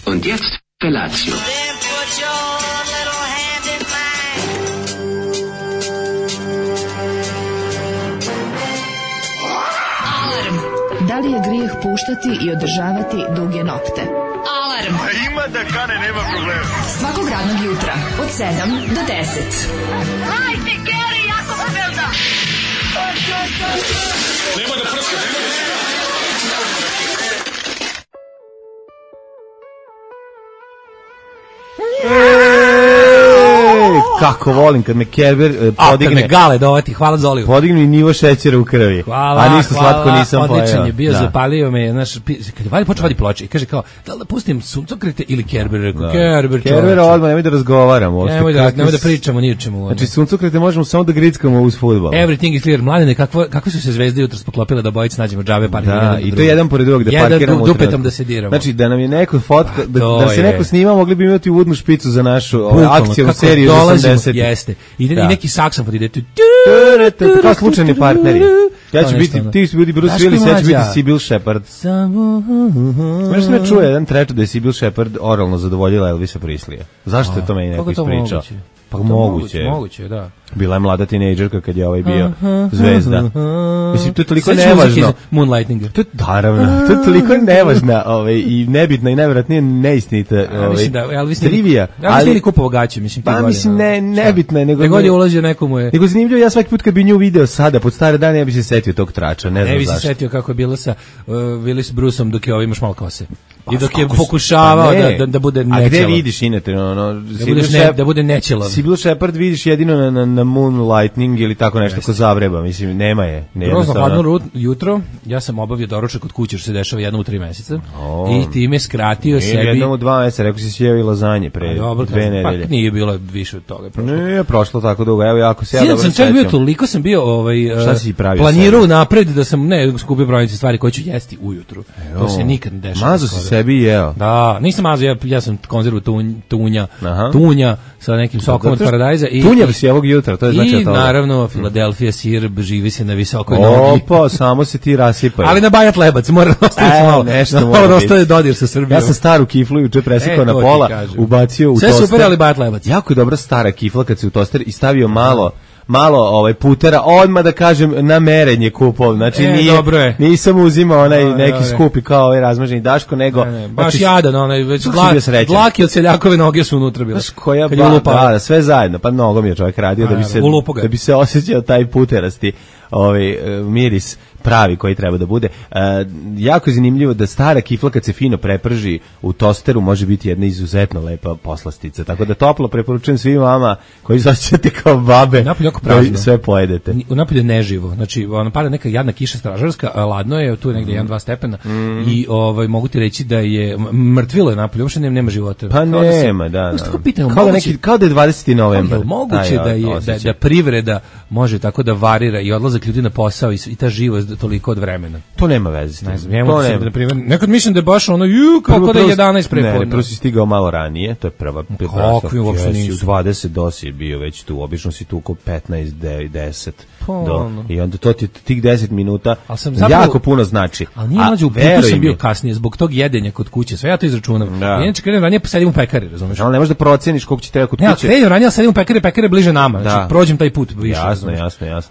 Und jetzt Felatio. Da li je grijeh puštati i održavati duge nokte? Alarm! A ima da kane, nema problema. Svakog radnog jutra, od 7 do 10. Hajde, Geri, jako se velda! Nema da prska, nema da prska. Kako volim kad me Kerber podigne. Kad me Gale dovati, hvala Zoliju. Podigne nivo šećera u krvi. Hvala, a ništa slatko nisam pojeo. Odličan je bio, zapalio me, kad je Vali počeo vadi ploče i kaže kao, da li da pustim suncokrete ili Kerber? Rekao, Kerber odmah, nemoj da razgovaramo. Nemoj da pričamo ni o čemu. Znači, suncokrete možemo samo da grickamo uz fudbal. Everything is clear. Mladene, kakve su se zvezde jutros poklopile da obojice nađemo džabe parkiramo. Da, i to jedan pored drugog, da parkiramo. Dupetom da se diramo. Znači, da nam je neko fotka, da se neko snima, mogli bi imati uvodnu špicu za našu akcijnu seriju za 80. Jeste. I neki saksofon ide tu. Kao slučajni partneri. Ja ću biti, ti su bili Bruce Willis, ja ću biti Sybil Shepherd. Možeš me čuje jedan treču da je Sybil Shepherd oralno zadovoljila Elvisa Preslija. Zašto je to meni neko ispričao? Pa moguće, da. Bila je mlada tinejdžerka kad je ovaj bio zvezda. Mislim, to je toliko nevažno. Moonlighting. Naravno, to je toliko nevažna i nebitna i najvjerojatnije neistinita trivija. Ja mislim kupovao gaće, mislim. Pa mislim, nebitna je. Nego je ulazio nekomu je. Nego zanimljivo, ja svaki put kad bi nju video sada, pod stare dane, ja bi se setio tog trača, ne znam zašto. Ne bi se setio kako je bilo sa Willis Bruceom dok je imaš malo kose. I dok je pokušavao da bude nečelav. A gde vidiš inače? Da bude nečelav. Sybil Shepherd vidiš jedino na Moonlighting ili tako nešto ko zavreba, mislim, nema je. Grozno hladno jutro, ja sam obavio doručak kod kuće, što se dešava jednom u 3 meseca, i time skratio sebi... Jednom u 2 meseca, rekao si sjeo i lazanje pre 2 nedelje. Pa nije bilo više od toga. Nije prošlo tako dugo, evo jako se ja dobro sećam. Sam čak bio toliko sam bio planirao napred da sam skupio brojnice stvari koje ću jesti ujutru. To se nikad ne dešava. Mazo si sebi i jeo? Da, nisam mazo, ja sam konzervu tunja sa nekim sokom od paradajza. Tunjav si ovog jutra, to je znači i naravno Filadelfija sir, živi se na visokoj nogi. Opa, samo se ti rasipaju. Ali na Bajat Lebac, mora ostaviti malo. Nešto mora ostaviti dodir sa Srbijom. Ja sam staru kiflu juče presekao na pola, ubacio u toster. Sve super, ali Bajat Lebac. Jako je dobra stara kifla kad se u toster i stavio malo putera, odmah da kažem na merenje kupov, znači nisam uzimao onaj neki skupi kao ovaj razmaženi Daško, nego baš jadan, onaj već dlaki od seljakove noge su unutra bile. Koja da, sve zajedno, pa nogom je čovjek radio da bi se osjećao taj puterasti miris pravi koji treba da bude. Jako je zanimljivo da stara kifla kad se fino preprži u tosteru može biti jedna izuzetno lepa poslastica. Tako da toplo preporučujem svim vama koji se osjećate kao babe koji sve pojedete. Napolje neživo. Znači, pada neka jadna kiša stražarska, ladno je, tu je negdje 1-2 stepena i mogu ti reći da je mrtvilo je napolje, uopšte nema života. Pa nema, da. Kao da je 20. novembar. Moguće da privreda može tako da varira i odlazak ljudi na posao i ta živost toliko od vremena. To nema veze. Nekad mislim da je baš ono, kako da je 11 prepodne. Ne, prvo si stigao malo ranije, to je prva. Kako je uopšte nisu? U 20 dosi je bio već tu, obično si tu oko 15, 10. I onda to ti tih 10 minuta jako puno znači. Ali nije mlađe, u putu sam bio kasnije, zbog tog jedenja kod kuće, sve ja to izračunam. Inače krenem ranije, pa sedim u pekari, razumiješ? Ali ne možeš da proceniš koliko će treba kod kuće. Ne, krenem ranije, sedim u pekari bliže nama, znači prođem taj put više. Jasno.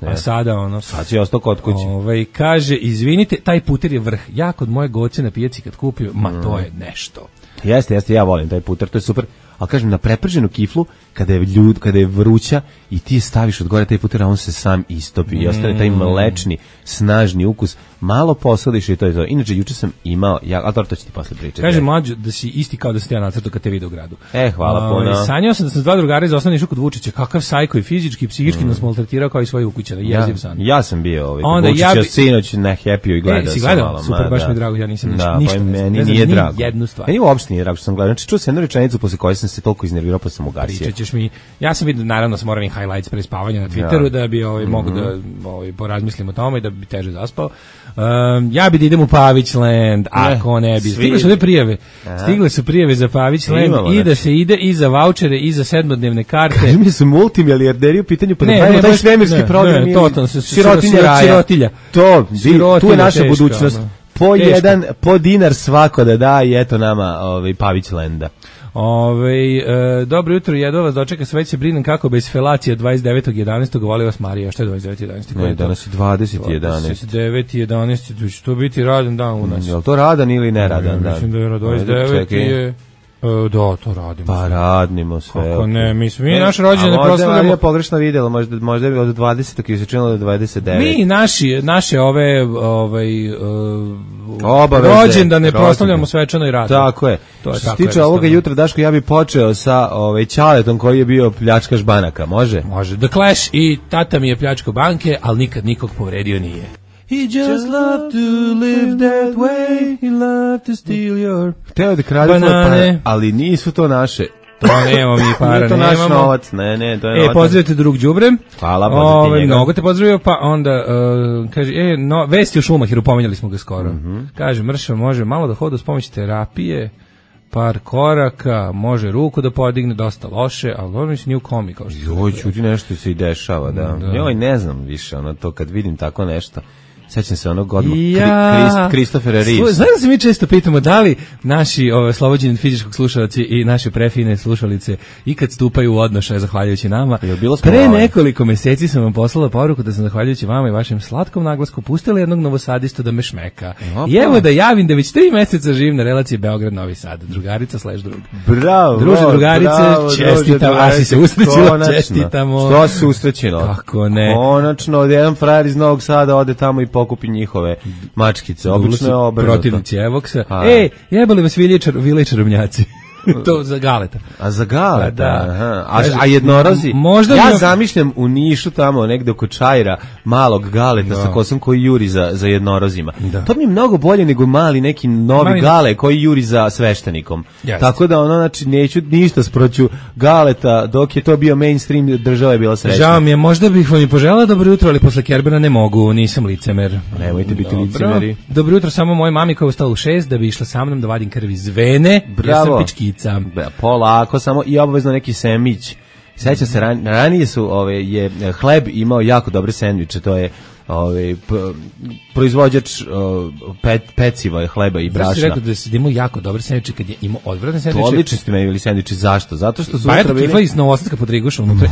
A sada sad si ostao kod kuće. Kaže, izvinite, taj puter je vrh. Ja kod moje goce na pijaci kad kupio, to je nešto. Jeste, ja volim taj puter, to je super. Ali kažem, na preprženu kiflu, kada je vruća i ti staviš od gore taj puter, a on se sam istopi i ostane taj mlečni, snažni ukus. Malo posadiš i to je to. Inače, juče sam imao, ali to ću ti posle pričati. Kaže mlađo da si isti kao da si ja nacrtao kad te vidio u gradu. Hvala puno. Sanjao sam da sam 2 drugara iz osnovne išao kod Vučića. Kakav sajko i fizički i psihički nas maltretirao kao i svoje ukućane. Jeziv san. Ja sam bio Vučića sinoć na Happy i gledao sam malo. Super, baš mi je drago, ja nisam ništa. Meni nije drago. Jednu stvar. Meni uopšte nije drago što sam gledao. Znači, čuo sam jednu rečenicu posle koje sam se toliko iznervirao pa sam ugasio. Pričaćeš mi. Ja sam vidio naravno sa moravim highlights pre spavanja na Twitteru da bi mogu da porazmislim o tome i da bi teže zaspao. Ja bi da idem u Pavićland, ako ne bi. Stigle su prijave za Pavićland i da se ide i za vaučere i za 7-dnevne karte. Kaži mi su multimilijarderi u pitanju, pa da pravimo taj svemirski program. Sirotilja. Tu je naša budućnost. po dinar svako da da i eto nama Pavić Lenda. Dobro jutro, jedva vas dočeka, sve se brinem kako bez felacija 29.11. Voli vas Marija. Što je 29.11? Ne, danas je 20.11. 29.11. će to biti radan dan u nas. Je li to radan ili neradan dan? Mislim da je 29. je... Da, to radimo. Pa radimo sve. Kako ne, mi naše rođene proslavljamo. Možda je pogrešno vidjela, možda je od 20. i se činilo do 29. Mi naše ove rođendane proslavljamo svečano i radimo. Tako je. Što se tiče ovoga jutra, Daško, ja bih počeo sa Ćaletom koji je bio pljačkaš banaka, može? Može. The Clash i tata mi je pljačkao banke, ali nikad nikog povredio nije. He just loved to live that way, he loved to steal your Hteo da krade banane, ali nisu to naše. To nemamo mi para, nije to naš novac, ne, to je novac. Pozdravite drug đubrem. Hvala, pozdravite njega. Mnogo te pozdravio, pa onda kaže, vesti o Šumahiru, pomenjali smo ga skoro. Kaže, Mršo može malo da hoda uz pomoć terapije, par koraka, može ruku da podigne, dosta loše, ali ono mislim nije u komi kao što. Joj, čuti nešto se i dešava, da. Joj, ne znam više, to kad vidim tako nešto. Sećam se onog odmah Christopher Reeves. Znaš da se mi često pitamo da li naši slobođeni fizičkog slušalci i naše prefine slušalice ikad stupaju u odnošaj zahvaljujući nama. Pre nekoliko meseci sam vam poslala poruku da sam zahvaljujući vama i vašem slatkom naglasku pustila jednog novosadistu da me šmeka. I evo da javim da već 3 meseca živim na relaciji Beograd-Novi Sad. Drugarica / drug. Bravo. Druže, drugarice, čestitam. A si se usrećila, čestitamo. Što se usrećilo? Kako ne? Konačno, jedan frajer iz Novog Sada ode tamo i pokupi njihove mačkice, obično je obrnuto. Protivnici Evoksa. Jebali vas vile čarobnjaci. To za Galeta. A za Galeta, da. A jednorozi? Ja zamišljam u Nišu tamo, negde oko Čajra, malog Galeta sa kosom koji juri za jednorozima. Da. To mi je mnogo bolje nego mali neki novi Gale koji juri za sveštenikom. Tako da znači neću ništa sproću Galeta, dok je to bio mainstream, država je bila srećna. Žao mi je, možda bih vam i poželao dobro jutro, ali posle Kerbena ne mogu, nisam licemer. Nemojte biti licemeri. Dobro jutro samo moj mami koja je ustala u 6 da bi išla sa mnom da vadim krv iz vene. Bravo. Ja sam polako samo i obavezno neki sendvič. Sećam se ranije su je hleb imao jako dobre sendviče, to je proizvođač peciva, hleba i brašna. Znači rekao da imao jako dobre sendviče kad je imao odvratne sendviče. Odlični ste meni bili sendviči, zašto? Zato što su unutra bili... Kifla iz Novosadska Podriguša unutra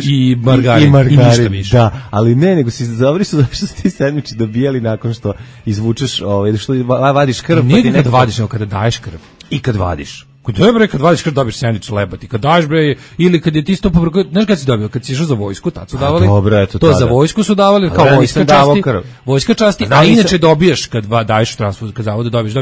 i margarin i ništa više. Da, ali ne, nego si dobri su zašto su ti sendviči dobijali nakon što izvučeš, što vadiš krv. Nije kad vadiš, nego kada daješ krv. I kad vadiš. Kad vadiš krv dobiješ sendvič lebati. Kad daš ili kad je ti isto pobrko, znaš kad si dobio, kad si išao za vojsku, tad su davali. Dobro, eto to za vojsku su davali kao vojska časti. Vojska časti, a inače dobiješ kad daješ transfuziju, kad zavode dobiješ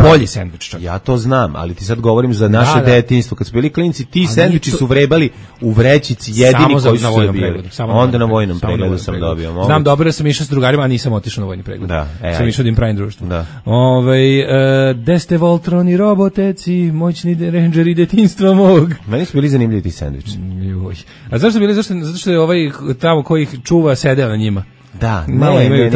bolji sendvič čak. Ja to znam, ali ti sad govorim za naše detinjstvo, kad su bili klinci, ti sendviči su vrebali u vrećici jedini koji su bili. Onda na vojnom pregledu sam dobio. Znam dobro da sam išao s drugarima, a nisam otišao na vojni pregled. Sam išao da im pravim društvo. Deste Voltron i roboteci, moćni rendžeri detinjstva mog. Meni su bili zanimljivi ti sendviči. A zašto bili? Zato što je ovaj tamo koji ih čuva sedeo na njima. Da,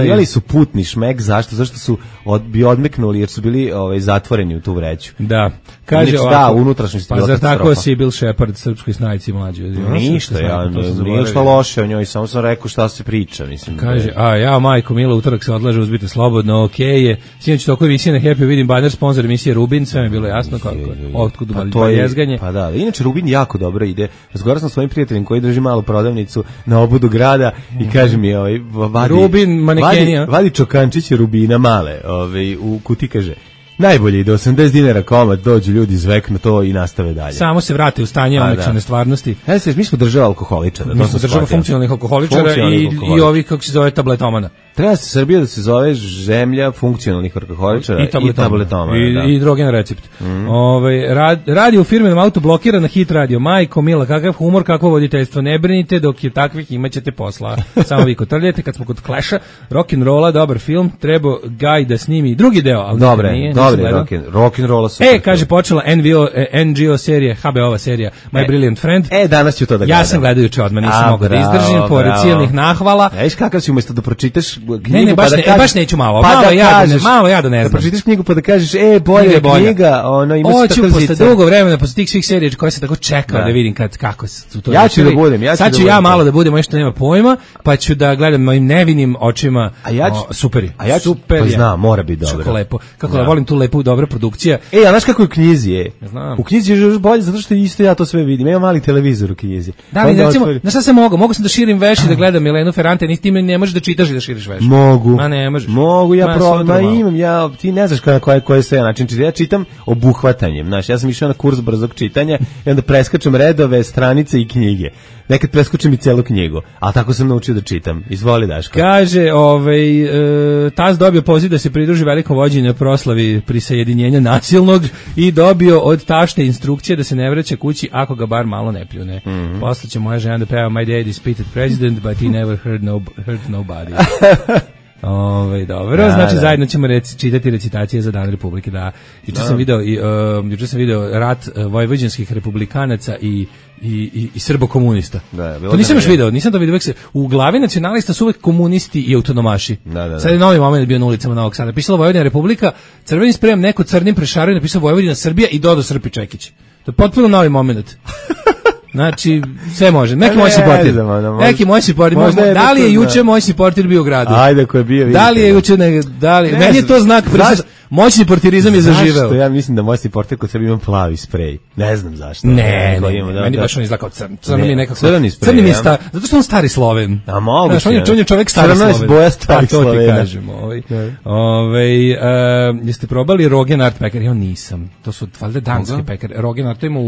imali su putni šmek, zašto? Zašto su bi odmeknuli jer su bili zatvoreni u tu vreću. Da. Kaže ovako, unutrašnjost pa zar tako si Bill Shepard, srpskoj snajci mlađi? Ništa, nije šta loše o njoj, samo sam rekao šta se priča. Mislim, kaže, majko Mila, utorak se odlaže, uzbite slobodno, okej je. Sinoć toko emisije na Happy, vidim banner, sponsor emisije Rubin, sve mi je bilo jasno kako otkud jezganje. Pa da, inače Rubin jako dobro ide. Razgovarao sam s svojim prijateljem koji drži malu prodavnicu na obodu grada i kaže mi Rubin manekenija. Vadi čokančiće Rubina male, u kuti kaže. Najbolje ide 80 dinara komad, dođu ljudi zveknu to i nastave dalje. Samo se vrate u stanje omekšane stvarnosti. Mi smo država alkoholičara. Mi smo država funkcionalnih alkoholičara i ovih, kako se zove, tabletomana. Treba se Srbija da se zove zemlja funkcionalnih alkoholičara i tabletomana. I droge na recept. Radio u firmenom auto blokira na Hit radio. Majko Mila, kakav humor, kakvo voditeljstvo. Ne brinite, dok je takvih imat ćete posla. Samo vi kotrljete. Kad smo kod Clash-a, rock'n'rolla, dobar film, trebao Gaj da snimi drugi deo, ali nije. Dobre, rock'n'rolla su. Kaže, počela NGO serija, HBO-ova serija, My Brilliant Friend. Danas ću to da gledam. Ja sam gledajući odmah, nisam mogao da izdržim, pored cijelnih nahvala. Viš kakav si umjesto da pročitaš knjigu ne, pa da kažeš... baš neću malo, malo ja da ne znam. Da pročitaš knjigu pa da kažeš, bolja knjiga, ima se tako zica. Posle dugo vremena, posle tih svih serija koje se tako čekao da vidim kako su to... Ja ću da budem, sad ću ja malo da budem, što nema pojma, pa ću da gledam mojim nevinim očima. Super je. A ja ću, pa znam, mora biti dobro. Kako lepo, kako da volim tu lepu, dobra produkcija. A znaš kako je u knjizi je? U knjizi je još bolje, zato što isto ja to sve vidim. Ima mali televizor u knjizi. Da, recimo, na šta se mogu sam da širim veš i da gledam Milenu Ferrante, ni ti ne možeš da čitaš i da širiš veš. Mogu. Ma ne možeš. Mogu, imam, ti ne znaš koji se ja način čitam. Ja čitam obuhvatanjem, znaš, ja sam išao na kurs brzog čitanja i onda preskačem redove, stranice i knjige. Nekad preskočim i celu knjigu, ali tako sam naučio da čitam. Izvoli, Daško. Kaže, Taz dobio poziv da se pridruži velikom vođenju na proslavi prisajedinjenja nasilnog i dobio od tašte instrukcije da se ne vraća kući ako ga bar malo ne pljune. Posle će moja žena da peva My dad is pitted president, but he never hurt nobody. Dobro, znači zajedno ćemo čitati recitacije za Dan Republike. Juče sam video rat vojvođanskih republikanaca i srbokomunista. To nisam još video, nisam to vidio. U glavi nacionalista su uvek komunisti i autonomaši. Sad je novi moment bio na ulicama Novog Sada. Pisalo Vojvodina Republika, crvenim sprejom neko crnim prešario, napisao Vojvodina Srbija i dodao Srpi Čekić. To je potpuno novi moment. Znači, sve može. Neki moj supporter. Da li je juče moj supporter bio u gradu? Ajde, ko je bio. Da li je juče, meni je to znak moćni portirizam je zaživeo. Zašto? Ja mislim da moćni portir kod sebe ima plavi sprej. Ne znam zašto. Ne, meni baš on izgleda kao crni je nekako. Crni mi je zato što on stari Sloven. A mogu se. On je čovjek stari Sloven. Crna je boja stari Slovena. To ti kažemo. Jeste probali Rogenart pekar? Ja nisam. To su valjda danske pekare. Rogenart ima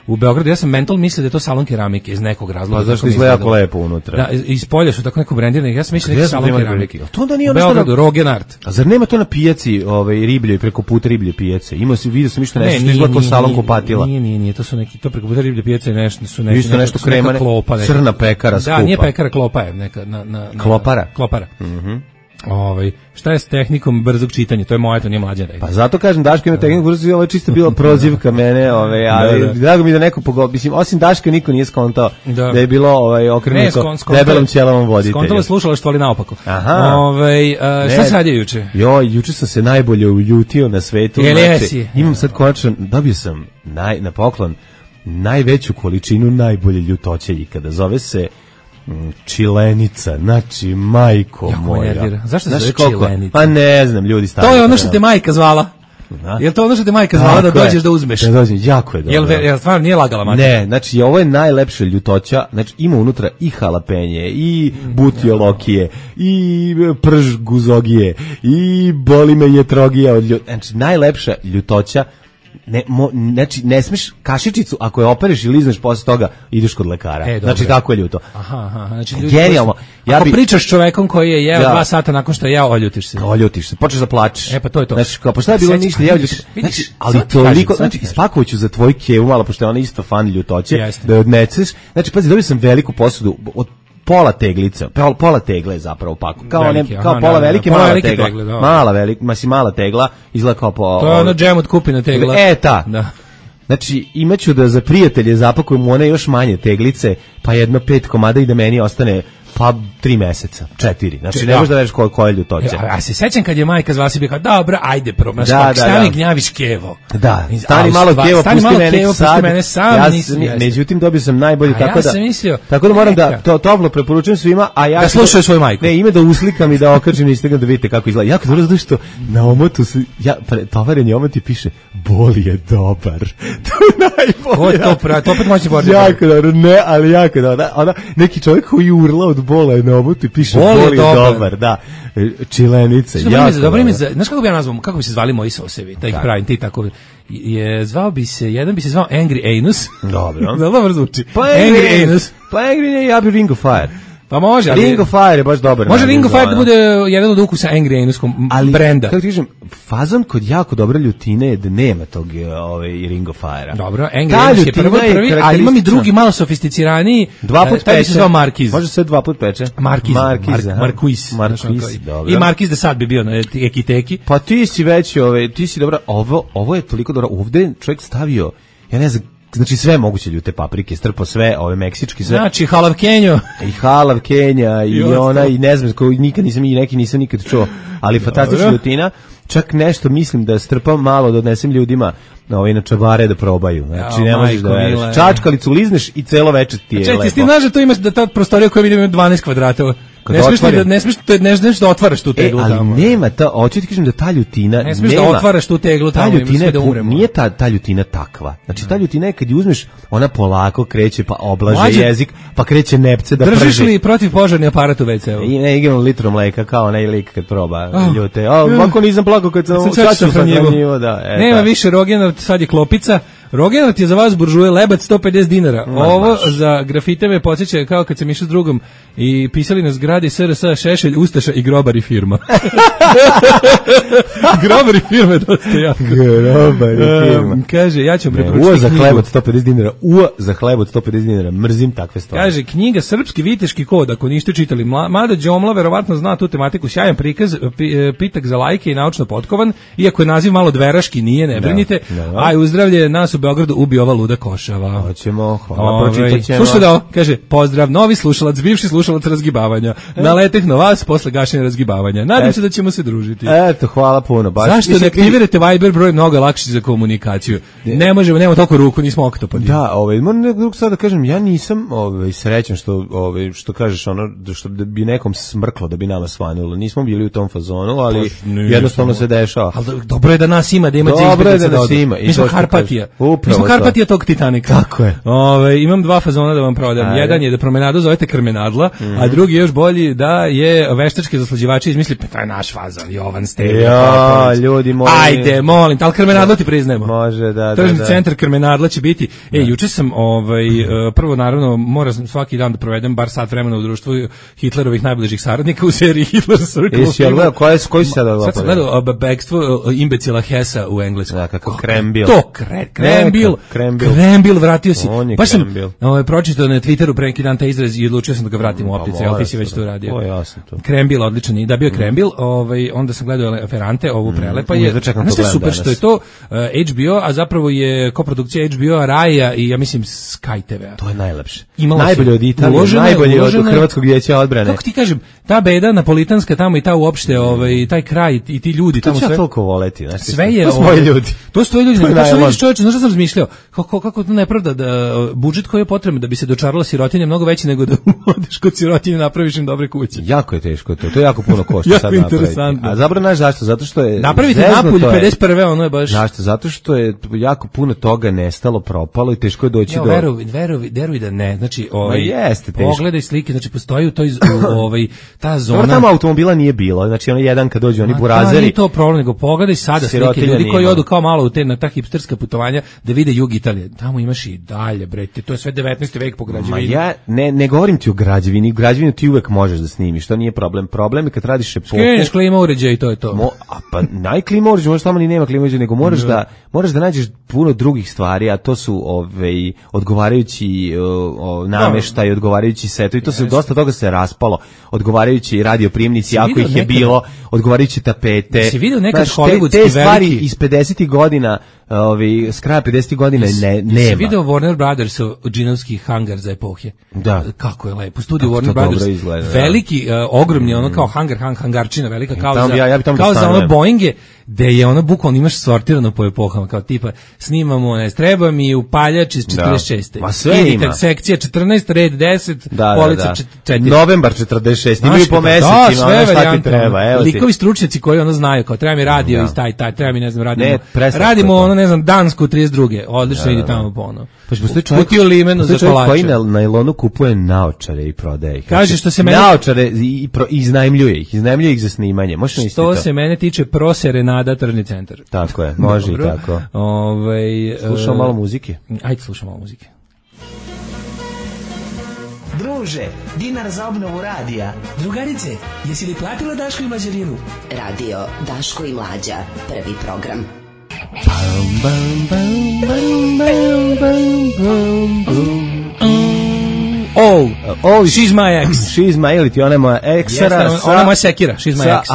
u Beogradu. Ja sam mental mislio da je to salon keramike iz nekog razloga. Pa zašto izgleda jako lepo unutra? Da, iz polja su tako neko brendirani. Ja sam mislio neki salon keramike. To onda nije Beogradu Rogenart. A zar nema to na pijaci, ribljoj preko puta riblje pijace? Vidio sam nešto izgleda kao salon kupatila. Nije, to su neki, to preko puta riblje pijace nešto krema, crna pekara skupa. Da, nije pekara, klopa je neka Klopara. Šta je s tehnikom brzog čitanja? To je moja, to nije mlađa rekla. Pa zato kažem, Daška ima tehniku brzog čitanja, ovo je čisto bila prozivka mene, ali drago mi da neko pogodio, mislim, osim Daška niko nije skontao da je bilo okrenuto debelom ćelavom voditelju. Skontalo je slušalaštvo, ali naopako. Šta se radio juče? Juče sam se najbolje uljutio na svetu. Imam sad konačno, dobio sam na poklon najveću količinu najbolje ljutoće ikada. Zove se čilenica, znači majko moja. Zašto se zove čilenica? Pa ne znam, ljudi stavljaju. To je ono što te majka zvala. Jel to ono što te majka zvala da dođeš da uzmeš? Da dođem, jako je dobro. Jel stvarno nije lagala majka? Ne, znači ovo je najlepša ljutoća, znači ima unutra i halapenje, i butiolokije, i prž guzogije, i boli me jetrogija od znači najlepša ljutoća. Znači ne smiješ kašičicu ako je opereš i lizneš posle toga ideš kod lekara. Znači tako je ljuto. Znači genijalno. Ako pričaš s čovekom koji je jeo 2 sata nakon što je jeo, oljutiš se. Počneš da plačeš. Pa to je to. Znači pa šta je bilo ništa, znači ali toliko, znači ispakovaću za tvoj kevu malo pošto je ona isto fan ljutoće da odneceš. Znači pazi, dobio sam veliku posudu od pola teglica, pola tegle zapravo paku. Kao pola velike, mala tegla. Mala tegla, izgleda kao po... To je ono džem od kupina tegla. Da. Znači, imaću da za prijatelje zapakujem one još manje teglice, pa 5 komada i da meni ostane pa 3 meseca, 4. Znači, ne možeš da veriš koja je ljutoća. A se sećam kad je majka zvala si bi kao, dobro, ajde probaš, stani gnjaviš kevo. Da, stani malo kevo, pusti mene sad. Međutim, dobio sam najbolje, tako da moram da toplo preporučujem svima, a ja... Da slušaju svoju majku. Ne, ime da uslikam i da okačim na Instagram da vidite kako izgleda. Jako dobro zato što na omotu se, tovarenje omoti piše, bol je dobar. To je najbolje. To opet moći boriti. Jako dobro, ne, ali jako dobro. Neki čovjek koji urla od bola je na obuti, piše bol je dobar, da. Čilenice, jako. Dobro ime, znaš kako bi ja nazvao, kako bi se zvali moji sosevi, da ih pravim, ti tako, jedan bi se zvao Angry Anus. Dobro. Dobro zvuči. Angry Anus. Pa Angry, ja bi Ring of Fire. Pa može, ali... Ring of Fire je baš dobar. Može Ring of Fire da bude jedan od ukusa Angry Anuskom brenda. Kako ti kažem, fazon kod jako dobre ljutine je da nema tog Ring of Fire-a. Dobro, Angry Anus je prvi, a imam i drugi malo sofisticiraniji. 2 put peče. Taj bi se zvao Markiz. Može se 2 put peče. Markiz, dobro. I Markiz de sad bi bio na ekiteki. Pa ti si već, ti si dobra, ovo je toliko dobro. Ovde čovjek stavio, ja ne znam Znači sve moguće ljute paprike, strpo sve, ove meksički sve. Znači halav Kenjo. I halav Kenja i ona i ne znam koji nikad nisam i neki nisam nikad čuo, ali fantastična ljutina. Čak nešto mislim da strpam malo da odnesem ljudima na čabare da probaju. Znači ne možeš da veriš. Čačkalicu lizneš i celo veče ti je lepo. Čekaj, ti znaš da to ima da ta prostorija koja vidimo ima 12 kvadrata. Ne smiješ da otvaraš tu teglu ali tamo. Nema ta, hoću ti kažem da ta ljutina ne smiješ da otvaraš tu teglu tamo, ta ljutina da umremo. Nije ta ljutina takva. Znači ta ljutina je kad je uzmeš, ona polako kreće pa oblaže jezik, pa kreće nepce da prži. Držiš li protivpožarni aparat u WC-u? I ne igram litru mleka kao onaj lik kad proba ljute. Ovako nisam plakao kad sam sahranjivo. Nema više Rogenov, sad je klopica. Rogenov je za vas buržuje lebac 150 dinara. Ovo za grafite me podsjeća kao kad sam išao s drugom i pisali na zgradi SRS, Šešelj, Ustaša i Grobar i firma. Grobar i firma je dosta jako. Grobar i firma. Kaže, ja ću vam preporučiti knjigu. Za hleb od 150 dinara. Za hleb od 150 dinara. Mrzim takve stvari. Kaže, knjiga Srpski viteški kod, ako niste čitali. Mada Đomla verovatno zna tu tematiku. Sjajan prikaz, pitak za lajke i naučno potkovan. Iako je naziv malo dveraški, nije, ne brinite. Aj, uzdravlje nas u Beogradu ubi ova luda košava. Hoćemo, hvala, pročitat ćemo. Slušaj da ovo, kaže, pozdrav, novi slušalac, bivši slušalac razgibavanja. Naleteh na vas posle gašenja razgibavanja. Nadam se da ćemo se družiti. Eto, hvala puno. Zašto ne aktivirate Viber broj, mnogo lakši za komunikaciju? Ne možemo, nema toliko ruku, nismo oktopodi. Da, moram nekog sad da kažem, ja nisam srećan što kažeš ono, što bi nekom smrklo da bi nama svanulo. Nismo bili u tom fazonu, ali jednostavno se dešava. Ali dobro je da nas ima, da ima mi smo Karpatija. Mi smo Karpatija tog Titanika. Tako je. Imam dva fazona da vam prodam. Jedan je da promenadu zovete Krmenadla, a drugi još bolji da je veštački zaslađivači izmisli, pa to je naš fazon, Jovan Stević. Ja, ljudi moji. Ajde, molim, ali Krmenadla ti priznajemo. Može, da. Tržni centar Krmenadla će biti. Juče sam, prvo naravno, moram svaki dan da provedem bar sat vremena u društvu Hitlerovih najbližih saradnika u seriji Hitler Circle. Jesi ja gledao, koji si sada gledao? Sad sam gledao bekstvo imbecila Hesa u engleskom. Da, kako Krembil. To, Krembil, vratio si. Baš sam pročitao na Twitteru pre neki dan taj izraz i odlučio sam da ga vratim u optici, ali ti si već to radio. Krembil, odličan. I da bio Krembil, onda sam gledao Ferrante, ovu prelepa je. Znaš što je super, što je to HBO, a zapravo je koprodukcija HBO-a, Raja i ja mislim Sky TV-a. To je najlepše. Najbolje od Italije, najbolje od Hrvatskog vijeća odbrane. Kako ti kažem, ta beda napolitanska tamo i ta uopšte, taj kraj i ti ljudi tamo sve. To će toliko voleti, znači. Sve je, to su moji ljudi. To su tvoji ljudi. Čovječe, znaš što sam razmišljao? Kako to nepravda da budžet koji je potreban da bi se dočarala sirotinja mnogo veći nego da odeš kod sirotinje napraviš im dobre kuće. Jako je teško to je jako puno košta sad napraviti. A zapravo znaš zašto? Zato što je napraviti Napulj 51. ono je baš. Zašto? Zato što je jako puno toga nestalo, propalo i teško je doći do. Veruj da ne. Znači, jeste teško. Pogledaj slike, znači postoji u toj ta zona. Tamo automobila nije bilo. Znači ono jedan kad dođu oni burazeri. Nije to problem, nego pogledaj sada slike ljudi koji odu kao malo u te na ta hipsterska putovanja da vide jug Italije. Tamo imaš i dalje, bre, to je sve 19. vek po građevini. Ja ne govorim ti o građevini. Građevinu ti uvek možeš da snimiš, to nije problem. Problem je kad radiš epohu. Skeneš klima uređaj i to je to. Pa najklima uređaj, možda tamo ni nema klima uređaj, nego moraš da nađeš puno drugih stvari, a to su odgovarajući nameštaj, odgovarajući setovi, to se dosta toga se raspalo, odgovarajući radioprijemnici, ako ih je bilo, odgovarajući tapete. Si vidio nekad hollywoodski te stvari iz 50. godina, s kraja 50. godina nema. Si vidio Warner Brothers džinovski hangar za epohe? Da. Kako je lepo. Studio Warner Brothers. Izgleda, veliki, ogromni, ono kao hangarčina, velika kao za ono Boeinge, gde je ono bukvalno imaš sortirano po epohama, kao tipa snimamo, treba mi upaljač iz 46. Ma sve ima. Sekcija 14, red 10, polica 4. Novembar 46, imaju po mesecima, ono šta ti treba. Likovi stručnjaci koji ono znaju, kao treba mi radio iz taj, treba mi ne znam, radimo ono, ne znam, Dansku 32. Odlično ide tamo po ono. Pa postoji čovjek koji na nailonu kupuje naočare i prodaje ih. Kaže što se mene naočare i iznajmljuje ih za snimanje. Može misliti to. Što se mene tiče Proserenada tržni centar. Tako je, može i tako. Slušamo malo muzike. Ajde slušamo malo muzike. Druže, dinar za obnovu radija. Drugarice, jesi li platila Daško i Mlađarinu? Radio Daško i Mlađa, prvi program. She's my ex. She's my, ili ti ona je moja eksara. Ona je moja sekira, She's my ex.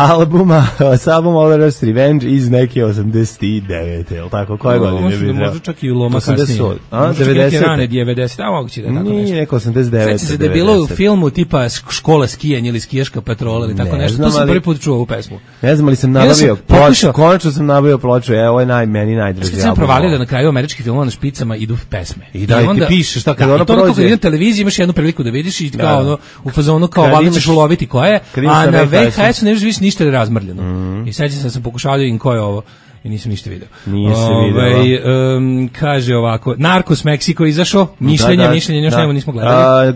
Sa albuma All Rust Revenge iz neke 89. Jel tako? Koje godine bi možda čak i Loma kasnije. 90. Rane 90. A moguće da je tako nešto. Nije neko 89. Sveći se da je bilo u filmu tipa škola skijanja ili skijaška patrola ili tako nešto. Tu sam prvi put čuo ovu pesmu. Ne znam ali sam nabavio ploču. Konačno sam nabavio ploču. Ovo je meni najdraži album. Sam provalio da na kraju američkih filmova na špicama idu pesme. I da ti piše šta kad ono prođe. Kako na televiziji imaš jednu priliku da vidiš i kao ono u fazonu kao valjda ćeš uloviti koja je, a na VHS-u ne vidiš ništa je razmrljeno. I sećam se da sam pokušao da vidim ko je ovo i nisam ništa video. Nije se video. Kaže ovako, Narcos Meksiko izašao, mišljenje, još nismo gledali.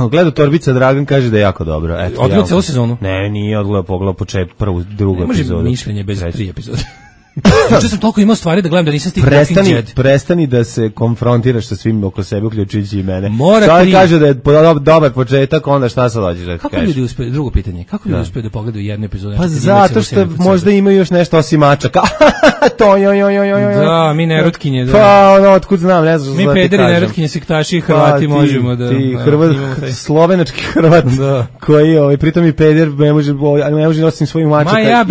Gledao Torbica Dragan, kaže da je jako dobro. Odgledao celu sezonu? Ne, nije odgledao, pogledao početak, prvu, drugu epizodu. Ne može mišljenje bez 3 epizode. Znači sam toliko imao stvari da gledam da nisam stigao Walking Dead. Prestani da se konfrontiraš sa svim oko sebe, uključujući i mene. Čovjek kaže da je dobar početak, onda šta sad hoćeš da kažeš? Kako ljudi uspeju, drugo pitanje, kako ljudi uspeju da pogledaju jednu epizodu? Pa zato što možda imaju još nešto osim mačaka. Da, mi nerotkinje. Pa ono, otkud znam, ne znam. Mi pederi, nerotkinje, sektaši i Hrvati možemo da... Ti slovenački Hrvat koji, pritom i peder ne može osim svojih mačaka. Ja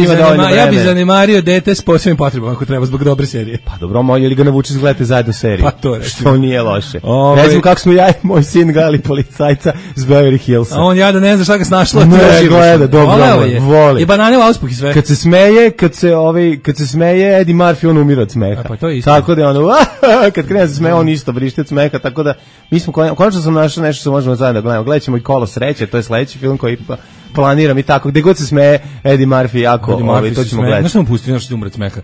bi zanemario dete s posebnim potrebama ako treba zbog dobre serije. Pa dobro, ili ga navučeš da gledate zajedno seriju. Pa to reći. Što nije loše. Ne znam kako smo ja i moj sin gledali policajca s Beverly Hillsa. A on da ne zna šta ga snašlo. Ne, gleda, dobro, voli. I banane u auspuh i sve. Kad se smeje, Eddie Murphy, on umira od smeha. Pa to je isto. Tako da kad krene da se smeje, on isto vrišti od smeha, tako da mi smo, konačno sam našao nešto što možemo zajedno gledamo. Gledat ćemo i Kolo sreće, to je sledeći film koji planiram i tako, gde god se smeje Eddie Murphy jako, to ćemo gledati. Znaš što mu pustio, nešto umre od smeha?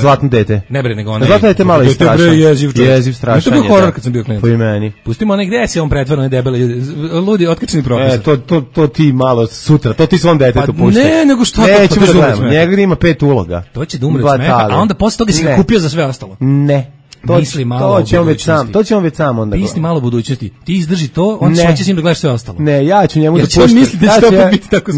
Zlatno dete. Ne bre, nego onaj. Zlatno dete malo je strašan. Jeziv strašan. To je bio horor kad sam bio klinac. Po imeni. Pustimo onaj gde se on pretvara na debele, ludi, otkačeni profesor. To ti malo sutra, to ti svom detetu puštaj. Ne, nego što nećemo da gledamo. Njega ima 5 uloga. To će da umre od smeha, a onda posle toga si ga kupio za sve ostalo. Ne. To će on već sam onda. Misli malo budućnosti. Ti izdrži to, on će s njim da gledaš sve ostalo. Ne, ja ću njemu da puštam.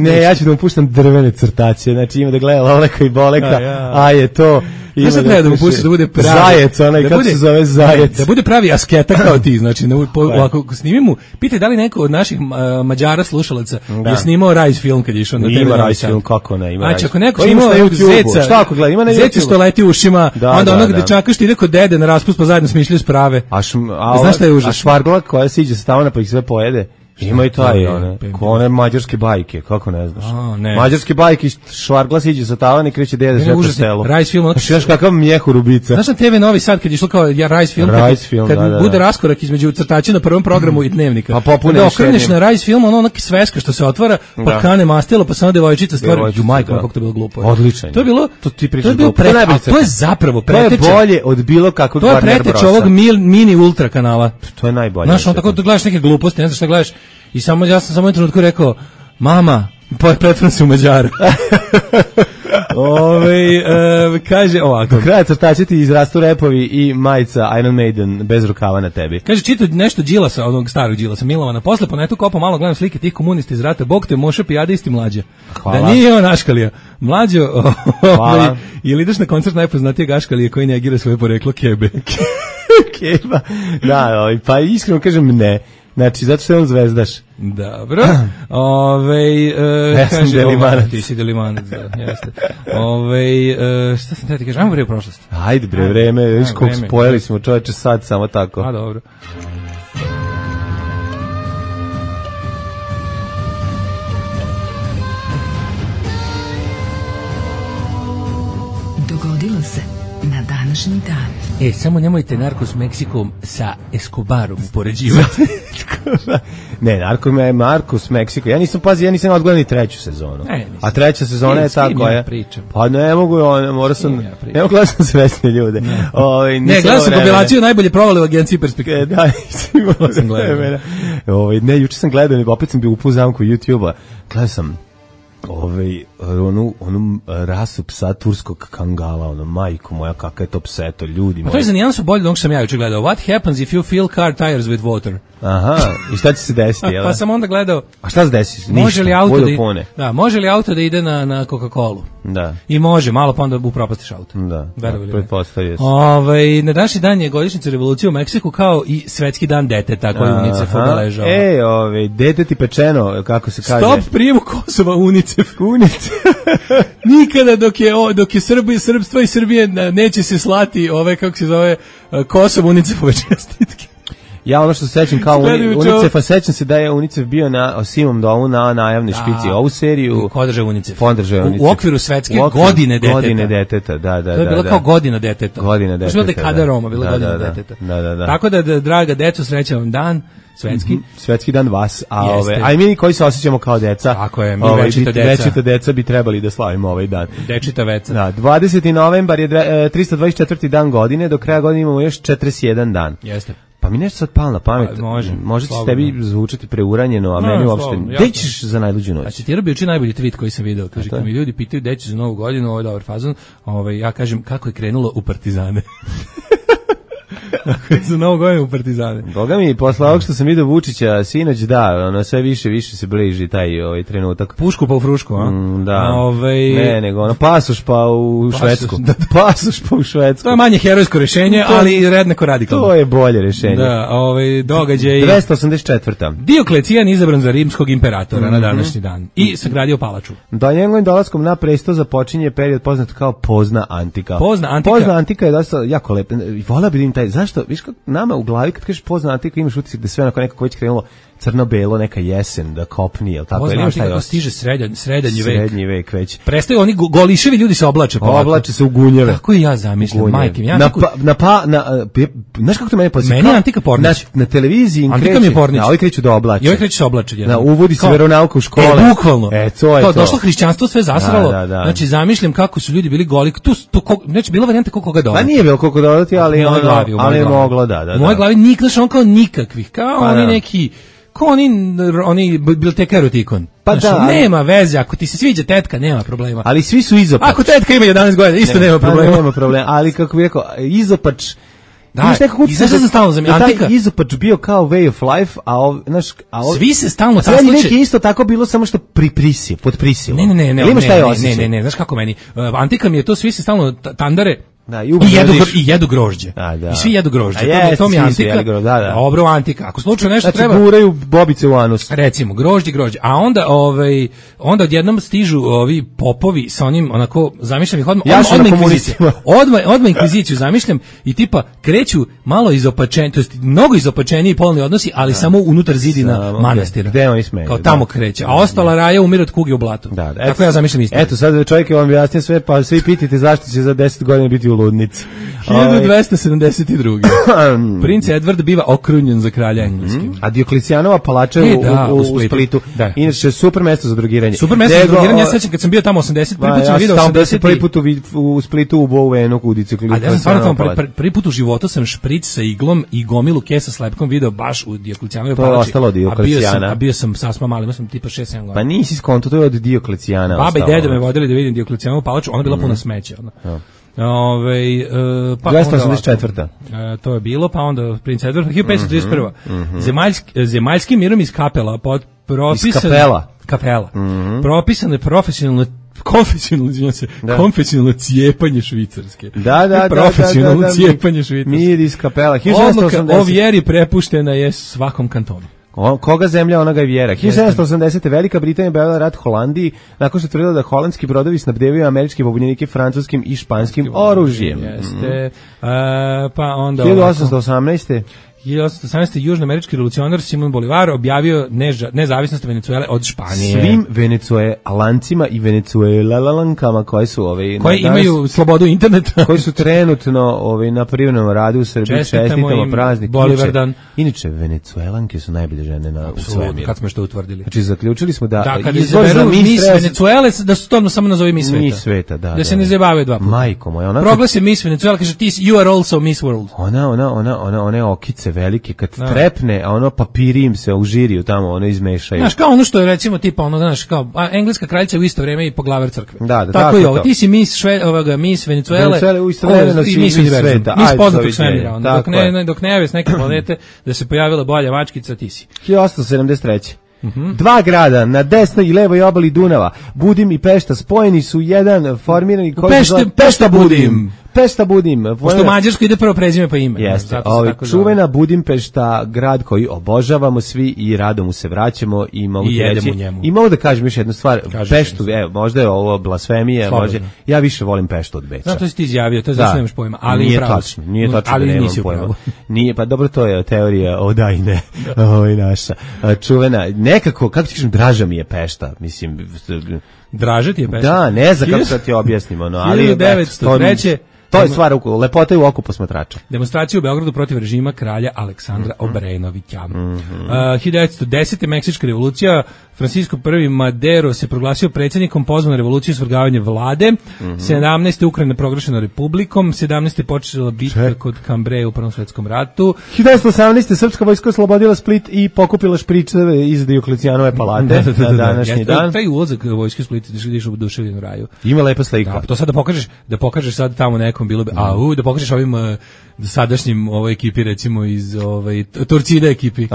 Ne, ja ću da mu puštam drvene crtače. Znači ima da gleda Loleka i Boleka, a je to. Znaš šta treba da mu pustiš da bude pravi zajec, onaj kako se zove zajec. Da bude pravi asketa kao ti, znači ako snimimo, pitaj da li neko od naših Mađara slušalaca je snimao Rise film kad je išao na TV. Ima Rise film, kako ne, ima. Znači ako neko snimao Zeca, šta ako gleda, ima na YouTube. Zeca što leti u ušima, onda onog dečaka što ide kod dede na raspust pa zajedno smišljaju sprave. Znaš šta je užas? A švargla koja siđe sa tavana pa ih sve pojede. Ima i taj, one mađarske bajke, kako ne znaš. Mađarske bajke, švargla siđe sa tavana i kreće dede sve po selu. Rise film. Znaš kakav mjehu rubica. Znaš na TV Novi Sad kad je išlo kao Rise film, kad bude raskorak između crtača na prvom programu i dnevnika. Pa popune da okreneš na Rise film, ono neka sveska što se otvara, pa kane mastilo, pa samo devojčica stvara. Majko, kako to bilo glupo. Odlično. To je bilo, to je zapravo preteče. To je bolje od bilo kakvog Warner Brosa. To je preteče ovog mini ultra kanala. To je najbolje. Znaš, on tako da gledaš neke gluposti, ne znaš šta gledaš. I ja sam samo u trenutku rekao, mama, pretvorim se u Mađara. Kaže ovako. Do kraja crtaća ti izrastu repovi i majica Iron Maiden bez rukava na tebi. Kaže, čitao nešto Đilasa, onog starog Đilasa, Milovana. Posle po netu kopao malo, gledam slike tih komunista iz rata. Bog te moše pijadisti mlađa. Hvala. Da nije on Aškalija. Mlađo, ili ideš na koncert najpoznatijeg Aškalije koji negira svoje poreklo Kebe. Keba. Da, pa iskreno kažem ne. Znači, zato što je on zvezdaš. Dobro. Ja sam Delimanac. Ti si Delimanac, da, jeste. Šta sam te ti kažem? Ajmo bre u prošlost. Ajde bre, vreme, viš koliko spojili smo čoveče sad, samo tako. A, dobro. Dogodilo se na današnji dan. Samo nemojte Narcos Mexico sa Escobarom upoređivati. Ne, Narcos Mexico. Ja nisam odgledao ni treću sezonu. A treća sezona je ta koja... Pa ne mogu, ne mogu gledati sam svesne ljude. Ne, gledao sam kompilaciju najbolje provale u agenciji Perspektive. Da, sam gledao. Ne, juče sam gledao, opet sam bio u zamku YouTube-a. Gledao sam onu rasu psa turskog kangala, majko moja, kakav je to pseto, ljudi moji. To je za nijansu bolje od onog što sam ja juče gledao. What happens if you fill car tires with water? Aha, i šta će se desiti? Pa sam onda gledao... A šta se desi? Može li auto da ide na Coca-Colu? Da. I može, malo pa onda upropastiš auto. Da, pretpostavio se. Na današnji dan je godišnjica revolucije u Meksiku kao i svetski dan deteta koji UNICEF obeležava. Deteti pečeno, kako se kaže. Stop prijemu Kosova UNICEF. Nikada dok je Srbstvo i Srbije neće se slati kako se zove, Kosovo UNICEF-ove čestitke. Ja ono što se sećam kao UNICEF-a, sećam se da je UNICEF bio na Simom domu na najavnoj špici. Ovu seriju podržao UNICEF. U okviru svetske godine deteta. Godine deteta, da. To je bilo kao godina deteta. Godina deteta. To je bilo dekada Roma, bila godina deteta. Da. Tako da, draga deco, srećan vam dan. Svetski. Svetski dan vas, a i mi koji se osjećamo kao deca. Tako je, mi večita deca bi trebali da slavimo ovaj dan. Dečita veca. Da, 20. novembar je 324. dan godine, do kraja godine imamo još 41 dan. Jeste. Pa mi nešto sad palo na pamet. Može će tebi zvučati preuranjeno, a meni uopšte. Gde ćeš za najluđu noć? A citirao bi juče najbolji tweet koji sam video. Kaže, kad mi ljudi pitaju gde ćeš za novu godinu, ovo je dobar fazon, ja kažem kako je krenulo u Partizane. Za novu godinu u Partizane. Boga mi, posle ovog što sam vidio Vučića sinoć, sve više se bliži taj trenutak. Pušku pa u frušku, a? Da. Ne, nego pasoš pa u Švedsku. Pasoš pa u Švedsku. To je manje herojsko rešenje, ali jednako radikalno. To je bolje rešenje. Da, događaj... 284. Dioklețijan izabran za rimskog imperatora na današnji dan i sagradio palaču. Da, njegovim dolaskom na presto započinje period poznat kao Pozna Antika. Pozna Antika je dosta jako lep. Voleo bi taj, zašto, viš kako nama u glavi kad kažeš Pozna Antika imaš utisak da sve onako nekako već krenulo crno-belo, neka jesen, da kopni, jel tako? Pozna Antika kako stiže srednji vek već. Prestaju oni goliševi ljudi se oblače. Oblače se u gunjeve. Tako i ja zamišljam, majke mi. Znaš kako to mene podsjeća? Meni je Antika Pornić. Na televiziji Antika mi je Pornić. Ovi kreću da oblače. I ovi kreću se oblače. Uvodi se veronauka u škole. Bukvalno. To je to. Došlo hrišćanstvo, sve zasralo. Znači, zamišljam kako su ljudi bili goli. Znači, bila varijanta koga dodati. Pa nije bilo koga dodati, ali je moglo, da. U mojoj glavi on kao nikakvih, kao oni neki... Ko oni biblioteka erotikon. Pa da, nema veze, ako ti se sviđa tetka, nema problema. Ali svi su izopač. Ako tetka ima 11 godina, isto nema problema. Nema problema, ali kako bih rekao, izopač... Da, i zašto se stalno zamišljam? Taj izopač bio kao way of life, svi se stalno tasliče. Sve je isto tako bilo, samo što pod prisilom. Ne, znaš kako meni? Antika mi je to, svi se stalno tandare, da, i jedu grožđe. Da. I svi jedu grožđe. To mi je Antika. Dobro, Antika. Ako slučajno nešto treba... Znači, guraju bobice u anus. Recimo, grožđe. A onda odjednom stižu ovi popovi sa onim, onako, zamišljam ih odmah inkviziciju zamišljam i tipa kreću malo izopačeni, to jest mnogo izopačeniji polni odnosi, ali samo unutar zidina manastira. Gde oni smeju. Kao tamo kreće. A ostala raja umire od kuge u blatu. Tako ja zamišljam isto. Eto, sad čovjek je vam objasnio sve, pa svi pitite zašto će za 10 godina biti u ludnici. 1272. Princ Edward biva okrunjen za kralja engleski. A Dioklecijanova palača u Splitu. Inače, super mesto za drogiranje. Super mesto za drogiranje, ja sećam kad sam bio tamo 80, prvi put sam vidio 80. Prvi put u Splitu u Bovenu u Dioklecijanovoj palači. Prvi put u životu sam špric sa iglom i gomilu kesa s lepkom video baš u Dioklecijanovoj palači. To je ostalo od Dioklecijana. A bio sam sasma mali, imao sam tipa 6-7 godina. Pa nisi skonto, to je od Dioklecijana. Baba i deda me vodili da vidim Dioklecijanovу palaču, ona bila puna smeća. 284. To je bilo, pa onda Princ Edward, 1531. Zemaljski mirom iz kapela propisano je konfesionalno cijepanje švicarske. Da. Profesionalno cijepanje švicarske. Mir iz kapela. Odluka o vjeri prepuštena je svakom kantonu. Koga zemlja, onoga je vjera. 1780. Velika Britanija objavila rat Holandiji nakon što tvrdila da holandski brodovi snabdevaju američke pobunjenike francuskim i španskim oružjem. Jeste. Pa onda 1818. 1818. južnoamerički revolucionar Simon Bolivar objavio nezavisnost Venecuele od Španije. Svim venecuelancima i venecuelalankama koji imaju slobodu interneta, koji su trenutno na privremenom radu u Srbiji, čestitamo praznik. Inače, venecuelanke su najbolje žene u svemiru. Kad smo što utvrdili. Znači, zaključili smo da kad izaberu Miss Venecuele, da su to samo nazovi Miss Sveta. Miss Sveta, da se ne zabavaju dva puta. Majko moja. Proglasi Miss Venecuele, kaže you are also Miss World. One okice velike, kad trepne, a papiri im se u žiriju tamo, izmešaju. Znaš, kao ono što je recimo tipa, znaš, kao engleska kraljica u isto vrijeme i poglavar crkve. Da, tako i ovo. Ti si Miss Venecuele, u isto vremena si Miss sveta. Miss poznatog svemira. Dok ne jave s neke planete da se pojavila bolja mačkica, ti si. 1873. Dva grada na desnoj i levoj obali Dunava, Budim i Pešta, spojeni su jedan formirani koji se zove Pešta Budim. Pešta Budim. Pošto u Mađarsku ide prvo prezime pa ime. Jeste, čuvena Budimpešta, grad koji obožavamo svi i rado mu se vraćamo i mogu reći. I mogu da kažem još jednu stvar, Peštu, možda je ovo blasfemija, ja više volim Peštu od Beča. Znam, to si ti izjavio, to zašto nemaš pojma, ali nije tačno, ali da nemam pojma. Nije, pa dobro, to je teorija o da i ne, ovo je naša. Čuvena, nekako, kako ti kažem, draža mi je Pešta, mislim. Draža ti je Pešta? Da, ne znam kako sad ti objasnimo, ali 1903. To je stvar lepota je u oku posmatrača. Demonstracija u Beogradu protiv režima kralja Aleksandra Obrenovića. 1910. Meksička revolucija, Francisco I Madero se proglasio predsjednikom, pozvan na revoluciju svrgavanje vlade. 17. Ukrajina proglašena republikom, 17. počela bitka kod Cambrai u Prvom svjetskom ratu. 1918. srpska vojska oslobodila Split i pokupila špričeve iz Dioklecijanove palate na današnji dan. Taj ulazak vojske u Split ideš u Duševljenu raju. Ima lepa slika. To sad da pokažeš sad tamo nekom bilo bi, da pokažeš ovim sadašnjim ekipi, recimo iz Torcida ekipi.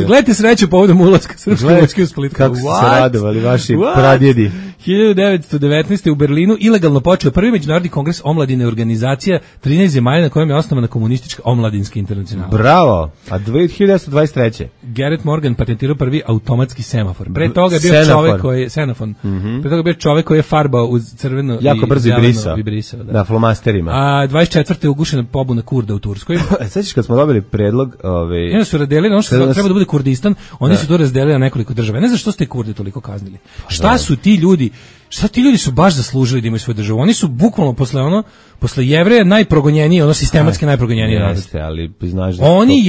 Gledajte sreću povodom ulaska srpske vojske u Split. Kako su se radovali vaši pradjedi. 1919. u Berlinu ilegalno počeo prvi međunarodni kongres omladine, organizacija 13 zemalja na kojem je osnovana komunistička omladinska internacionala. Bravo! A 1923. Gerrit Morgan patentirao prvi automatski semafor. Pre toga je bio čovjek koji je senafon. Pre toga je bio čovjek koji je farbao uz crveno jako brzo i brisao. Da, flomasterima. A 24. ugušena pobuna Kurda u Turskoj. Sećaš kad smo dobili predlog, oni su razdelili, ono što treba da bude Kurdistan, oni su to razdelili na nekoliko država. Ne znam što ste Kurdi toliko kaznili. Šta su ti ljudi su baš zaslužili da imaju svoju državu. Oni su bukvalno posle Jevreja najprogonjeniji, sistematski najprogonjeniji narod. Jeste, ali znaš da oni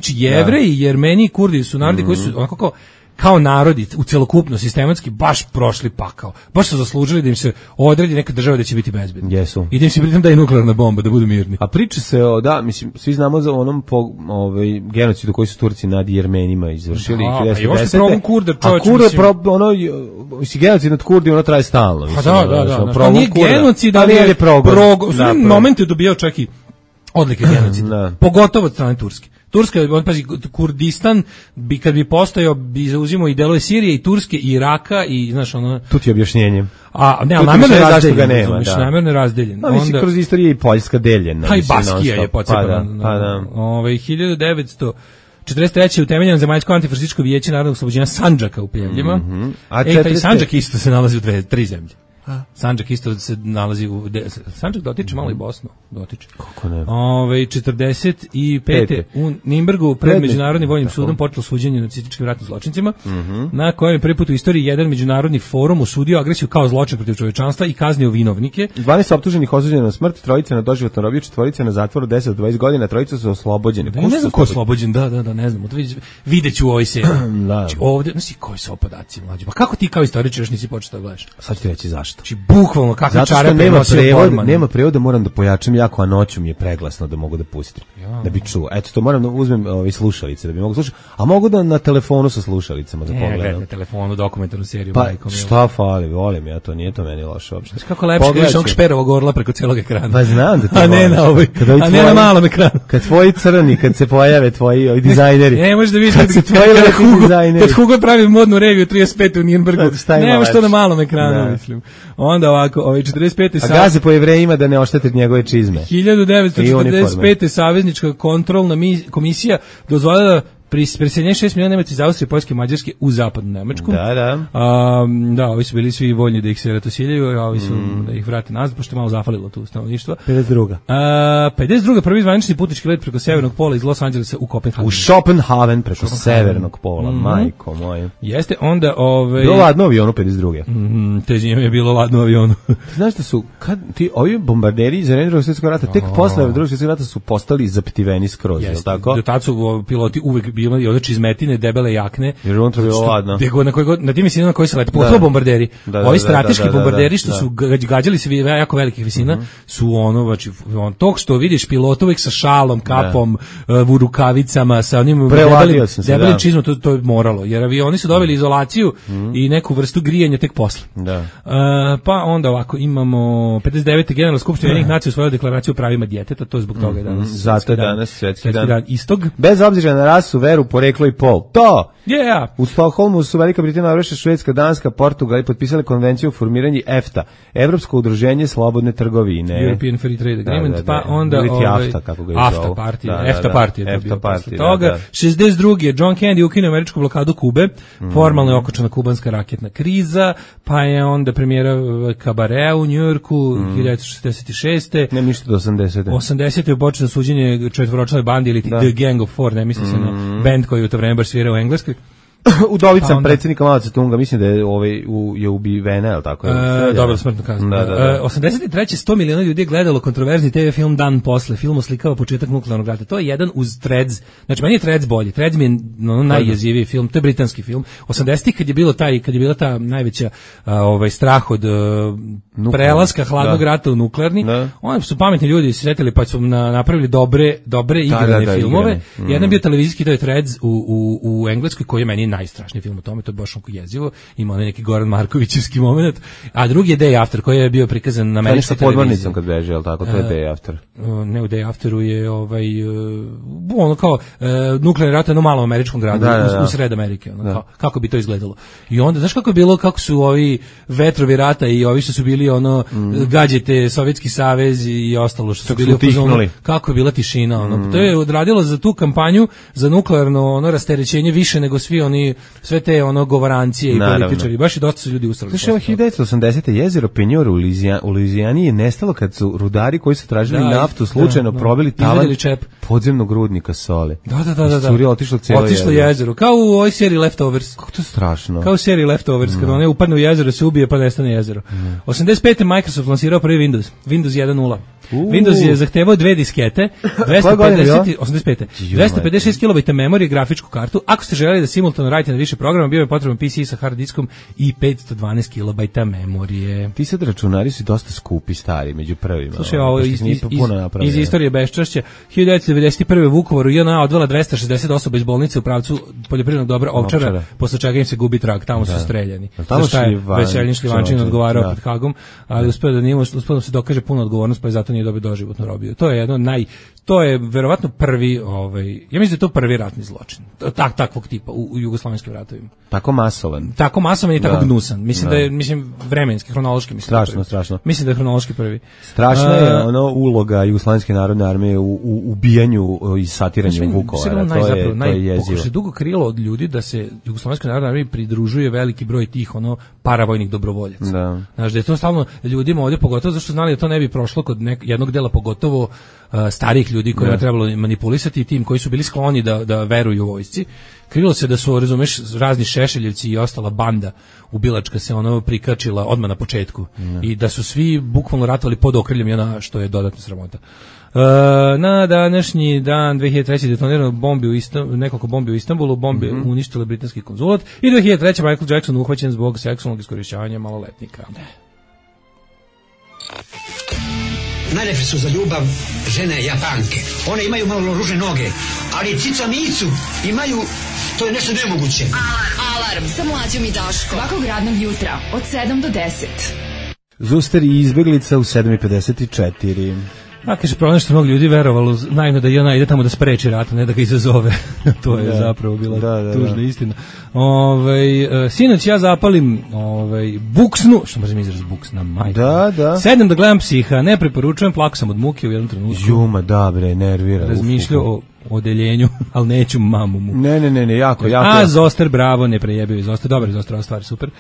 Jevreji, Jermeni i Kurdi su narodi koji su onako kao narodi u celokupno sistematski baš prošli pakao. Baš su zaslužili da im se odredi neka država da će biti bezbedna. Jesu. I da im se pritom daje nuklearna bomba da budu mirni. A priča se svi znamo za onom genocidu koji su Turci nad Jermenima izvršili 1910. Genocid nad Kurdima traje stalno. Da. Nije genocid, ali je moment je dobijao čak i odlike genocida. Pogotovo od strane Turske. Turska, Kurdistan kad bi postojao, bi zauzimao i delove Sirije i Turske i Iraka i znaš Tu ti je objašnjenje. Namjerno razdeljen. Mislim, kroz istoriju je i Poljska deljena. Pa i Baskija je pocepana. 1943. utemeljeno zemaljsko antifašističko vijeće narodnog oslobođenja Sandžaka u Pljevljima. Taj Sandžak isto se nalazi u tri zemlje. Sandžak isto se nalazi u Sandžak dotiče malo i Bosnu, dotiče. Kako ne? 45. u Nimbergu pred Međunarodnim vojnim sudom počelo suđenje nacističkim ratnim zločincima, na kojem je prvi put u istoriji jedan međunarodni forum osudio agresiju kao zločin protiv čovječanstva i kaznio vinovnike. 12 optuženih osuđeno na smrt, trojica na doživotnu robiju, četvorica na zatvoru 10 do 20 godina, trojica su oslobođeni. Ne znam ko je oslobođen, da, ne znam. Videću u ovoj seriji. Ovdje, znači koji su podaci mlađi. Pa kako ti kao istoričar još nisi počeo da gledaš? Sad ću reći zašto. Znači, bukvalno kakve čare nema prevoda, moram da pojačam jako, a noću mi je preglasno da mogu da pustim. Da bi čuo. Eto, to moram da uzmem slušalice da bi mogu slušati. A mogu da na telefonu sa slušalicama da pogledam. Na telefonu dokumentarnu seriju. Pa šta fali, volim ja to, nije to meni loše uopšte. Kako lepše gledaš ovog Šperovog orla preko celog ekrana. Pa znam da to a ne na ovoj, a ne na malom ekranu. Kad tvoji crni, kad se pojave tvoji dizajneri. Ne možeš da vidiš kad Hugo pravi modnu reviju 35 u Nürnbergu. Nema što na malom ekranu, mislim. Onda ovako, 45. A gaze po Jevrejima da ne oštete njegove čizme. 1945. Saveznička kontrolna komisija dozvolila preseljenje 6 miliona Nemaca iz Austrije, Poljske i Mađarske u zapadnu Nemačku. Da, ovi su bili svi voljni da ih se ratosiljaju, a ovi su da ih vrate nazad, pošto je malo zafalilo tu stanovništvo. 52. prvi zvanični putnički let preko severnog pola iz Los Angelesa u Kopenhagen. U Schopenhaven preko severnog pola, majko moje. Jeste, onda... Bilo ladno avionu 52. Te zime je bilo ladno avionu. Znaš da su, ovi bombarderi iz Drugog svjetskog rata, tek posle Drugog svjetskog rata su postali zaptiveni skroz, je li tako? Do tad su piloti uvek i odreći izmetine, debele jakne. Jer unutra bilo ladno. Na tim visinama na koji se lete, pogotovo bombarderi. Ovi strateški bombarderi što su gađali se jako velikih visina, su tog što vidiš pilot uvek sa šalom, kapom, u rukavicama, sa onim debelim čizmom, to je moralo. Jer avioni su doveli izolaciju i neku vrstu grijanja tek posle. Pa onda ovako, imamo 59. Generalna skupština Ujedinjenih nacija usvojila deklaraciju o pravima djeteta, to je zbog toga je danas. Zato je danas svetski dan istog. Bez obzira na rasu, veru, poreklo i pol. To! Yeah. U Stokholmu su Velika Britanija, Norveška, Švedska, Danska, Portugal i potpisali konvenciju o formiranju EFTA, Evropsko udruženje slobodne trgovine. European Free Trade Agreement, da. Pa onda AFTA, kako ga je zovu. EFTA partija. EFTA partija, toga. 62. John Kennedy ukinuo američku blokadu Kube, formalno je okončana kubanska raketna kriza, pa je onda premijera Kabarea u Njujorku 1966. Ne ništa do 80. 80. je počelo suđenje četvoročlanoj bandi ili The Gang of Four, ne misli se na band koji u to vreme baš svirao u Engleskoj. Udovica predsjednika Mao Tse-tunga, mislim da je ubivena, je li tako? Dobro, smrtno kazano. 83. 100 miliona ljudi je gledalo kontroverzni TV film Dan posle. Film oslikava početak nuklearnog rata. To je jedan uz Threads. Znači, meni je Threads bolji. Threads mi je najjeziviji film. To je britanski film. 80. kad je bila ta najveća strah od prelaska hladnog rata u nuklearni, oni su pametni ljudi se sjetili pa su napravili dobre igrane filmove. Jedan bio televizijski, to je Threads u Engleskoj, koji je meni najstrašniji film o tome, to je baš onako jezivo, ima onaj neki Goran Markovićevski moment, a drugi je Day After, koji je bio prikazan na američkoj televiziji. Podmornicom kad beže, jel tako, to je Day After. Ne, u Day Afteru je ono kao nuklearni rat u jednom malom američkom gradu, u sred Amerike, ono, kako bi to izgledalo. I onda, znaš kako je bilo, kako su ovi vetrovi rata i ovi što su bili gađete Sovjetski savez i ostalo što su bili upoznali, kako je bila tišina, to je odradilo za tu kampanju, za nuklearno rasterećenje više nego sve te govorancije i političari, baš i dosta su ljudi usrali. Slušaj, 1980. jezero Penjor u Luizijani je nestalo kad su rudari koji su tražili naftu slučajno probili tavan podzemnog rudnika soli. Da. Otišlo jezero. Kao u ovoj seriji Leftovers. Kako to strašno. Kao u seriji Leftovers, kad one upadne u jezero, se ubije pa nestane jezero. 85. Microsoft lansirao prvi Windows 1.0. Windows je zahtevao 2 diskete, 256 KB memorije, grafičku kartu. Ako ste želeli da simultano radite na više programa, bio je potreban PC sa hard diskom i 512 KB memorije. Ti sad računari su dosta skupi, stari, među prvima. Slušaj, ovo iz istorije beščašća. 1991. Vukovaru JNA odvela 260 osoba iz bolnice u pravcu poljoprivrednog dobra Ovčara, posle čega im se gubi trag, tamo su streljani. Zašto je Veselin Šljivančin odgovarao pred Hagom, ali uspeo da se dokaže puno odgovornost, pa je zato nije dobio doživotnu robiju. To je jedno to je verovatno prvi, ja mislim da je to prvi ratni zločin. Takvog tipa u jugoslovenskim ratovima. Tako masovan i tako gnusan. Mislim da je vremenski, hronološki strašno. Mislim da je hronološki prvi. Strašna je uloga Jugoslovenske narodne armije u ubijanju i satiranju Vukovara. To je jezivo. Se dugo krilo od ljudi da se Jugoslovenskoj narodnoj armiji pridružuje veliki broj tih paravojnih dobrovoljaca. Znaš, da je to stalno ljudima ovdje, pogotovo zašto znali da to ne bi prošlo kod jednog dela, pogotovo starih ljudi kojima trebalo manipulisati i tim koji su bili skloni da veruju u vojsci. Krilo se da su, razumeš, razni Šešeljevci i ostala banda ubilačka se prikačila odmah na početku i da su svi bukvalno ratovali pod okriljem što je dodatna sramota. Na današnji dan 2003. detonirano nekoliko bombi u Istanbulu, bombe uništile britanski konzulat i 2003. Michael Jackson uhvaćen zbog seksualnog iskorišćavanja maloletnika. Najlepše su za ljubav žene Japanke. One imaju malo ružne noge, ali cica micu imaju, to je nešto nemoguće. Alarm sa Mlađom i Daškom. Svakog radnog jutra od 7 do 10. Zuster i izbeglica u 7.54. Kaže, problem što mnogo ljudi verovalo naivno da JNA ide tamo da spreči rat, ne da ga izazove. To je zapravo bila tužna istina. Sinoć ja zapalim buksnu, što možem izraz buksna, majka. Sedem da gledam Psiha, ne preporučujem, plako sam od muke u jednom trenutku. Juma, nervira. Razmišljao o odeljenju, ali neću mamu mu. Ne, jako. A Zoster, bravo, ne prejebio Zoster, dobar Zoster, ova stvar, super.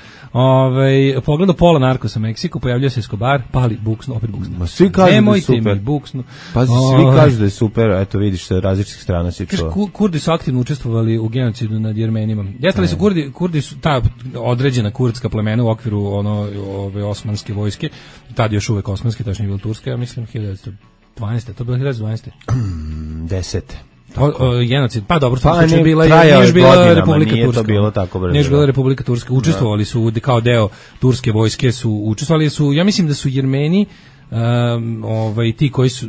Pogledao pola Narkosa Meksiku, pojavljao se Escobar, pali buksnu, opet buksnu. Ma svi kažu da je super. Buksnu. Pazi, svi kažu da je super, eto vidiš, sa različitih strana si čuo. Kurdi su aktivno učestvovali u genocidu nad Jermenima. Jeste su Kurdi su ta određena kurdska plemena u okviru ove osmanske vojske, tad još uvek osmanske, tačno je bilo turske, ja mislim 1912. To bilo 1912. 10. Genocid, pa dobro, to je bila Republika Turska. Nije bila Republika Turska. Učestvovali su kao deo turske vojske, učestvovali su, ja mislim da su Jermeni ti koji su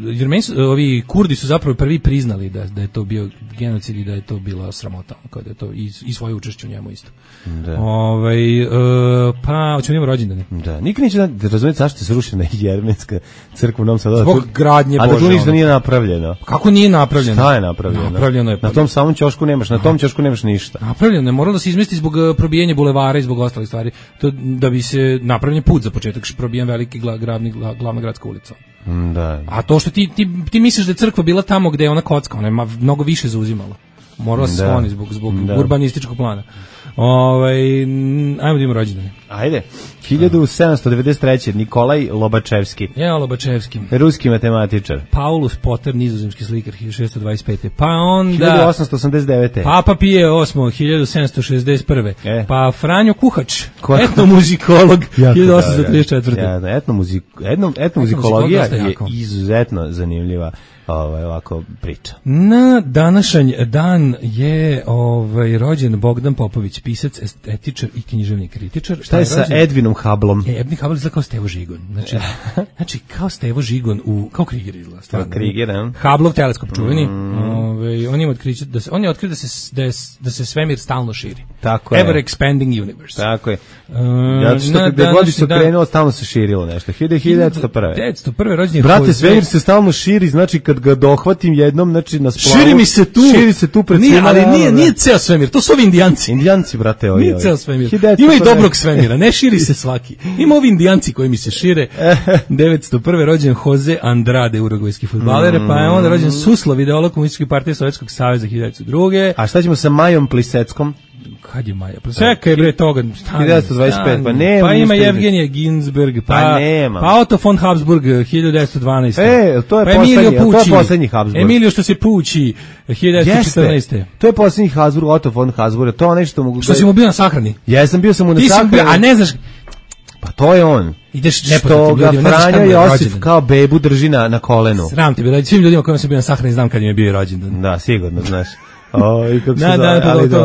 ovi Kurdi su zapravo prvi priznali da je to bio genocid i da je to bila sramota, kao da je to i svoje učešće u njemu isto. Da. Pa hoćemo imamo rođendane. Da, nikad neće da razumjeti zašto je srušena Jermenska crkva u Novom Sadu. Zbog gradnje Bože. A da tu ništa nije napravljeno. Kako nije napravljeno? Šta je napravljeno? Napravljeno je. Na tom samom ćošku nemaš, na tom ćošku nemaš ništa. Napravljeno je, moralo da se izmesti zbog probijanja bulevara i zbog ostalih stvari. To da bi se napravljen put za početak, probijen veliki glavna gradska ulica. Da. A to što ti misliš da je crkva bila tamo gde je ona kocka, ona je mnogo više zauzimala. Morala se skloni zbog urbanističkog plana. Ajmo da imamo rođendane. Ajde. 1793. Nikolaj Lobačevski. Lobačevski. Ruski matematičar. Paulus Potter, nizozemski slikar, 1625. Pa onda 1889. Papa Pije VIII, 1761. Pa Franjo Kuhač, etnomuzikolog, 1834. Etnomuzikologija je izuzetno zanimljiva ovako priča. Na današanj dan je rođen Bogdan Popović, pisac, estetičar i književni kritičar. Šta je sa Edvinom Hubbleom? Edvin Hubble izgleda kao Stevo Žigon. Znači kao Stevo Žigon kao Krieger izgleda. Krieger, ne? Hubbleov teleskop čuveni. On ima otkriće on je otkrio da se svemir stalno širi. Tako je. Ever expanding universe. Tako je. Ja što gde god se krenuo, stalno se širilo nešto. 1901. 1901. rođen je Brate, svemir se stalno širi, znači kad ga dohvatim jednom, znači na splavu. Širi se tu pred svima. Ali nije ceo svemir, to su ovi Indijanci. Indijanci, brate, ovi. Nije ceo svemir. Ima i dobrog svemira, ne širi se svaki. Ima ovi Indijanci koji mi se šire. 901. rođen Jose Andrade, urugvajski fudbaler, pa je onda rođen Suslov, ideolog Komunističke partije Sovjetskog saveza, 1902. A šta ćemo sa Majom Pliseckom? Kad je Maja? Čekaj bre toga. 1925, pa nema. Pa ima Evgenija Ginsberg, pa Otto von Habsburg, 1912. To je poslednji Habsburg. Emilio što se pući, 1914. To je poslednji Habsburg, Otto von Habsburg. To nešto mogu. Što si mu bio na sahrani? Jesam, bio sam mu na sahrani. A ne znaš. Pa to je on. Ideš što ga Franjo Josif kao bebu drži na kolenu. Sram te bilo, svim ljudima kojima sam bio na sahrani znam kad im je bio rođendan. Da, sigurno, znaš. To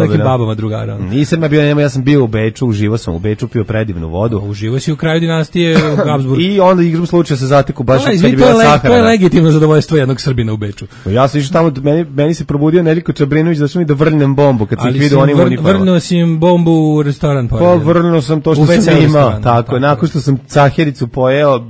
nekim babama drugara. Nisam ja bio, ja sam bio u Beču, uživo sam u Beču, pio predivnu vodu. Uživo si u kraju dinastije Habsburg. I onda igram slučaja se zateku baš kad je bila sahrana. To je legitimno zadovoljstvo jednog Srbina u Beču. Ja sam išao tamo, meni se probudio Neliko Čabrinović da su mi da vrnem bombu kad sam ih vidio onim uniformama. Vrnuo si im bombu u restoran. Pa vrnuo sam to što sam imao. Tako, nakon što sam cahericu pojeo,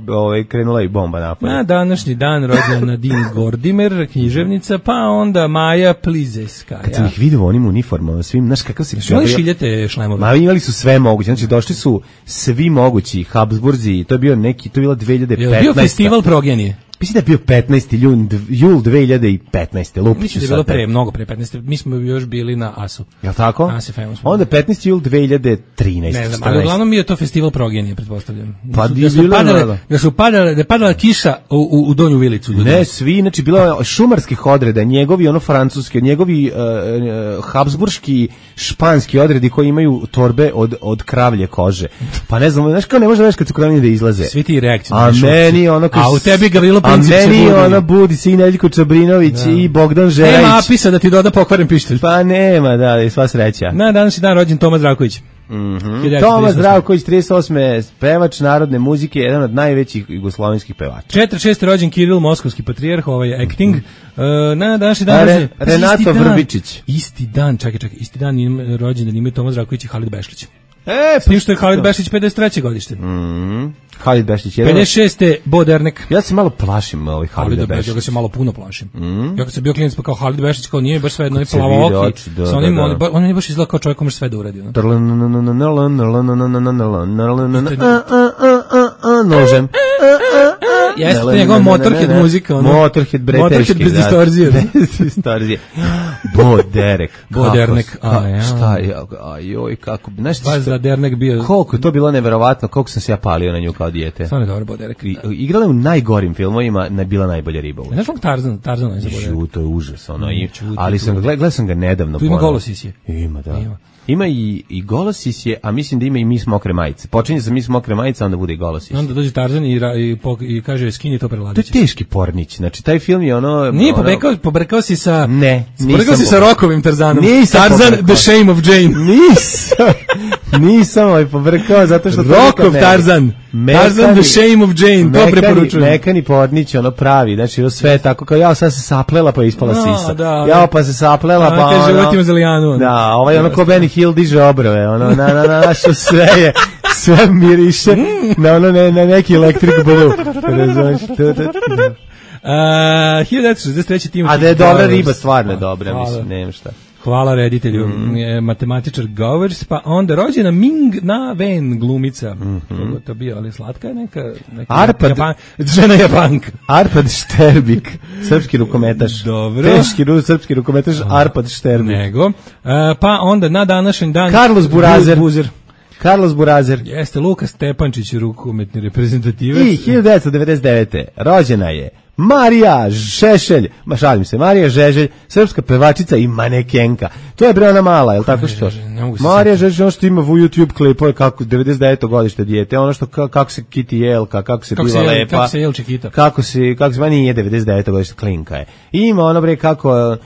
krenula i bomba napolje. Na današnji dan rođena Nadine Gordimer, književnica, pa onda Maja Plizeska. Kad sam ih vidio u onim uniformama, svim, znaš kakav si... Što šiljete šlajmove? Ma imali su sve moguće, znači došli su svi mogući Habsburzi, to je bila 2015. Je bio festival progenije? Mislim da je bio 15. jul 2015. Lupi mislim da je bilo mnogo pre 15. Mi smo još bili na AS-u. Jel' tako? AS je famous. Onda 15. jul 2013. Ne znam, ali uglavnom mi je to festival progenije, pretpostavljam. Pa da je padala kiša u Donju Vilicu. Ljudi. Ne, svi, znači bilo je šumarskih odreda, njegovi francuski, njegovi habsburški, španski odredi koji imaju torbe od kravlje kože. Pa ne znam, znaš kao ne može da kad su kravljeni da izlaze. Svi ti reakcije. A meni ono a u tebi Gavrilo a meni ona budi se i Neljko Čabrinović i Bogdan Žerajić. Nema apisa da ti doda pokvaren pištolj. Pa nema, da, i sva sreća. Na današnji dan rođen Toma Zdravković. Toma Zdravković, 38. pevač narodne muzike, jedan od najvećih jugoslovenskih pevača. 46. rođen Kiril, moskovski patrijarh, acting. Na današnji dan Renato Vrbičić. Isti dan rođen ime Toma Zdravković i Halid Bešlić. S tim što je Halid Bešlić 53. godište. Halid Bešlić 56. Bo Dernek. Ja se malo plašim Halida Bešlića. Ja ga se malo puno plašim. Ja kad sam bio klinac pa kao Halid Bešlić kao nije baš sve jedno i plavo oki. Sa onim on je baš izgleda kao čovjek koji može sve da uradi. Nožem. Jeste njegov Motorhead muzika. Motorhead bre teški. Motorhead bez distorzije. Bo Derek. Šta je? Ajoj, kako bi... Baš za Dernek bio... Koliko je to bilo neverovatno, koliko sam se ja palio na nju kao dijete. Stvarno je dobro, Bo Derek. Igrala je u najgorim filmovima, bila najbolja riba. Znaš ono Tarzan je za Bo Derek? To je užas, ali gledao sam ga nedavno. Tu ima Golosisje. Ima, da. Ima i Golosisje, a mislim da ima i Mis Mokre majice. Počinje sa Mis Mokre majice, onda bude i Golosisje. Onda dođe Tarzan i kaže skini to preladiće. To je teški pornić, znači taj film je ono... Nije, pobrekao si sa... Ne, pobrekao si sa Rokovim Tarzanom. Tarzan, The Shame of Jane. Nisam pobrekao, zato što... Rokov Tarzan. Tarzan the Shame of Jane, to preporučujem. Mekani podnić, ono pravi, znači ovo sve tako kao ja sad se saplela pa ispala sisa. Ja pa se saplela pa ono. Životima Zalijanu. Da, ono ko Benny Hill diže obrove, ono na što sve je, sve miriše na ono na neki Electric Blue. 1963. Timothy. A da je dobra riba, stvarno je dobra, mislim, nema šta. Hvala reditelju, matematičar Govers, pa onda rođena Ming Na Wen, glumica. To bio, ali slatka je neka žena Japanka. Arpad Šterbik, srpski rukometaš. Dobro. Teški srpski rukometaš Arpad Šterbik. Nego. Pa onda na današnji dan Carlos Burazer. Jeste Luka Stepančić, rukometni reprezentativac. I 1999. rođena je Marija Žešelj, Marija Žeželj, srpska pevačica i manekenka. To je bre ona mala, je li tako što? Marija Žeželj, ono što ima u YouTube klipove kako 99. godište dijete, ono što kako se kiti jelka, kako se biva lepa. Kako se jelče kita. Kako se nije 99. godište, klinka je. I ima ono bre kako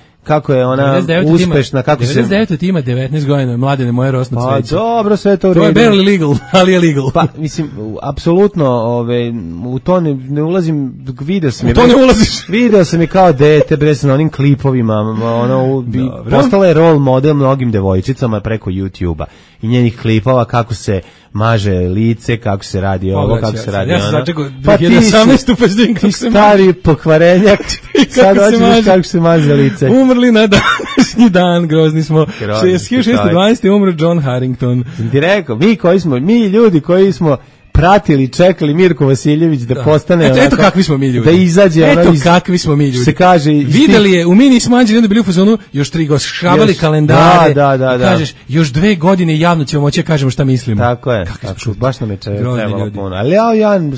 je ona uspešna, kako se 99 ima 19 godina, mladene moje rosno cveće. Pa dobro, sve to u redu. To je barely legal, ali je legal. Pa mislim apsolutno, u to ne ulazim, video sam je. U to ne ulaziš. Video sam je kao dete bre na onim klipovima, postala je role model mnogim devojčicama preko YouTubea i njenih klipova kako se maže lice, kako se radi ovo, kako se radi ono. Ja sam začekao 2018. pa znam kako se stari pokvarenjak, sad hoćeš kako se maže lice. Umrli na današnji dan, grozni smo. 1612. umro John Harrington. Ti rekao, mi ljudi koji smo pratili, čekali Mirko Vasiljević da postane eto kakvi smo mi ljudi. Da izađe kakvi smo mi ljudi. Se kaže videli je u mini smanđi onda bili u fazonu još 3 godine škravali kalendare. Da. Kažeš još 2 godine javno ćemo moći da kažemo šta mislimo. Tako je. Baš nam je trebalo puno. Ali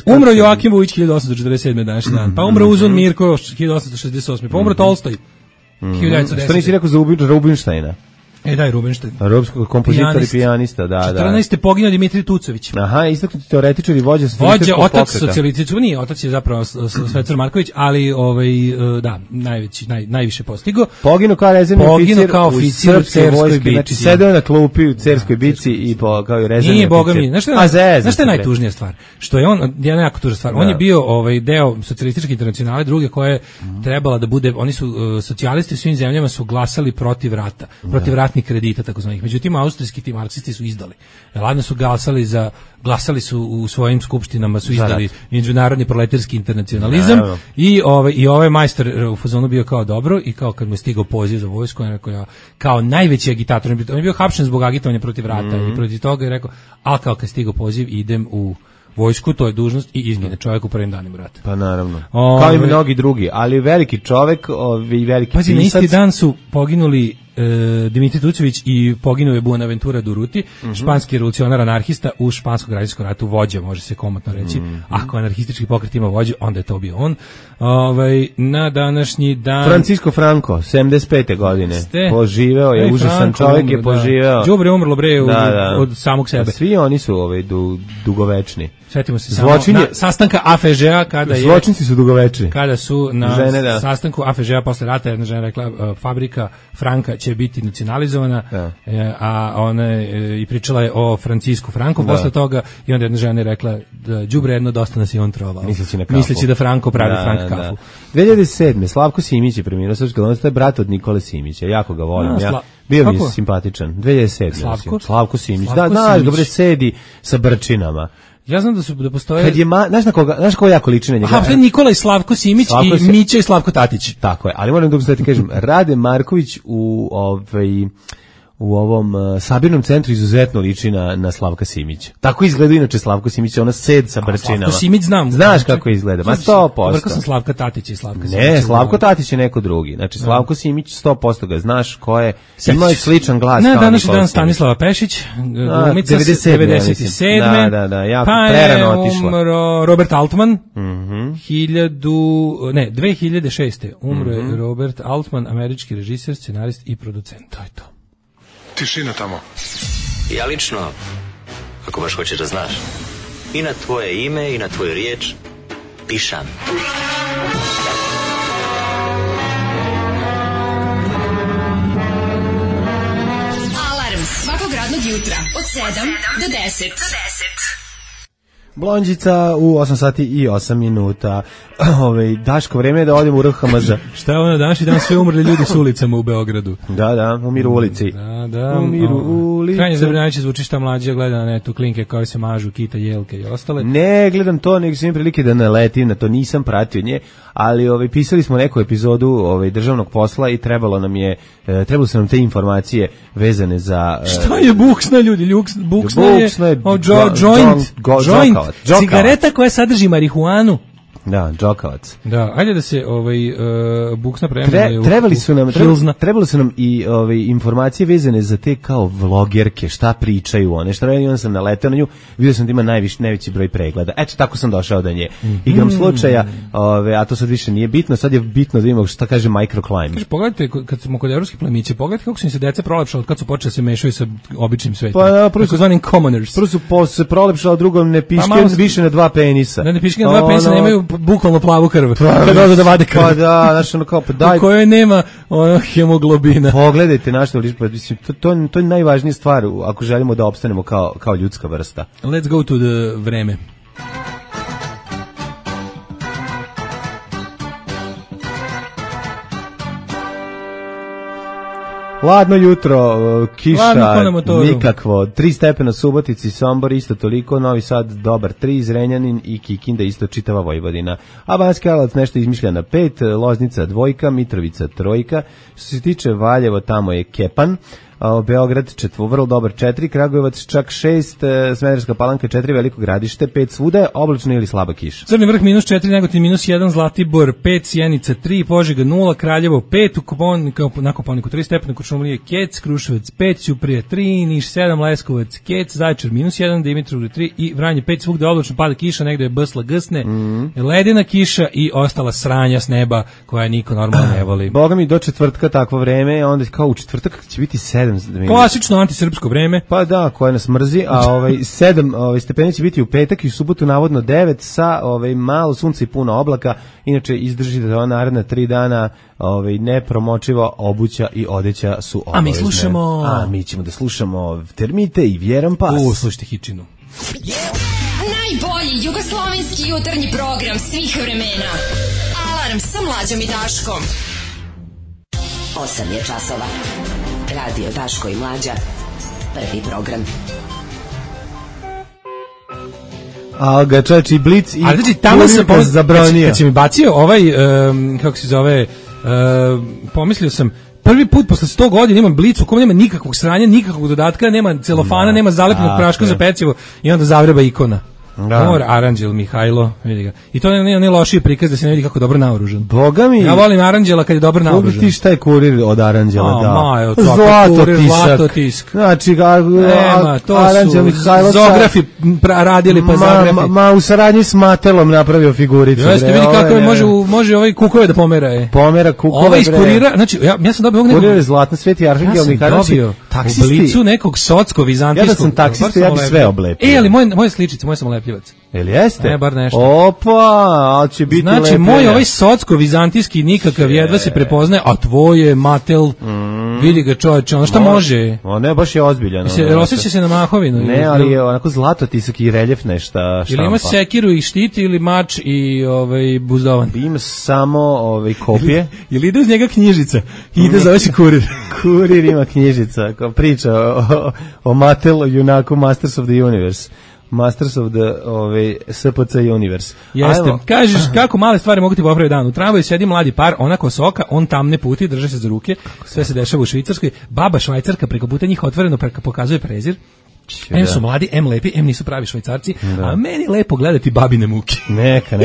umro Joakim Vujić 1847. današnji dan. Pa umro Uzun Mirko 1868. Pa umro Tolstoj 1910. Što nisi rekao za Rubinštajna? Daj Rubinštajn. Romskog kompozitor i pijanista, da. 14. poginuo Dimitrij Tucović. Aha, istaknuti teoretičar i vođa otac socijalističkog, nije, otac je zapravo Svecar Marković, ali najviše postigo. Poginuo kao rezervni oficir u Cerskoj bici. Znači, sedeo na klupi u Cerskoj bici i kao i rezervni oficir. Nije, boga mi. Znaš što je najtužnija stvar? Što je on, jedna jako tužna stvar. On je bio deo socijalističke internacionale, druge koja je trebala da bude, oni su socijalisti u svim zemljama su glasali protiv rata, protiv kredita takozvanih. Međutim, austrijski ti marksisti su izdali. Ladno su glasali su u svojim skupštinama, su izdali međunarodni proletarski internacionalizam i ovaj majstor u fazonu bio kao dobro i kao kad mu je stigao poziv za vojsku, on je rekao kao najveći agitator, on je bio hapšen zbog agitovanja protiv rata i protiv toga je rekao, ali kao kad je stigao poziv idem u vojsku, to je dužnost i izgine čovjek u prvim danima rata. Pa naravno. Kao i mnogi drugi, ali veliki čovjek i veliki pisac. Pazi, na isti dan su poginuli Dimitrij Tucović i poginuo je Buenaventura Durruti, španski revolucionar anarhista u španskom građanskom ratu, vođa, može se komotno reći. Ako anarhistički pokret ima vođu, onda je to bio on. Na današnji dan Francisco Franco, 75. godine. Poživeo je, užasan čovjek je poživeo. Đubre umrlo bre od samog sebe. Svi oni su dugovečni. Sjetimo se samo na sastanka AFŽ-a kada je zločinci su dugovečni. Kada su na sastanku AFŽ-a posle rata jedna žena rekla fabrika Franka će biti nacionalizovana, a ona je i pričala je o Francisku Franku posle toga i onda jedna žena je rekla da đubre jedno dosta nas i on trovao. Misleći da Franko pravi Frank kafu. 2007. Slavko Simić je preminuo, srpski glumac, to je brat od Nikole Simića, jako ga volim. Bio mi je simpatičan. 2007. Slavko Simić. Da, dobro sedi sa brčinama. Ja znam da postoje. Kad je znaš ko jako liči na njega. Aha, Nikola i Slavko Simić i Mića i Slavko Tatić. Tako je, ali moram da ti kažem, Rade Marković u ovom sabirnom centru izuzetno liči na Slavka Simića. Tako izgleda inače Slavko Simić, ona sed sa brčinama. Slavko Simić znam. Znaš kako izgleda, ma 100%. Rekao sam Slavka Tatić i Slavka Simić. Ne, Slavko Tatić je neko drugi. Znači Slavko Simić 100% ga znaš ko je. Ima je sličan glas kao Nikola. Današnji dan Stanislava Pešić, glumica 97. Da, jako prerano otišla. Umro Robert Altman. 2006. Umro je Robert Altman, američki režiser, scenarist i producent. To je to. Tišina tamo. Ja lično, ako baš hoćeš da znaš, i na tvoje ime i na tvoju riječ pišam. Alarm svakog radnog jutra od 7 do 10. Blondjica u 8 sati i 8 minuta. Daško, vreme je da odem u RHMZ. Šta je ono današnji dan, sve umrli ljudi s ulicama u Beogradu. Da, umiru u ulici. Da, umiru u ulici. Krajnje zabrinjavajuće zvuči šta mlađa gleda na netu klinke koje se mažu, kita, jelke i ostale. Ne, gledam to, nego sam prilike da naletim na to, nisam pratio nje, ali pisali smo neku epizodu državnog posla i trebalo su nam te informacije vezane za... Šta je buksna, ljudi? Buksna je joint, cigareta koja sadrži marihuanu. Da, džokavac. Da, ajde da se buksna trebali su nam i informacije vezane za te kao vlogerke, šta pričaju one, šta radi, onda sam naletao na nju, vidio sam da ima najveći broj pregleda. Eto, tako sam došao do nje. Igram slučaja, a to sad više nije bitno, sad je bitno da imamo šta kaže microclimate. Kaže, pogledajte, kad smo kod evropskih plemića, pogledajte kako su im se deca prolepšala od kad su počeli da se mešaju sa običnim svetom. Pa, prvo su zvanim commoners. Prvo su se prolepšala, drugom ne piške više na dva penisa. Ne piške na dva penisa, nemaju bukvalno plavu krv. Kad dođe da vade krv. Pa da, znači ono kao pa daj. U kojoj nema hemoglobina. Pogledajte našta, mislim to je najvažnija stvar ako želimo da opstanemo kao ljudska vrsta. Let's go to the vreme. Ladno jutro, kiša, nikakvo, 3 stepena Subotici, Sombor isto toliko, Novi Sad dobar 3, Zrenjanin i Kikinda isto čitava Vojvodina. A Banjski Karlovac nešto izmišlja na 5, Loznica 2, Mitrovica 3, što se tiče Valjevo tamo je Kepan, Beograd vrlo dobar 4, Kragujevac čak 6, Smederevska Palanka 4, Veliko Gradište 5, svuda je oblačno ili slaba kiša. Crni vrh -4, Negotin -1, Zlatibor 5, Sjenica 3, Požega 0, Kraljevo 5, na Kopaoniku 3 stepena, Kuršumlije Kec, Kruševac 5, Ćuprija 3, Niš 7, Leskovac Kec, Zaječar -1, Dimitrovgrad 3 i Vranje 5, svugde oblačno, pada kiša, negde je bsla gsne, ledena kiša i ostala sranja s neba koja niko normalno ne voli. Boga mi do četvrtka takvo vreme, onda kao u četvrtak će biti 7. Klasično antisrpsko vreme. Pa da, koje nas mrzi, a 7 stepeni će biti u petak i u subotu navodno 9 sa malo sunca i puno oblaka. Inače izdrži da ova naredna 3 dana nepromočiva obuća i odeća su obavezne. Mi ćemo da slušamo Termite i Vjeran Pas. Slušajte Hičinu. Najbolji jugoslovenski jutarnji program svih vremena. Alarm sa Mlađom i Daškom. 8 je časova. Radio Daško i Mlađa. Prvi program. A ga čači Blic i Kurir zabranio. Kad si mi bacio kako se zove, pomislio sam, prvi put posle 100 godina imam Blic u kom nema nikakvog sranja, nikakvog dodatka, nema celofana, nema zalepljenog praška za pecivo i onda zavreba ikona. Aranđel Mihajlo, vidi ga. I to ne lošiji prikaz da se ne vidi kako dobro naoružan. Boga mi. Ja volim Aranđela kad je dobro naoružan. Pogledaj ti šta je Kurir od Aranđela dao. Zlatotisk. Znači, Aranđel Mihajlo zografi radili pa zografi. U saradnji s Matelom napravio figuricu. Jeste, vidi kako može ovaj kukove da pomera. Pomera kukove. Ovaj iz Kurira, znači ja sam dobio nekog. Kurir je zlatna Sveti Arhangel Mihajlo. U Blicu nekog socko-vizantijskog. Ja da sam taksista, ja bi sve oblepio. Ali moje sličice, moje sam lepljivac. Jel jeste? Ne, bar nešto. Opa, ali će biti lepljenja. Znači, moj ovaj socko-vizantijski nikakav jedva se prepoznaje, a tvoje Matel, vidi ga čovječe, ono šta može? Ne, baš je ozbiljan. Osjeća se na mahovinu. Ne, ali je onako zlatotisak i reljef nešto štampa. Ili ima sekiru i štit ili mač i buzdovan? Ima samo kopije. Ili ide uz njega knjižica? Ide, zove se Kurir. Kurir ima knjižica, kao priča o Matelu, junaku Masters of the Universe. Masters of the SPC Universe. Jeste. Kažeš kako male stvari mogu ti popraviti dan. U tramvaju sedi mladi par, ona kosoka, on tamne puti, drže se za ruke. Sve se dešava u Švicarskoj. Baba Švajcarka preko puta njih otvoreno pokazuje prezir. M su mladi, M lepi, M nisu pravi Švajcarci, a meni lepo gledati babine muke. Neka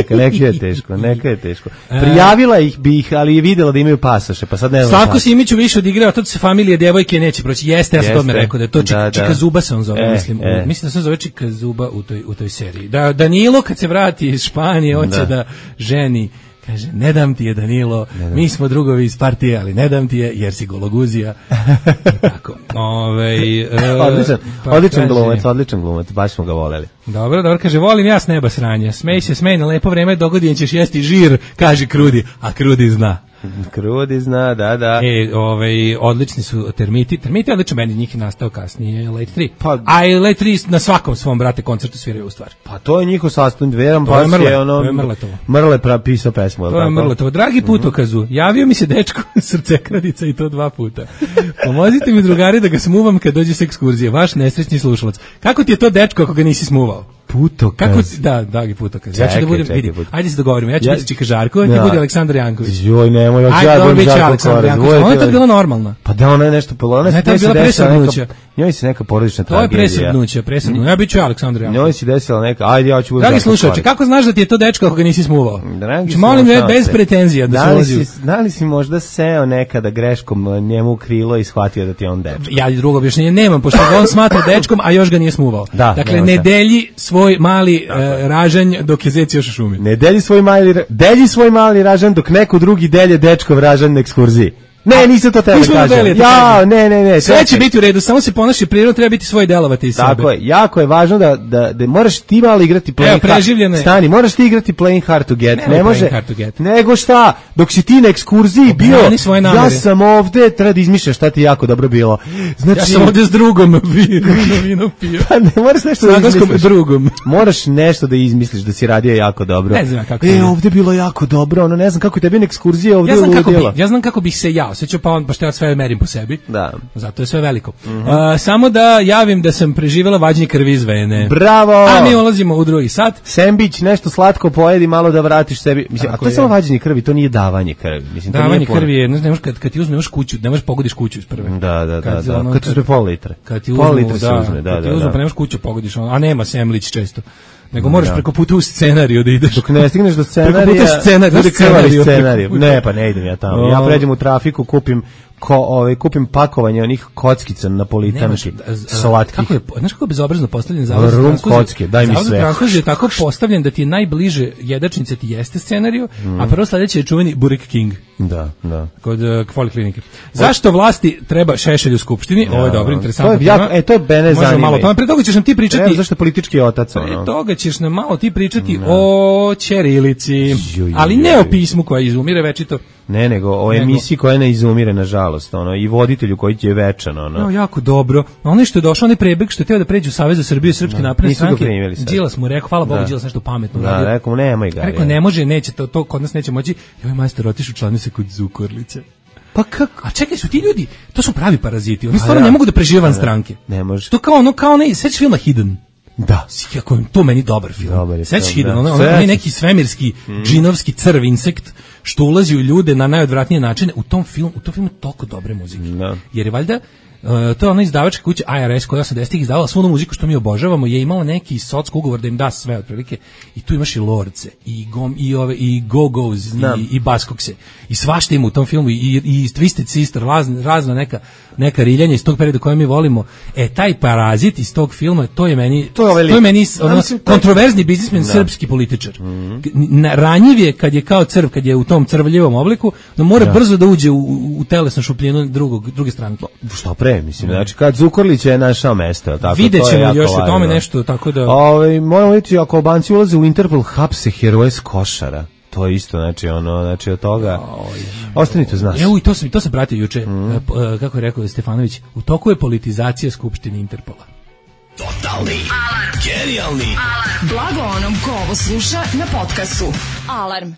je teško. Prijavila bi ih, ali je videla da imaju pasoše, pa sad ne znam. Slavko Simić više odigrao, to se familije devojke neće proći. Jeste, ja sam tome rekao da je to Čika Zuba se on zove, mislim. Mislim da se on zove Čika Zuba u toj seriji. Da Danilo kad se vrati iz Španije hoće da ženi. Kaže, ne dam ti je Danilo, mi smo drugovi iz partije, ali ne dam ti je jer si gologuzija. Tako. Odličan glumac, baš smo ga voleli. Dobro, kaže, volim ja s neba sranja. Smej na lepo vreme, dogodin ćeš jesti žir, kaže Krudi, a Krudi zna. Krudi zna, da. Odlični su Termiti. Termiti je odličan, meni njih je nastao kasnije Late 3. Pa, a i Late 3 na svakom svom, brate, koncertu sviraju u stvar. Pa to je njihov sastavni Veran Pas je ono... Mrle pisao pesmu. To je Mrletovo. Dragi putokazu, javio mi se dečko srcekradica i to 2 puta. Pomozite mi, drugari, da ga smuvam kad dođe s ekskurzije. Vaš nesrećni slušalac. Kako ti je to dečko ako ga nisi smuvao? Putokaz. Kako ti, dragi putokaz. Ja ću da budem, vidi, ajde se dogovorimo. Ja ću biti Čika Žarko, ti budi Aleksandar Janković. Joj, nemoj, ja budem Žarko Korez. Ona je to bila normalna. Pa da, ona je nešto, ona je bila presrednuća. Njoj se neka porodična tragedija. To je presrednuća. Ja bit ću Aleksandar Janković. Njoj se desila neka, ajde ja ću budem Žarko Korez. Dragi slušaoče, kako znaš da ti je to dečko ako ga nisi smuvao? Molim me, bez pretenzija da se ulazi. Da li si možda seo nekada greškom njemu u krilo i shvatio da ti je on dečko? Ja drugo objašnjenje nemam, pošto on smatra dečkom, a još ga nije smuvao. Dakle, ne delji svoj mali ražanj dok je zec još u šumi. Ne delji svoj mali ražanj dok neko drugi delje dečkov ražanj na ekskurziji. Ne, nisam to tebe kažem. Ja, ne. Sve će biti u redu, samo se ponaši prirodno, treba biti svoj delovati iz sebe. Tako je, jako je važno da moraš ti malo igrati Stani, moraš ti igrati Playing Hard to Get. Ne može, nego šta, dok si ti na ekskurziji bio, ja sam ovde, treba da izmišljaš šta ti jako dobro bilo. Znači, ja sam ovde s drugom vino pio. Pa ne, moraš nešto da izmisliš. Moraš nešto da izmisliš da si radio jako dobro. Ne znam kako. Ovde bilo jako dobro, ono ne znam kako tebi na ekskurziji ovde ludilo. Ja znam kako bih se ja osjećao, pa on baš ja sve merim po sebi. Da. Zato je sve veliko. Samo da javim da sam preživjela vađenje krvi iz vene. Bravo! A mi ulazimo u drugi sat. Sembić, nešto slatko pojedi, malo da vratiš sebi. Mislim, a to je samo vađenje krvi, to nije davanje krvi. Mislim, davanje krvi je, ne možeš kad ti uzmeš kuću, ne možeš pogodiš kuću iz prve. Da. Kad ti uzme pol litra. Kad ti uzme, Kad ti uzme, pa ne možeš kuću pogodiš, a nema semlić često. Nego moraš preko puta u scenariju da ideš. Dok ne stigneš do scenarija, bude krvari scenariju. Ne, pa ne idem ja tamo. Ja pređem u trafiku, kupim pakovanje onih kockica napolitanki slatkih. Znaš kako je bezobrazno postavljen zavod za kocke, daj mi sve. Zavod za transluziju je tako postavljen da ti je najbliže jedačnice ti jeste scenariju, a prvo sledeće je čuveni Burek King. Da. Kod Poliklinike. Zašto vlasti treba Šešelj u skupštini? Ovo je dobro, interesantno. To je bene zanima. Pa pre toga ćeš nam ti pričati. Zašto politički otac? Pre toga ćeš nam malo ti pričati o ćirilici, ali ne o pismu koja izumire večito. Ne, nego o emisiji koja ne izumire, nažalost, i voditelju koji je večan, jako dobro. Ono što je došao, onaj prebeg što je teo da pređe u Savez za Srbiju i Srpske napredne stranke. Đilas mu rekao, hvala Bogu, Đilas nešto pametno uradio. Da, rekao mu, nemoj ga. Rekao, ne može, neće, to kod nas neće moći. I ovaj majstor otišao, članio se kod Zukorlića. Pa kako? A čekaj, su ti ljudi, to su pravi paraziti. Oni stvarno ne mogu da prežive van stranke. Ne može. To kao onaj, sveći filma Hidden. Da. Kako je to meni dobar film. Sveći Hidden, onaj neki svemirski, džinovski crv insekt što ulazi u ljude na najodvratnije načine. U tom filmu toliko dobre muzike. Jer je valjda to je ona izdavačka kuća IRS koja 80-ih izdavala svu onu muziku što mi obožavamo, je imala neki socko ugovor da im da sve otprilike, i tu imaš i Lordce i Go-Go's i Baskokse i svašta ima u tom filmu i Twisted Sister, razna neka riljanja iz tog perioda koje mi volimo. Taj parazit iz tog filma, to je meni kontroverzni biznismen, srpski političar. Ranjiv je kad je kao crv, kad je u tom crvljivom obliku, da mora brzo da uđe u telesnu šupljinu druge stranke. Što pre, mislim, znači kad Zukorlić je našao mesto, tako. Videćemo još o tome nešto, tako da. Moramo vidjeti, ako Albanci ulaze u Interpol, hapse heroje s Košara. To je isto, znači od toga. Ostanite uz nas. Evo, i to se pratio juče, kako je rekao Stefanović, u toku je politizacija Skupštine Interpola. Totalni alarm. Genijalni alarm. Blago onom ko ovo sluša na podcastu. Alarm.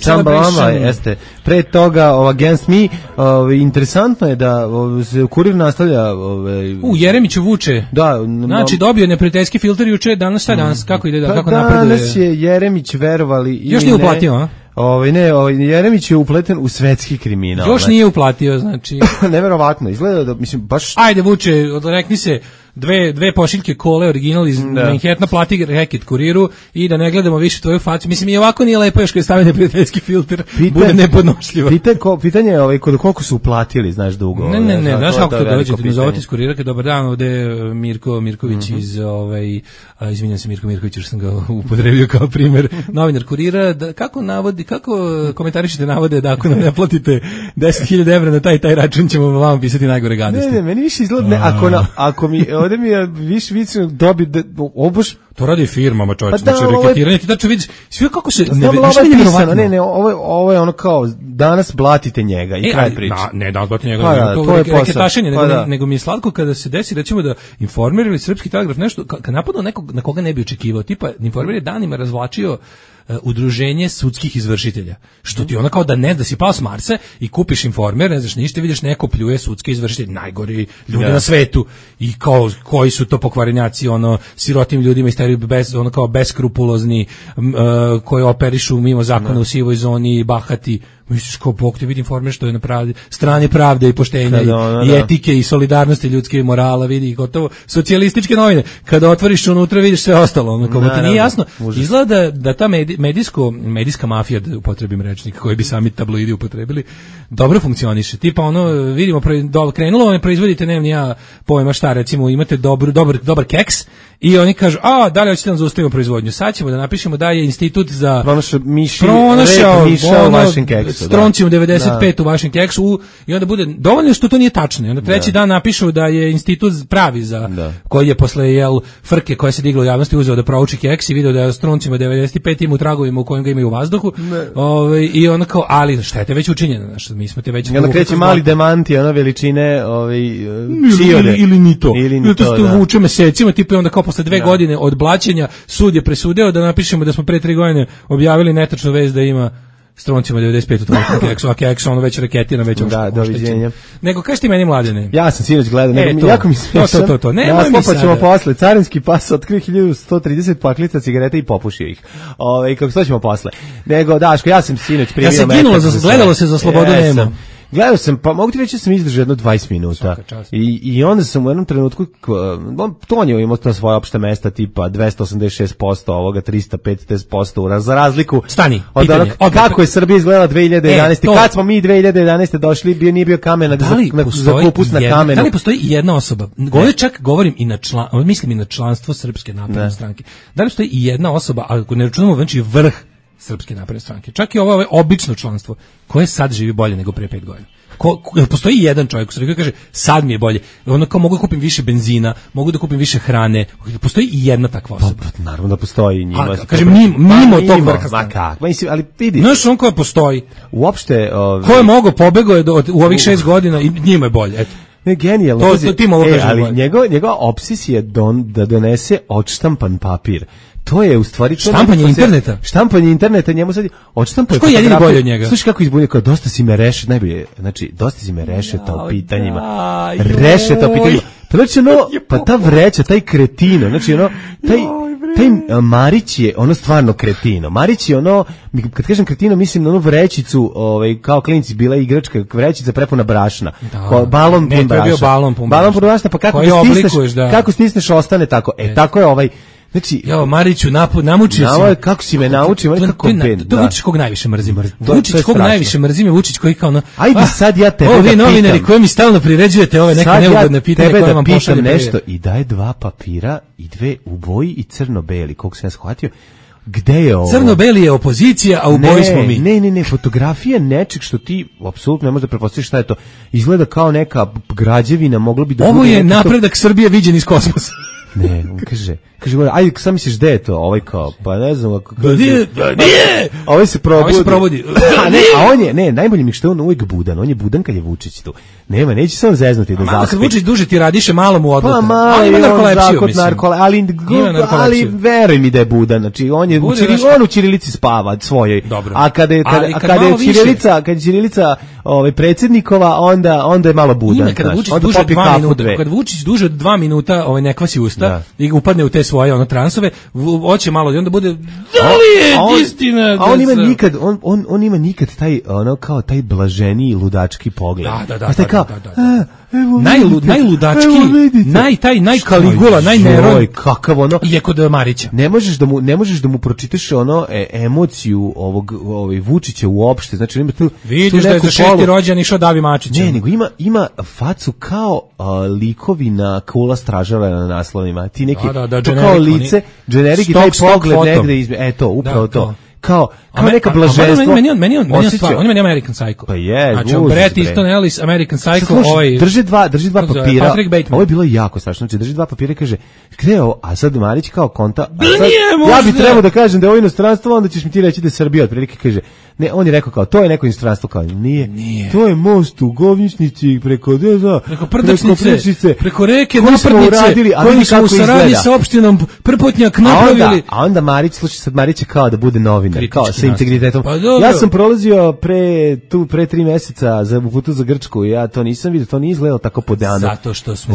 Čamba jeste. Pre toga Against Me, interesantno je da se Kurir nastavlja. Jeremić vuče. Da. Znači dobio neprijateljski filter juče, danas kako ide, kako napreduje. Danas je Jeremić, verovali ili ne. Još nije uplatio, a? Jeremić je upleten u svetski kriminal. Još nije uplatio, znači. Neverovatno, izgleda da, mislim, baš. Ajde vuče, rekni se, dve pošiljke kole original iz Manhattana, plati reket Kuriru i da ne gledamo više tvoju facu. Mislim, i ovako nije lepo još kad stavite prijateljski filter, bude nepodnošljivo. Pitanje je koliko su uplatili, znaš, dugo. Ne, znaš kako to dođe, ti nazovati iz Kurira, kad dobar dan, ovde Mirko Mirković iz, izvinjam se Mirko Mirković, jer sam ga upotrebio kao primjer, novinar Kurira, kako komentarišete navode da ako nam ne platite 10.000 evra na taj račun, ćemo vam pisati najgore gadosti. Ne, meni više izgleda, ako mi ovdje mi je više dobi, To radi firmama, čovječe, znači reketiranje, ti tačno vidiš, sve kako se... Ne, ovo je ono kao, danas blatite njega i kraj priče. Ne, danas blatite njega, to je reketašenje, nego mi je slatko kada se desi, recimo da Informer ili Srpski telegraf nešto, kad napadao nekog na koga ne bi očekivao, tipa Informer je danima razvlačio udruženje sudskih izvršitelja. Što ti ona kao da ne, da si pao s Marsa i kupiš Informer, ne znaš ništa, vidiš neko pljuje sudske izvršitelje, najgori ljudi na svetu i kao koji su to pokvarenjaci, ono sirotim ljudima isteriju bez, ono kao beskrupulozni, koji operišu mimo zakona u sivoj zoni, bahati. Misliš kao Bog te vidi Informer što je na strani pravde i poštenja i etike i solidarnosti ljudske i morala, vidi i gotovo socijalističke novine. Kada otvoriš unutra vidiš sve ostalo, ono kao ti nije jasno. Izgleda da ta medijska mafija, da upotrebim rečnik koji bi sami tabloidi upotrebili, dobro funkcioniše. Tipa ono vidimo krenulo, ne proizvodite, nemam ni ja pojma šta, recimo imate dobar keks i oni kažu, da li hoćete da zaustavimo proizvodnju? Sad ćemo da napišemo da je institut za pronašao miša u vašem keksu. Stroncijum 95 u vašem keksu i onda bude dovoljno što to nije tačno. I onda treći dan napišu da je institut pravi za koji je posle frke koja se digla u javnosti uzeo da prouči keks i video da je stroncijum 95 ima u tragovima u kojem ga imaju u vazduhu. I onda kao, ali štete već učinjeno, znači mi smo te već. Onda kreće mali demanti, ona veličine čiode. Ili ni to. Ili to vuče mesecima, tipa onda kao posle 2 godine od blaćenja sud je presudio da napišemo da smo pre 3 godine objavili netačnu vest da ima Stroncima 95 u tvojom keksu, a keks ono već reketiran, već da, doviđenja. Nego, kaži ti meni, Mladene? Ja sam sinoć gledao, jako mi smiješan. To. Nemoj mi sada. Ćemo posle. Carinski pas otkrio 1130 paklica cigareta i popušio ih. I kako to ćemo posle. Nego, Daško, ja sam sinoć primio. Ja sam ginulo, gledalo se za slobodu nema. Gledao sam, pa mogu ti reći da sam izdržao jedno 20 minuta. I onda sam u jednom trenutku, Tonio imao to svoje opšte mesta, tipa 286% ovoga, 305% za razliku. Stani, od pitanje. Kako je Srbija izgledala 2011. Kad smo mi 2011. došli, nije bio kamen za kupus na kamenu. Da li postoji jedna osoba, govorim i mislim i na članstvo Srpske napredne stranke, da li postoji i jedna osoba, ako ne računamo znači vrh Srpske napredne stranke, čak i ovo obično članstvo, koje sad živi bolje nego pre 5 godina. Postoji jedan čovjek u Srbiji koji kaže sad mi je bolje, ono kao mogu da kupim više benzina, mogu da kupim više hrane, postoji i jedna takva osoba. Pa naravno da postoji njima. Kažem mimo tog vrha. Ma kako? Ali vidi. Znaš on koja postoji. Uopšte ko je mogao pobegao u ovih 6 godina i njima je bolje, eto. Ne, genijalno. To ti mogu kažem. Ali njegova opsesija je da donese odštampan papir. To je u stvari štampanje interneta, njemu sad odštampuje. Što je jedini bolje od njega? Slušaj kako izbunio, kao dosta si me rešeta, najbolje, znači dosta si me rešeta u pitanjima. Rešeta u pitanjima. Pa znači pa ta vreća, taj kretino, znači taj Marić je ono stvarno kretino. Marić je ono, kad kažem kretino, mislim na onu vrećicu, kao klinci bila igračka vrećica prepuna brašna. Balon pun brašna. Balon pun brašna, pa kako stisneš ostane tako. Tako je znači, Mariću, namučio si. Kako si me naučio, kako ben. To Vučić kog najviše mrzim. Vučić kog najviše mrzim je Vučić koji kao ajde sad ja tebe da pitam. Ovi novinari koji mi stalno priređujete ove neke neugodne pitanja koje vam pošalje nešto i daje 2 papira i 2 u boji i crno-beli, koliko sam ja shvatio. Gde je ovo? Crno-beli je opozicija, a u boji smo mi. Ne, fotografija nečeg što ti apsolutno ne možeš da pretpostaviš šta je to. Izgleda kao neka građevina, moglo bi da ovo je napredak Srbije viđen iz kosmosa. Ne, on kaže, ajde, sad misliš gde je to, kao, pa ne znam, nije! Ovaj se probudi. Najbolje mi što je on uvijek budan, on je budan kad je Vučić tu. Neće se on zeznuti da zaspi. Kad Vučić duže ti radiše malo mu odluka. Pa on ima narkolepsiju, mislim. Ali veruj mi da je budan, znači on u ćirilici spava svojoj. A kada je ćirilica predsjednikova, onda je malo budan. Kad Vučić duže od 2 minuta ne kvasi usta i upadne u te svoje transove, hoće malo i onda bude da li je istina. A on ima nikad taj kao taj blaženiji ludački pogled. Da. Najludački, najkaligula, najneroj. Kakav je kod Marića. Ne možeš da mu pročitaš emociju ovog Vučića uopšte. Znači ima tu vidiš da je za 6. rođendan išao Davi Mačić. Ne, nego ima facu kao likovi na Kula stražara na naslovima. Ti neki kao lice, generik i taj pogled negde upravo to. kao neka blaženstvo. Meni on American Psycho. Pa je, znači Bret Easton Ellis, American Psycho, drži dva papira. Ovo je bilo jako strašno. Znači drži dva papira i kaže, gde je ovo? A sad Marić kao konta. Ja bih trebao da kažem da je ovo inostranstvo, onda ćeš mi ti reći da je Srbija. Otprilike kaže, ne, on je rekao kao, to je neko inostranstvo, kao nije. To je most u Govničnici preko Prdačnice, preko reke Naprdnice, koji smo u saradnji sa opštinom Prpotnjak napravili. A onda Marić, slušaj, sad Marić je kao da bude novinar, kao sa integritetom. Ja sam prolazio pre 3 meseca u putu za Grčku i ja to nisam vidio, to nije izgledalo tako podano.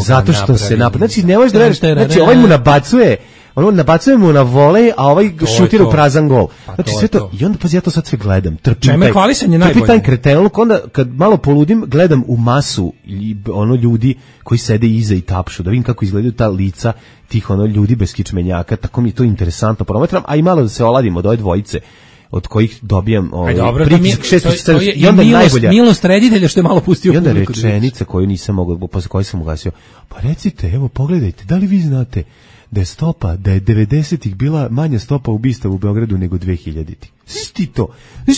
Zato što se napravi. Znači, ne možeš da veriš, znači, ovaj mu nabacuje, nabacuje mu na volej, a ovaj šutira u prazan gol. Znači sve to, i onda pazi, ja to sad sve gledam. Trpim taj kretenluk, onda kad malo poludim, gledam u masu ljudi koji sede iza i tapšu, da vidim kako izgledaju ta lica tih ljudi bez kičmenjaka, tako mi je to interesantno promatram, a i malo da se oladim od ove dvojice od kojih dobijam pritisak 6 i onda najbolja milost reditelja što je malo pustio. I onda rečenica koju nisam mogao, posle koje sam ugasio. Pa recite, evo pogledajte, da li vi znate da je 90-ih bila manja stopa ubistava u Beogradu nego 2000-ih. Ti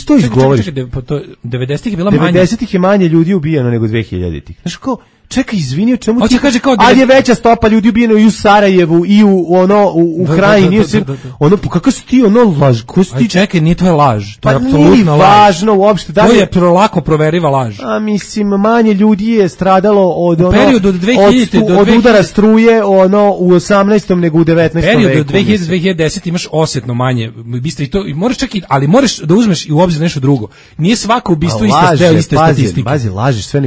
to izgovoriš. 90-ih je bila manja. 90-ih je manje ljudi ubijeno nego 2000-ih. Znaš kao, čekaj, izvini, o čemu ti... kaže kao ali je veća stopa ljudi ubijeno i u Sarajevu i u Krajini. Kako si ti laž? Čekaj, nije to je laž. To je apsolutno laž. Važno uopšte. To je lako proveriva laž. A mislim, manje ljudi je stradalo od udara struje u 18. nego u 19. veku. U periodu od 2010 imaš osjetno manje ubistva i to moraš čak i, ali moraš da uzmeš i u obzir nešto drugo. Nije svako ubistvo iste statistike. Pazi, lažiš sve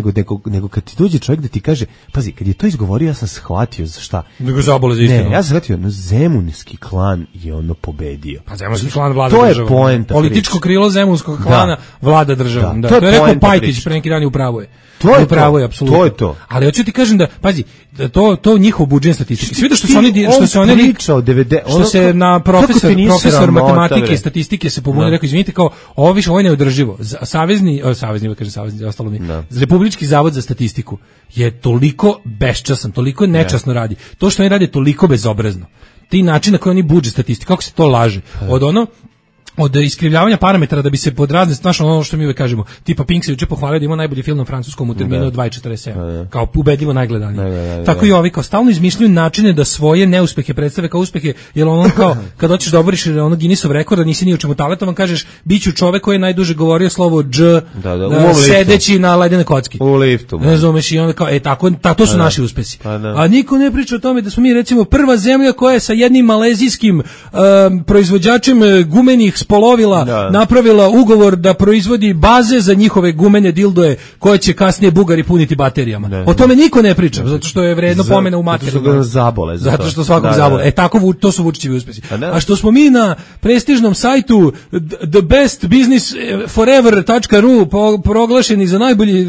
nego kad ti dođe čovjek da ti kaže, pazi, kad je to izgovorio, ja sam shvatio za šta. Nego zabole za istinu. Ne, ja sam shvatio, Zemunski klan je pobedio. Pa Zemunski klan vlada državom. To je poenta. Političko krilo Zemunskog klana vlada državom. Da. To je rekao Pajtić pre neki dan i upravo je. To je apsolutno. To je to. Ali hoću ti kažem da, pazi, to njihov budžet statistike. Sve što se oni što se na profesor matematike i statistike se pobunio, rekao, izvinite, kao ovo je neodrživo. Savezni, ostalo mi. Republički zavod za statistiku je toliko beščasan, toliko nečasno radi. To što oni rade toliko bezobrazno. Ti način na koji oni budžet statistike, kako se to laže. Od iskrivljavanja parametara da bi se pod razne, znaš, ono što mi uvek kažemo, tipa Pink se juče pohvalio da ima najbolji film na francuskom u terminu od 2.47, kao ubedljivo najgledaniji. Tako i ovi kao stalno izmišljaju načine da svoje neuspehe predstave kao uspehe, jer ono kao kad hoćeš da oboriš Guinnessov rekord, da nisi ni u čemu talentovan, kažeš biću čovek koji je najduže govorio slovo dž sedeći na ledenoj kocki. U liftu. Ne razumeš, i onda kao to su naši uspesi. A niko ne priča o tome da smo mi recimo prva zemlja koja je sa jednim malezijskim proizvođačem gumenih spolovila napravila ugovor da proizvodi baze za njihove gumene dildoje koje će kasnije Bugari puniti baterijama. O tome niko ne priča, zato što je vredno pomena u materiju. Zato što svakog zabole. To su Vučićevi uspesi. A što smo mi na prestižnom sajtu thebestbusinessforever.ru proglašeni za najbolji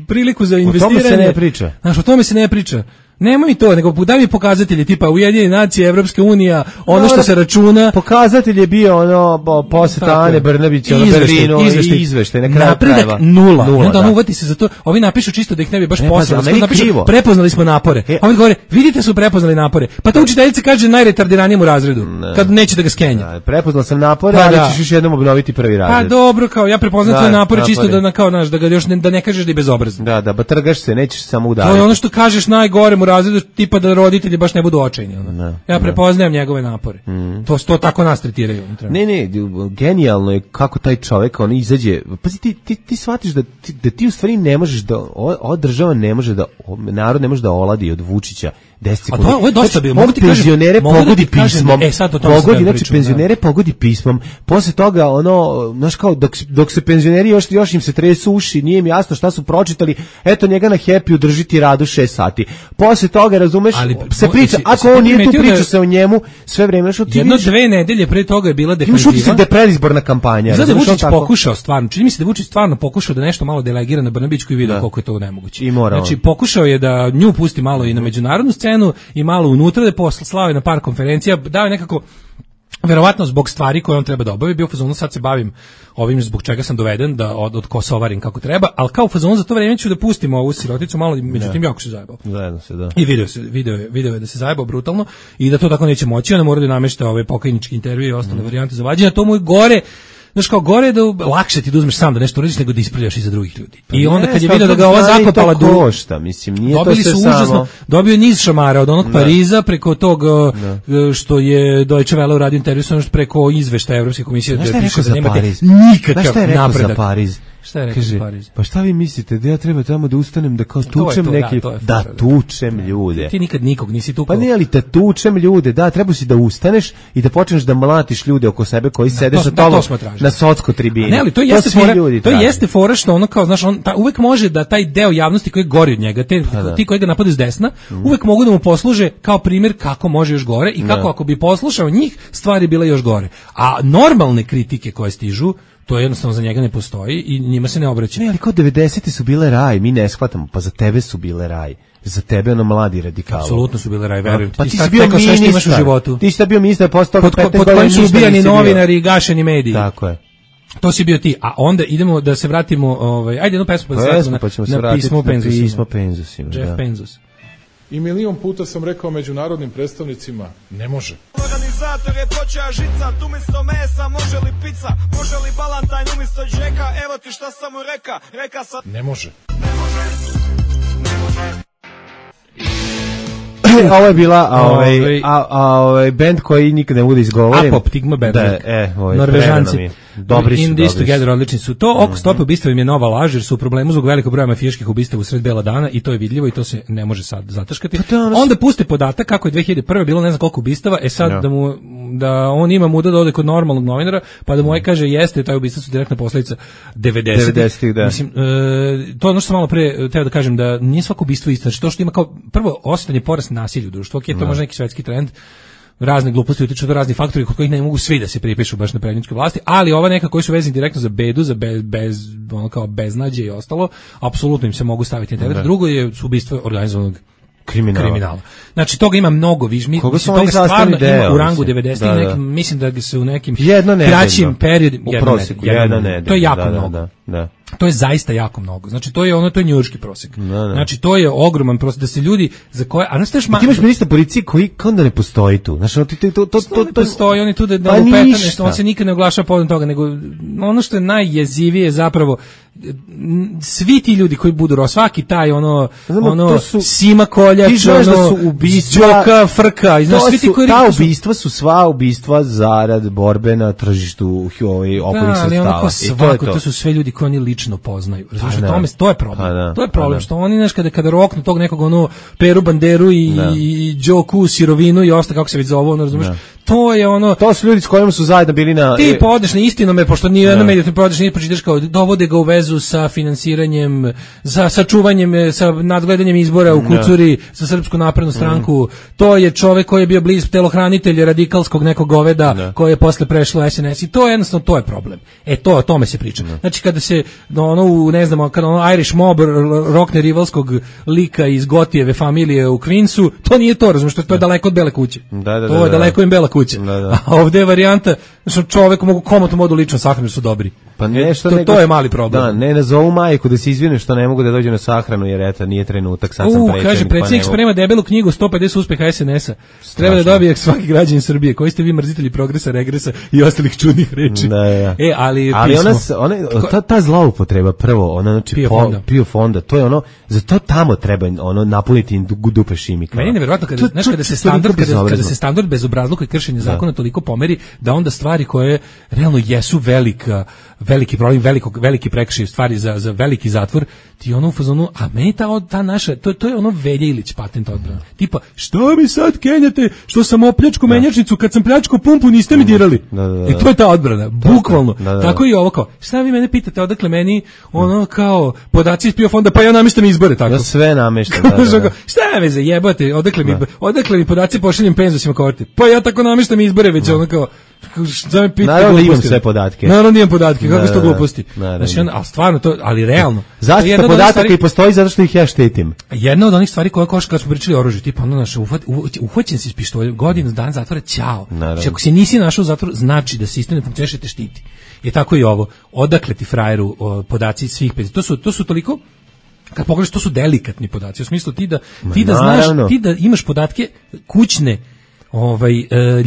priliku za investiranje. O tome se ne priča. Znaš, o tome se ne priča. Nemoj to, nego daj mi pokazatelji tipa Ujedinjene nacije, Evropska unija, ono što se računa. Pokazatelj je bio poseta Ane Brnabić u Berlinu i izveštaj na kraju krajeva. Nula. Onda uvati se za to. Ovi napišu čisto da ih ne bi baš poslali. Prepoznali smo napore. Ovi govore, vidite su prepoznali napore. Pa ta učiteljica kaže najretardiranijim u razredu, kad neće da ga skenja. Prepoznal sam napore, ali ćeš još jednom obnoviti prvi razred. Pa dobro, kao ja prepoznam tvoje napore čisto da kao naš da ga još da ne kažeš da je bezobrazan. Da, trgaš se, nećeš samo udariti. To je ono što kažeš najgore u razredu, tipa da roditelji baš ne budu očajni. Ja prepoznajem njegove napore. To tako nas tretiraju. Ne, genijalno je kako taj čovjek on izađe. Pazi, ti shvatiš da ti u stvari ne možeš da ova država ne može da narod ne može da oladi od Vučića 10 sekundi. A to je dosta bilo. Penzionere pogodi pismom. Penzionere pogodi pismom. Posle toga znaš kao dok se penzioneri još im se tresu uši, nije im jasno šta su pročitali. Eto njega na Happy udržiti radu 6 sati. Posle toga, razumeš, se priča, ako on nije tu, priča se o njemu sve vreme, što ti vidiš. 2 nedelje pre toga je bila defenziva. Imaš utisak da je predizborna kampanja. Znači da Vučić pokušao stvarno, čini mi se da Vučić stvarno pokušao da nešto malo delegira na Brnabićku i video koliko je to nemoguće. Znači pokušao je da nju pusti malo i na međunarodnu scenu i malo unutra, da posle slave na par konferencija, dao je nekako verovatno zbog stvari koje on treba da obavi, bio u fazonu sad se bavim ovim zbog čega sam doveden da od kosovarim kako treba, ali kao u fazonu za to vreme ću da pustimo ovu siroticu malo, međutim jako se zajebao. Zajedno se, da. I video je da se zajebao brutalno i da to tako neće moći, ona mora da namešta ove pokajničke intervjue i ostale varijante za vađenje, to mu je gore znaš kao gore je da lakše ti da uzmeš sam da nešto uradiš nego da ispravljaš iza drugih ljudi. I onda kad je vidio da ga ova zakopala košta, mislim, nije to sve samo. Užasno, dobio niz šamara od onog Pariza preko tog što je Deutsche Welle uradio intervju preko izveštaja Evropske komisije da piše da nemate nikakav napredak. Šta je rekao za Pariz? Pa šta vi mislite, da ja treba tamo da ustanem da kao tučem neki, da tučem ljude. Ti nikad nikog nisi tukao. Pa nije li da tučem ljude, da, treba si da ustaneš i da počneš da mlatiš ljude oko sebe koji sede sa tobom na socko tribini. Ne, ali to jeste fora što ono kao, znaš, on uvek može da taj deo javnosti koji gori od njega, ti koji ga napadaju s desna, uvek mogu da mu posluže kao primjer kako može još gore i kako ako bi poslušao njih, stvari bile još gore. A normalne kritike koje stižu, to jednostavno za njega ne postoji i njima se ne obraća. Ne, ali kao 90. su bile raj, mi ne shvatamo, pa za tebe su bile raj. Za tebe ono mladi radikali. Apsolutno su bile raj, verujem ti. Pa ti si bio ministar u životu. Ti si bio ministar posle toga 15 godina. Pod kojim su ubijani novinari i gašeni mediji. Tako je. To si bio ti. A onda idemo da se vratimo, ajde jednu pesmu na pismo Penzusima. Jeff Penzus. I milion puta sam rekao međunarodnim predstavnicima, ne može. Organizator je počeo žicat, umjesto mesa može li pizza, može li balantajn umjesto džeka, evo ti šta sam mu reka sam... Ne može. Ovo je bila band koji nikad ne bude izgovoren. Apoptigma band. Norvežanci. Dobri su. In This Together, odlični su. To oko stope ubistva im je nova laž, jer su u problemu zbog velikog broja mafijaških ubistava u sred bela dana i to je vidljivo i to se ne može sad zataškati. Onda puste podatak kako je 2001. bilo ne znam koliko ubistava, sad da on ima muda da ode kod normalnog novinara, pa da mu kaže jeste, taj ubistva su direktna posljedica 90-ih. Da. Mislim, to je ono što sam malo pre teo da kažem, da nije svako ubistvo isto. Znači to što ima kao prvo osjetan je porast nasilja u društvu, to je možda neki svetski trend, razne gluposti utiču do razni faktori kod kojih ne mogu svi da se pripišu baš na prednjičke vlasti, ali ova neka koji su vezani direktno za bedu, za ono kao beznađe i ostalo, apsolutno im se mogu staviti na teret. Drugo je ubistvo organizovanog kriminala. Znači toga ima mnogo više. Toga stvarno ima u rangu 90. Mislim da se u nekim kraćim periodima to je jako mnogo. To je zaista jako mnogo. Znači to je njujorški prosjek. Znači to je ogroman prosjek da se ljudi za koje ti imaš ministra policije koji kao da ne postoji tu. Znači to postoji, on je tu da lupeta nešto, on se nikad ne oglašava povodom toga, nego ono što je najjezivije zapravo svi ti ljudi koji budu svaki taj Sima Koljač, Đoka, Frka, i znaš, svi ti koji ta ubistva su sva ubistva zarad borbe na tržištu opojnih sredstava. To su sve ljudi koji oni lično poznaju. Razumiješ, to je problem. To je problem što oni kada roknu tog nekog Peru Banderu i Đoku Sirovinu i ostalo kako se već zove, razumiješ. To su ljudi s kojima su zajedno bili na... Ti podeš na Istinome, pošto nije jedna medija, ti podeš na pročitaš kao dovode ga u vezu sa finansiranjem, sa čuvanjem, sa nadgledanjem izbora u Kucuri, sa Srpsku naprednu stranku. To je čovek koji je bio bliz telohranitelj radikalskog nekog goveda, koji je posle prešlo SNS i to je jednostavno, to je problem. O tome se priča. Znači kada se, ne znam, kada Irish Mob rokne rivalskog lika iz Gotijeve familije u Queensu, to nije to, razumiješ, to je daleko od Bele kuće. To je daleko im Bela kuća. A ovdje je varijanta, znači čovjek mogu komotno modu lično sahranu su dobri. Pa nešto to je mali problem. Da, ne nazovu majku da se izvine što ne mogu da dođu na sahranu jer eto nije trenutak, sad sam predsjednik. Kaže predsjednik sprema debelu knjigu 150 uspeha SNS-a. Treba da dobije svaki građanin Srbije. Koji ste vi mrzitelji progresa, regresa i ostalih čudnih reči. Ali ta zloupotreba prvo, znači PIO fonda, to je za to tamo treba napuniti dupe šimika. Meni je nevjerojatno kada se standard bezobrazluka i kršenje zakona toliko pomeri da onda stvari koje realno jesu veliki problem, veliki prekršaj stvari za veliki zatvor, ti u fazonu, a meni ta naša, to je Velja Ilić patent odbrana. Tipa, što mi sad kenjate, što sam opljačku menjačnicu, kad sam pljačku pumpu niste mi dirali. I to je ta odbrana, bukvalno. Tako i ovo kao, šta vi mene pitate, odakle meni kao podaci iz PIO fonda, pa ja namještam izbore, tako. Ja sve namještam, Šta me zajebate, odakle mi podaci pošaljem penzusima kao pa ja tako namještam izbore, već kao, šta me pitate. Naravno imam sve podatke. Naravno imam podatke, kako su to gluposti. Znači, ali stvarno to, ali realno. Zaštita podataka i postoji zato što ih ja štitim. Jedna od onih stvari koja kad smo pričali o oružju, tipa uhvaćen si s pištoljem, godinu dan zatvora, ćao. Znači, ako se nisi našao u zatvoru, znači da sistem ne funkcioniše te štiti. Je tako i ovo. Odakle ti frajeru podaci svih 50? To su toliko, kad pogledaš, to su delikatni podaci. U smislu ti da znaš, ti da imaš podatke kućne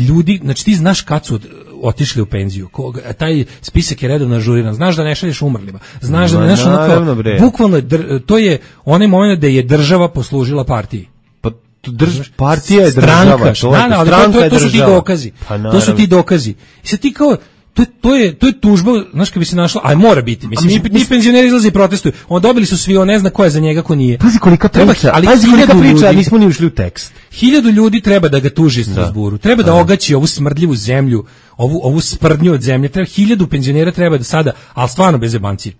ljudi, znači ti znaš kad su otišli u penziju. Taj spisak je redovno ažuriran. Znaš da ne šalješ umrlima. Znaš da ne bukvalno to je onaj moment da je država poslužila partiji. Partija je država. To su ti dokazi. To su ti dokazi. I sad ti kao to je tužba, znaš, kad bi se našla, aj mora biti. Mislim, ti penzioneri izlaze i protestuju. On dobili su svi, on ne zna ko je za njega, ko nije. Pazi kolika priča, nismo ni ušli u tekst. 1000 ljudi treba da ga tuži iz Strasburu. Treba da ogaći ovu smrdljivu zemlju, ovu sprdnju od zemlje. 1000 penzionera treba da sada, ali stvarno bez jebancije.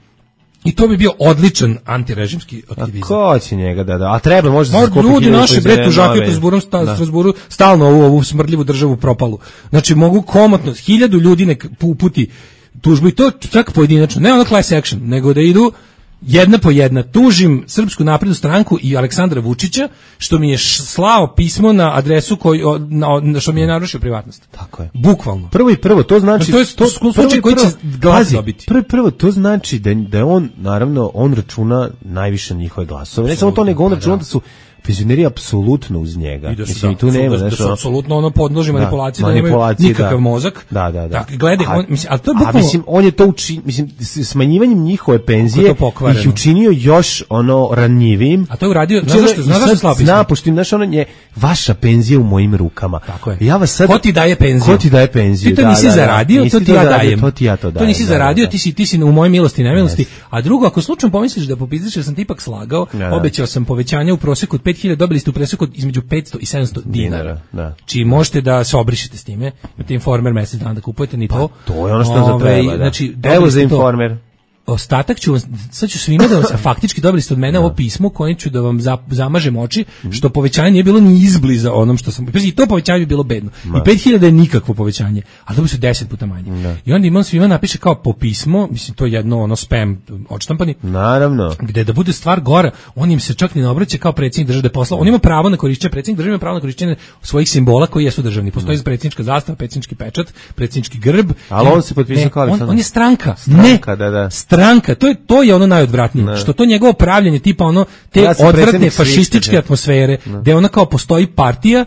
I to bi bio odličan antirežimski aktivizam. Ko će njega da? A treba možda se skupiti. Ljudi naši bre tužaki u Strasburu stalno ovu smrdljivu državu propalu. Znači mogu komotno 1000 ljudi nek uputi tužbu i to čak pojedinačno, ne ono class action, nego da idu jedna po jedna. Tužim Srpsku naprednu stranku i Aleksandra Vučića što mi je slao pismo na adresu što mi je narušio privatnost. Tako je. Bukvalno. Prvo, to znači to je slučaj koji će glas dobiti. Prvo, to znači da je on, naravno, on računa najviše na njihove glasove. Ne samo to, nego on računa da su penzioneri apsolutno uz njega. Mislim, i tu nema, da su apsolutno ono podloži manipulaciji, da nemaju nikakav mozak. Da. Dakle, gledaj, ali to je bukvalno... mislim, on je to smanjivanjem njihove penzije ih učinio još ono ranjivim. A to je uradio, znaš zašto slao pismo? Znaš, ono je vaša penzija u mojim rukama. Tako je. Ja vas sad... Ko ti daje penziju? Ti to nisi zaradio, to ti ja dajem. To ti ja to dajem. To nisi zaradio, ti si u mojoj milosti i nemilosti. A drugo, ako slučajno pomisliš da popizdiš, jer sam ti ipak slagao, obećao sam povećanje u proseku od 5.000, dobili ste u preseku između 500 i 700 dinara. Čiji možete da se obrišete s time. Imate Informer mesec dana da kupujete, ni to. To je ono što za treba, znači, evo za Informer. Ostatak sad ću svima da vam, faktički dobili ste od mene ovo pismo kojim ću da vam zamažem oči, što povećanje nije bilo ni izbliza onom što sam, i to povećanje bi bilo bedno. I 5.000 je nikakvo povećanje, ali dobili su 10 puta manje. I onda imam svima napiše kao po pismo, mislim to je jedno ono spam odštampani. Naravno. Gde da bude stvar gora, on im se čak ni ne obraća kao predsjednik države poslao. On ima pravo na korišćenje, predsjednik države ima pravo na korišćenje svojih simbola koji jesu državni. Postoji predsjednička zastava, predsjednički pečat, predsjednički grb. Ali on se potpisao kao Aleksandar. On je stranka. Stranka, to je ono najodvratnije, što to njegovo pravljenje tipa ono te odvratne fašističke atmosfere, gde ona kao postoji partija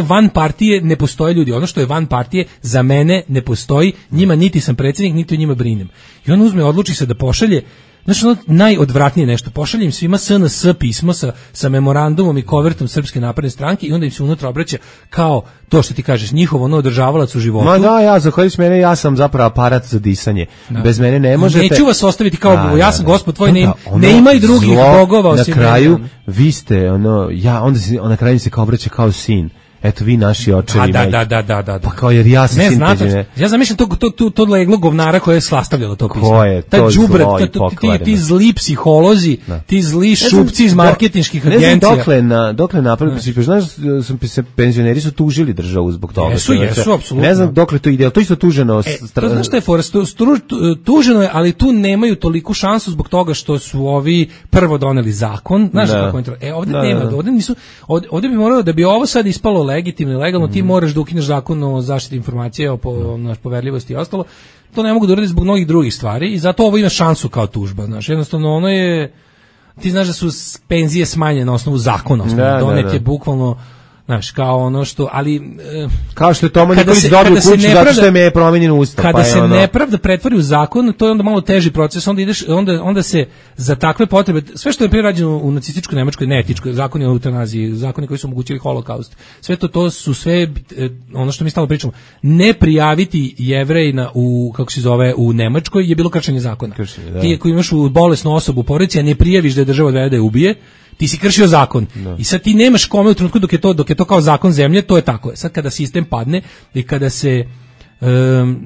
van partije, ne postoje ljudi. Ono što je van partije za mene ne postoji, njima niti sam predsjednik, niti o njima brinem. I on odluči se da pošalje, znači ono najodvratnije nešto, pošaljem svima SNS pismo sa memorandumom i kovertom Srpske napredne stranke i onda im se unutra obraća kao to što ti kažeš, njihovo ono održavalac u životu. Ma da, zahvaljujući mene, ja sam zapravo aparat za disanje. Bez mene ne možete. Neću vas ostaviti kao ja sam gospod tvoj, ne ima i drugih bogova osim na kraju, vi ste, onda na kraju se kao obraća kao sin. Eto vi naši očevi. Da. Pa kao jer ja sam sin penzionera. Ja zamišljam to leglo govnara koje je slastavljalo to pismo. Ko je to zlo i pokvareno? Ti zli psiholozi, ti zli šupci iz marketinških agencija. Ne znam dokle napravili, znaš, penzioneri su tužili državu zbog toga. Jesu, apsolutno. Ne znam dokle to ide, to isto tuženo. To znaš šta je fora, tuženo je, ali tu nemaju toliku šansu zbog toga što su ovi prvo doneli zakon, znaš kako je. Ovdje bi moralo da bi ovo sad ispalo legitimno i legalno, ti moraš da ukineš zakon o zaštiti informacija, o poverljivosti i ostalo. To ne mogu da uradi zbog mnogih drugih stvari i zato ovo ima šansu kao tužba. Znaš, jednostavno ono je, ti znaš da su penzije smanjene na osnovu zakona, donet je bukvalno, znaš, kao ono što, ali... Kao što je Toma Nikolić dobio kuću zato što je promenjen ustav. Kada se nepravda pretvori u zakon, to je onda malo teži proces, onda se za takve potrebe, sve što je prije rađeno u nacističkoj Nemačkoj, neetičkoj, zakoni o eutanaziji, zakoni koji su omogućili holokaust, sve to su sve, ono što mi stalno pričamo, ne prijaviti Jevrejina u Nemačkoj je bilo kršenje zakona. Ti ako imaš bolesnu osobu u porodici, a ne prijaviš da je država odvede da je ubije, ti si kršio zakon. I sad ti nemaš kome u trenutku dok je to kao zakon zemlje, to je tako. Sad kada sistem padne i kada se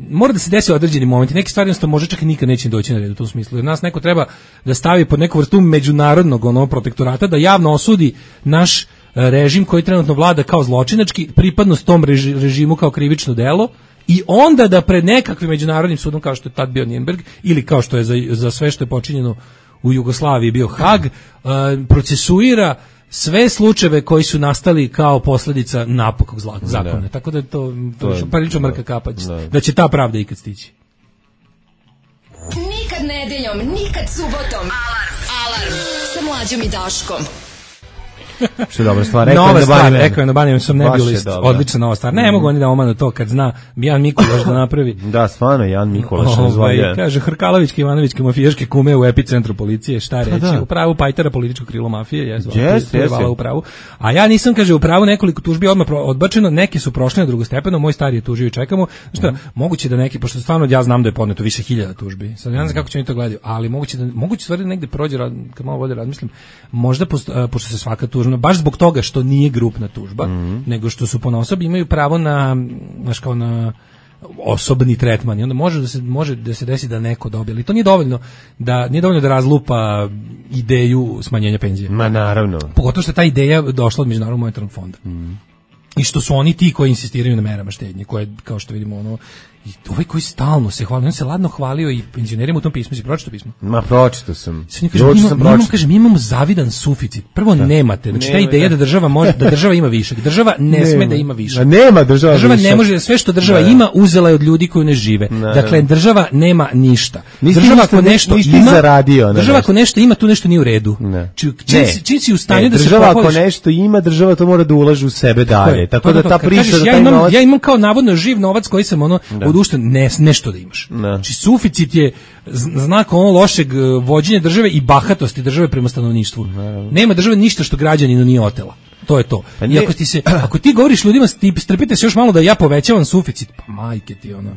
mora da se desi određeni momenti, neke stvari jednostavno može čak i nikad neće doći na red u tom smislu. Jer nas neko treba da stavi pod neku vrstu međunarodnog protektorata, da javno osudi naš režim koji trenutno vlada kao zločinački, pripadnost tom režimu kao krivično delo, i onda da pred nekakvim međunarodnim sudom kao što je tad bio Nürnberg ili kao što je za sve što je počinjeno u Jugoslaviji bio Hag, procesuira sve slučajeve koji su nastali kao posljedica napokog zakona. Tako da je to prilično mrka kapać. Da će ta pravda ikad stići. Nikad nedeljom, nikad subotom. Alarm sa Mlađom i Daškom. Što je dobra stvar. Nova stvar, rekao na Baniju sam Nebulist, odlična nova stvar. Ne mogu oni da omanu to kad zna Jan Mikulaš da napravi. Da, stvarno, Jan Mikulaš razvalja. Kaže, Hrkalovićke, Ivanovićke mafijaške kume u epicentru policije, šta reći, u pravu Pajtara, političko krilo mafije, jeste u pravu. A ja nisam, kaže, u pravu, nekoliko tužbi odmah odbačeno, neke su prošle na drugostepeno, moj stari je tužio i čekamo. Šta, moguće da neki, pošto stvarno ja znam da je podneto više hiljada tužbi. Sad ne znam kako će oni to gledaju, ali moguće stvari negde prođe, kad malo vode razmislim, možda pošto se svaka tužba, baš zbog toga što nije grupna tužba, nego što su ponaosobi imaju pravo na, znaš, kao na osobni tretman i onda može da se desi da neko dobije, ali to nije dovoljno da razlupa ideju smanjenja penzije. Ma naravno. Pogotovo što je ta ideja došla od Međunarodnog monetarnog fonda. I što su oni ti koji insistiraju na merama štednje, koje, kao što vidimo, ono, i ovaj koji stalno se hvali, on se ladno hvalio i penzionerima u tom pismu. Si pročitao pismo? Ma, pročitao sam. Mi imamo zavidan suficit. Prvo nemate. Znači, ta ideja da država ima višak. Država ne sme da ima višak. Nema država višak. Ne može, sve što država ima, uzela je od ljudi koji ne žive. Dakle, država nema ništa. Država ako nešto ima, država ako nešto ima, tu nešto nije u redu. Čim si u stanju da se država ako nešto ima, država to mora da ulaže u sebe dalje. Tako da ta priča da taj novac... Ja imam kao navodno živ novac koji sam nešto da imaš. Znači suficit je znak ono lošeg vođenja države i bahatosti države prema stanovništvu. Nema države ništa što građaninu nije otela. To je to. I ako ti govoriš ljudima, strpite se još malo da ja povećavam suficit, pa majke ti ono.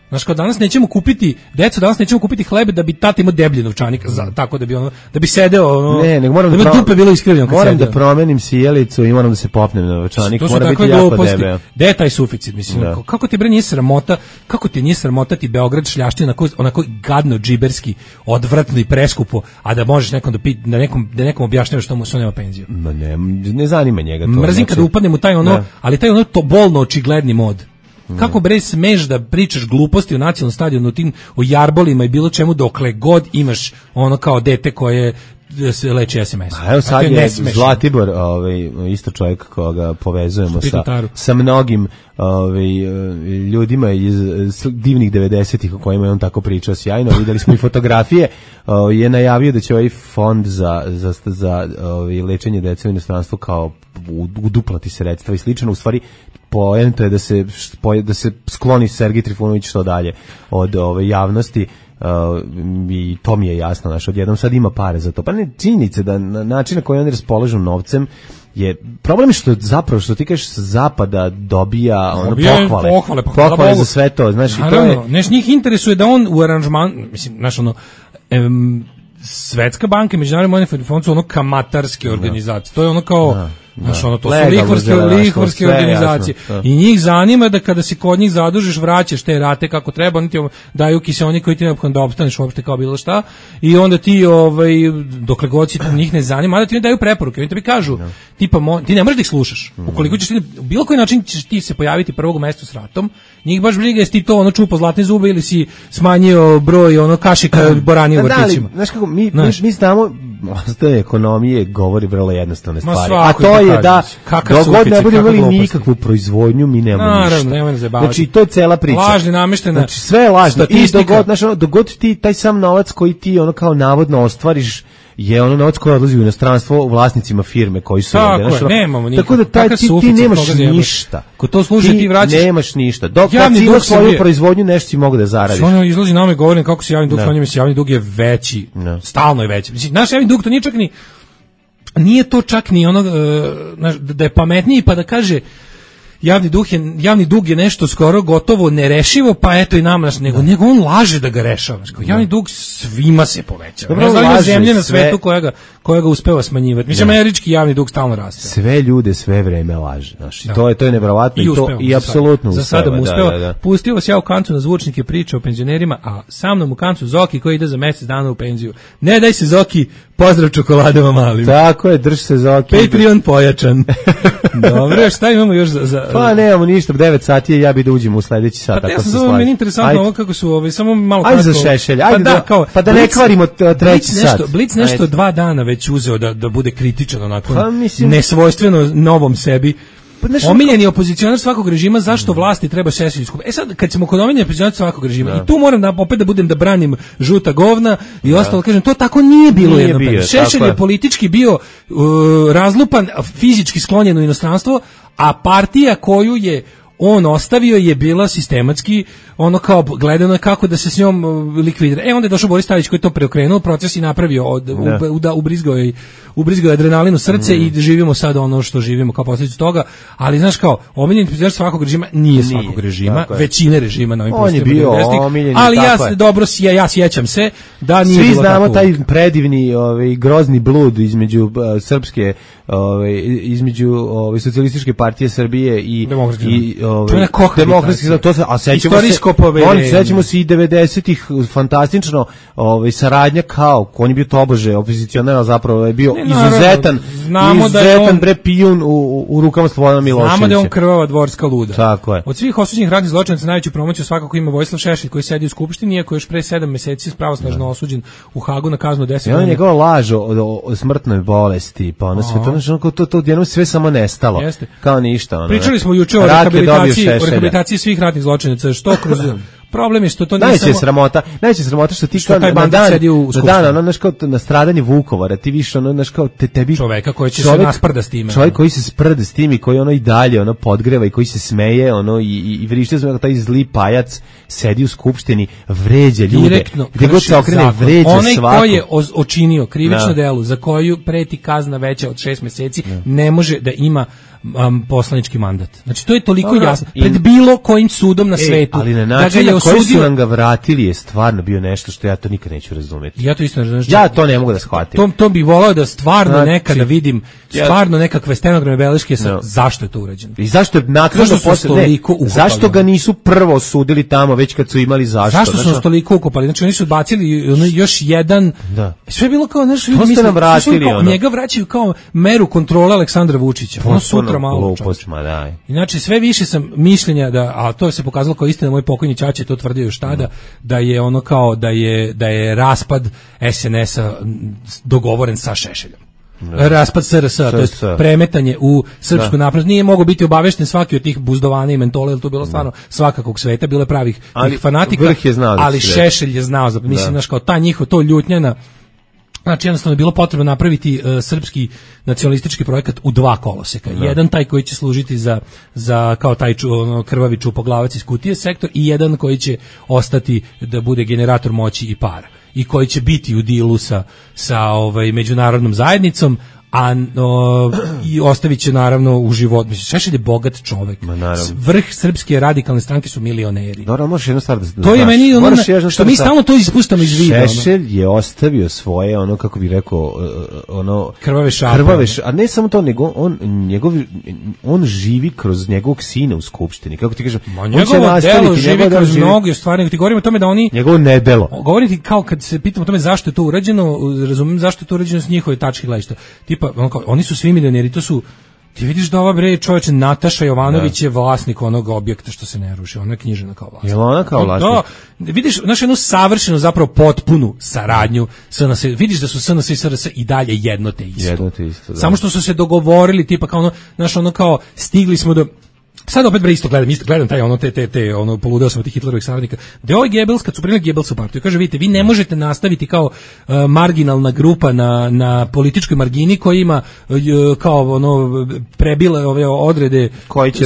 Znaš, kao danas nećemo kupiti hlebe da bi tata imao deblji novčanik, tako da bi ono, da bi sedeo ono, da bi dupe bilo iskrivljeno. Moram da promenim sijalicu i moram da se popnem na novčanik, mora biti jako debel. Gde je taj suficit, mislim, kako ti bre nije sramota, ti Beograd šljaština onako gadno, džiberski, odvratno i preskupo, a da možeš da nekom objašnjavaš što mu se nema penziju. Ma ne zanima njega to. Mrzim kada upadnem u taj ono, ali taj ono to bolno očigledni mod. Kako bre smeš da pričaš gluposti o nacionalnom stadionu, o jarbolima i bilo čemu dokle god imaš ono kao dete koje se leči SMS. A evo sad je Zlatibor, isto čovjek koga povezujemo sa mnogim ljudima iz divnih 90-ih o kojima je on tako pričao sjajno. Videli smo i fotografije. Je najavio da će ovaj fond za lečenje dece u inostranstvu kao uduplati sredstva i slično. U stvari poenta je da se skloni Sergej Trifunović što dalje od javnosti. I to mi je jasno, znaš, odjednom sad ima pare za to. Pa ne, činjenice da na način na koji oni raspolažu novcem je problem što ti kažeš sa zapada dobija pohvale za sve to, znaš. Naravno, i to je... njih interesuje da on u aranžman, mislim, znaš, ono, Svetska banka i Međunarodni monetarni fond su ono kamatarske organizacije. To je ono kao znaš, ono, to su lihvarske organizacije. I njih zanima da kada se kod njih zadužiš, vraćaš te rate kako treba, oni ti daju kiseonik koji ti neophodno da opstaneš uopšte kao bilo šta, i onda ti, dokle god si njih ne zanima, da ti ne daju preporuke, oni tebi kažu, tipa, ti ne možeš da ih slušaš. Ukoliko ćeš u bilo koji način ćeš ti se pojaviti prvog mestu s ratom, njih baš briga jesi ti to ono čupo zlatne zube ili si smanjio broj ono kašika borani u vrtićima. Znaš kako, mi znamo, ostaje ekonomije govori vrlo jednostavne stvari. A to je da dok god ne budemo imali nikakvu proizvodnju, mi nemamo ništa. Znači, to je cela priča. Lažni, nameštena. Znači, sve je lažno. I dok god ti taj sam novac koji ti ono kao navodno ostvariš je ono novac koji odlazi u inostranstvo vlasnicima firme koji su ovdje. Nemamo nikakvu. Tako da ti nemaš ništa. Ko to služi ti vraćaš. Nemaš ništa. Dok kad si imao svoju proizvodnju, nešto si mogu da zaradiš. Ono izlazi nama i govorim kako se javni dug smanjuje, javni dug je veći. Stalno je veći. Mislim, naš javni dug to nije to čak ni ono da je pametniji pa da kaže javni dug je nešto skoro gotovo nerešivo, pa eto i nama, nego on laže da ga rešava. Javni dug svima se povećava. Ne znam zemlje na svetu koja ga uspeva smanjivati. Mislim, američki javni dug stalno raste. Sve ljude sve vreme laže. To je neverovatno i apsolutno uspeva. Za sada mu uspeva. Pustio vas ja u kancu na zvučnike priče o penzionerima, a sa mnom u kancu Zoki koji ide za mjesec dana u penziju. Ne daj se Zoki, pozdrav čokoladama malim. Tako je, drž se Zoki. Patreon pojačan. Dobro, šta imamo još za... Pa nemamo ništa, 9 sati je, ja bi da uđem u sledeći sat. Pa ja sam zove, meni interesantno ovo kako su, samo malo kratko. Ajde za Šešelj, pa da ne kvarimo treći sat. Blic nešto 2 dana već uzeo da bude kritičan onako, nesvojstveno novom sebi. Omiljeni opozicionar svakog režima, zašto vlasti treba Šešelj skupiti? Sad, kad ćemo kod omiljeni opozicionar svakog režima, i tu moram opet da budem da branim žuta govna i ostalo, kažem, to tako nije bilo jedno. Šešelj je politički bio razlupan, fizički sklonjen u inostranstvo, a partija koju je on ostavio je bila sistematski ono kao gledano je kako da se s njom likvidira. Onda je došao Boris Tadić koji je to preokrenuo proces i napravio ubrizgao adrenalin u srce i živimo sad ono što živimo kao posljedicu toga, ali znaš kao omiljeni političar svakog režima nije svakog režima, većine režima na ovim prostorima. On je bio omiljeni, ali ja sjećam se da nije svi bilo znamo tako. Taj predivni grozni blud između srpske između socijalističke partije Srbije i demokratski, to se, a sećamo se i 90-ih fantastično saradnja kao on je bio tobože opozicionar, zapravo je bio izuzetan bre pijun u rukama Slobodana Miloševića. Znamo da je on krvava dvorska luda. Tako je. Od svih osuđenih ratnih zločinaca najveću promociju svakako ima Vojislav Šešelj koji sedi u skupštini, iako je još pre 7 meseci pravosnažno osuđen u Hagu na kaznu 10 godina. On je njegova laž o smrtnoj bolesti, pa ono sve to odjednom sve samo nestalo. Kao ništa. Pričali smo juče o rehabilitaciji svih ratnih zločinaca, što kroz problem je što to nije najveća sramota što ti kao na stradanje Vukovara ti više kao tebi čoveka koji će se nasprda s time. Čovjek koji se sprda s tim i koji i dalje podgreva i koji se smeje i vrište se taj zli pajac sedi u skupštini, vređa ljude. Gde god se okrene vređa svako. Onaj ko je očinio krivično delo za koju preti kazna veća od 6 meseci ne može da ima poslanički mandat. Znači to je toliko jasno. Pred bilo kojim sudom na svetu. Ali na način na koji su nam ga vratili je stvarno bio nešto što ja to nikad neću razumjeti. Ja to isto ne razumem. Ja to ne mogu da shvatim. To bih volao da stvarno nekada vidim stvarno nekakve stenograme beleške zašto je to urađeno. I zašto je naknadno zašto ga nisu prvo osudili tamo već kad su imali zašto? Zašto su nas toliko ukopali? Znači oni su odbacili još jedan. Sve je bilo kao nešto ljudi misle njega vraćaju kao meru kontrole Aleksandra Vučića. Ono sutra malo. Inače sve više sam mišljenja a to se pokazalo kao istina, moj pokojni ćaća je to tvrdio još tada, da je ono kao da je raspad SNS-a dogovoren sa Šešeljom. Raspad SRS, to je premetanje u srpsku naprednost. Nije mogao biti obavešten svaki od tih buzdovana i mentola, jer to bilo stvarno svakakog sveta, bilo je pravih fanatika, ali Šešelj je znao, mislim, znaš, kao ta njihova, to ljutnjena. Znači jednostavno je bilo potrebno napraviti srpski nacionalistički projekat u 2 koloseka. Jedan taj koji će služiti za kao taj krvavi čupoglavac iz kutije sektor i jedan koji će ostati da bude generator moći i para i koji će biti u dilu sa međunarodnom zajednicom, i ostavit će naravno u život. Šešelj je bogat čovek. Vrh srpske radikalne stranke su milioneri. Možeš jednu stvar da to je meni što mi stalno to ispuštamo iz vida. Šešelj je ostavio svoje, kako bi rekao, krvave šape. A ne samo to, nego on živi kroz njegovog sina u skupštini. Kako ti kažem? Njegovo delo živi kroz mnoge stvari. Ti govorimo o tome da oni... Njegovo nedelo. Govorim ti kao kad se pitamo o tome zašto je to urađeno, razumijem zašto je to urađeno s njihove tačke gledišta. Tipa, oni su svi milioneri, to su, ti vidiš da ova čovječe Nataša Jovanović je vlasnik onog objekta što se ne ruši, ona je knjižena kao vlasnik. Je ona kao vlasnik? Vidiš, jednu savršenu, zapravo potpunu saradnju, vidiš da su SNS i SRS i dalje jedno te isto. Samo što su se dogovorili, tipa kao kao stigli smo do... Sad opet isto gledam taj poludeo sam od tih Hitlerovih saradnika. Da je ovaj Goebbels, kad su primili Goebbelsa u partiju, kaže, vidite, vi ne možete nastaviti kao marginalna grupa na političkoj margini koja ima kao prebile ove odrede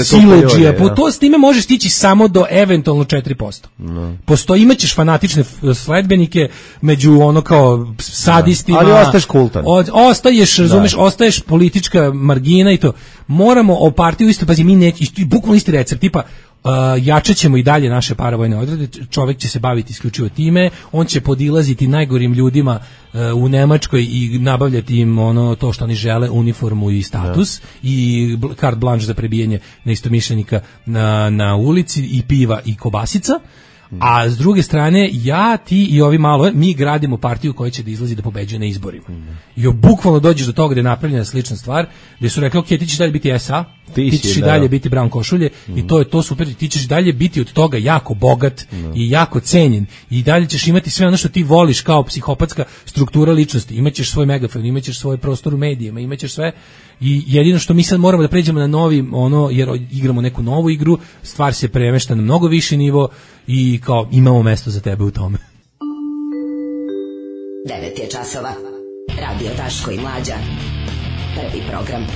siledžija. To s time može stići samo do eventualno 4%. Imaćeš fanatične sledbenike među kao sadistima. Ali ostaješ kultan. Ostaješ politička margina i to. Moramo o partiju isto, pazi, mi neći, bukvalno isti recept, tipa jačat ćemo i dalje naše paravojne odrede, čovjek će se baviti isključivo time, on će podilaziti najgorim ljudima u Nemačkoj i nabavljati im to što oni žele, uniformu i status i carte blanche za prebijanje neistomišljenika na ulici i piva i kobasica. A s druge strane, ja, ti i ovi malo, mi gradimo partiju koja će da izlazi da pobeđuje na izborima. I bukvalno dođeš do toga da je napravljena slična stvar, gde su rekli, ok, ti ćeš dalje biti SA, ti ćeš i dalje biti Brown košulje, i to je to super, ti ćeš dalje biti od toga jako bogat i jako cenjen, i dalje ćeš imati sve ono što ti voliš kao psihopatska struktura ličnosti, imaćeš svoj megafon, imaćeš svoj prostor u medijima, imaćeš sve, i jedino što mi sad moramo da pređemo na novi, jer igramo neku novu igru, stvar se premešta na mnogo viši nivo i kao imamo mesto za tebe u tome. 9 je časova. Radio Daško i Mlađa. Prvi program.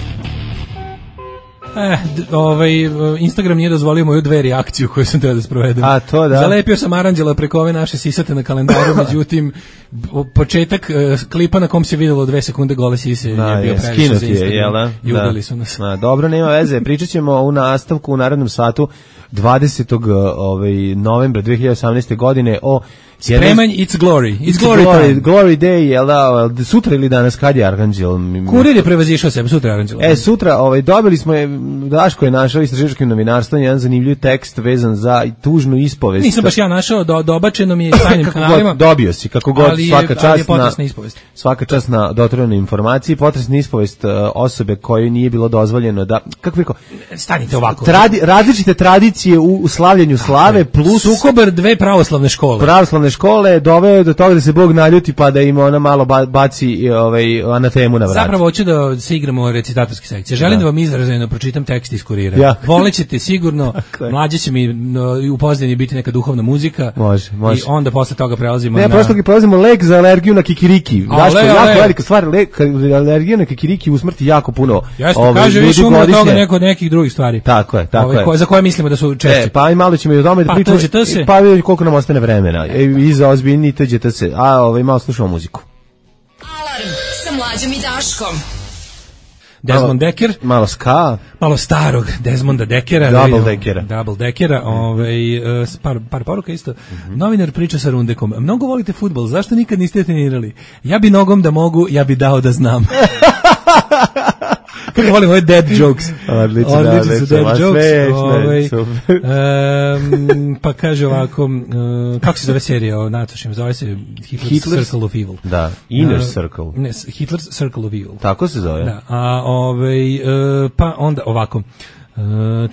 Instagram nije dozvolio moju 2 reakciju koju sam trebao da sprovedem. A to da. Zalepio sam aranđela preko ove naše sisate na kalendaru, međutim početak klipa na kom se videlo 2 sekunde gole sise je bio previše za Instagram i udali su nas. Dobro, nema veze, pričat ćemo u nastavku u narednom satu 20. novembra 2018. godine o Spremanj, it's glory. It's glory day, jel da, sutra ili danas, kad je Arhanđel? Kurir je prevazišao sebe, sutra je Arhanđel. Sutra, dobili smo, Daško je našao istraživačkim novinarstvom jedan zanimljiv tekst vezan za tužnu ispovest. Nisam baš ja našao, dobačeno mi je tajnim kanalima. Dobio si, kako god, svaka čast na dotrojnoj informaciji, potresna ispovest osobe kojoj nije bilo dozvoljeno da, kako rekao, stanite ovako. Različite tradicije u slavljenju slave, plus sukobar 2 pravoslavne škole doveo do toga da se Bog naljuti pa da im ona malo baci anatemu na vrat. Zapravo hoću da se igramo recitatorske sekcije. Želim da vam izrazeno pročitam tekst iz Kurira. Volećete sigurno, Mlađe će mi u pozadini biti neka duhovna muzika. Može. I onda posle toga prelazimo na... Ne, prelazimo lek za alergiju na kikiriki. Daško, jako velika stvar, alergija na kikiriki usmrti jako puno. Jasno, kaže više umre toga neko od nekih drugih stvari. Tako je. Za koje mislimo da su češće. Pa i malo ćemo i o tome da pričamo. Pa vidimo koliko nam ostane vremena. I za ozbiljni TGT se. Malo slušamo muziku. Alarm sa Mlađom i Daškom. Desmond Decker. Malo ska. Malo starog Desmonda Deckera. Double Deckera. Par poruka isto. Novinar priča sa Rundekom. Mnogo volite fudbal, zašto nikad niste trenirali? Ja bi nogom da mogu, ja bi dao da znam. Kako volim ove dead jokes. Odlični su dead jokes. Pa kaže ovako, kako se zove serija o natošim? Zove se Hitler's Circle of Evil. Da, Inner Circle. Ne, Hitler's Circle of Evil. Tako se zove. Da, pa onda ovako.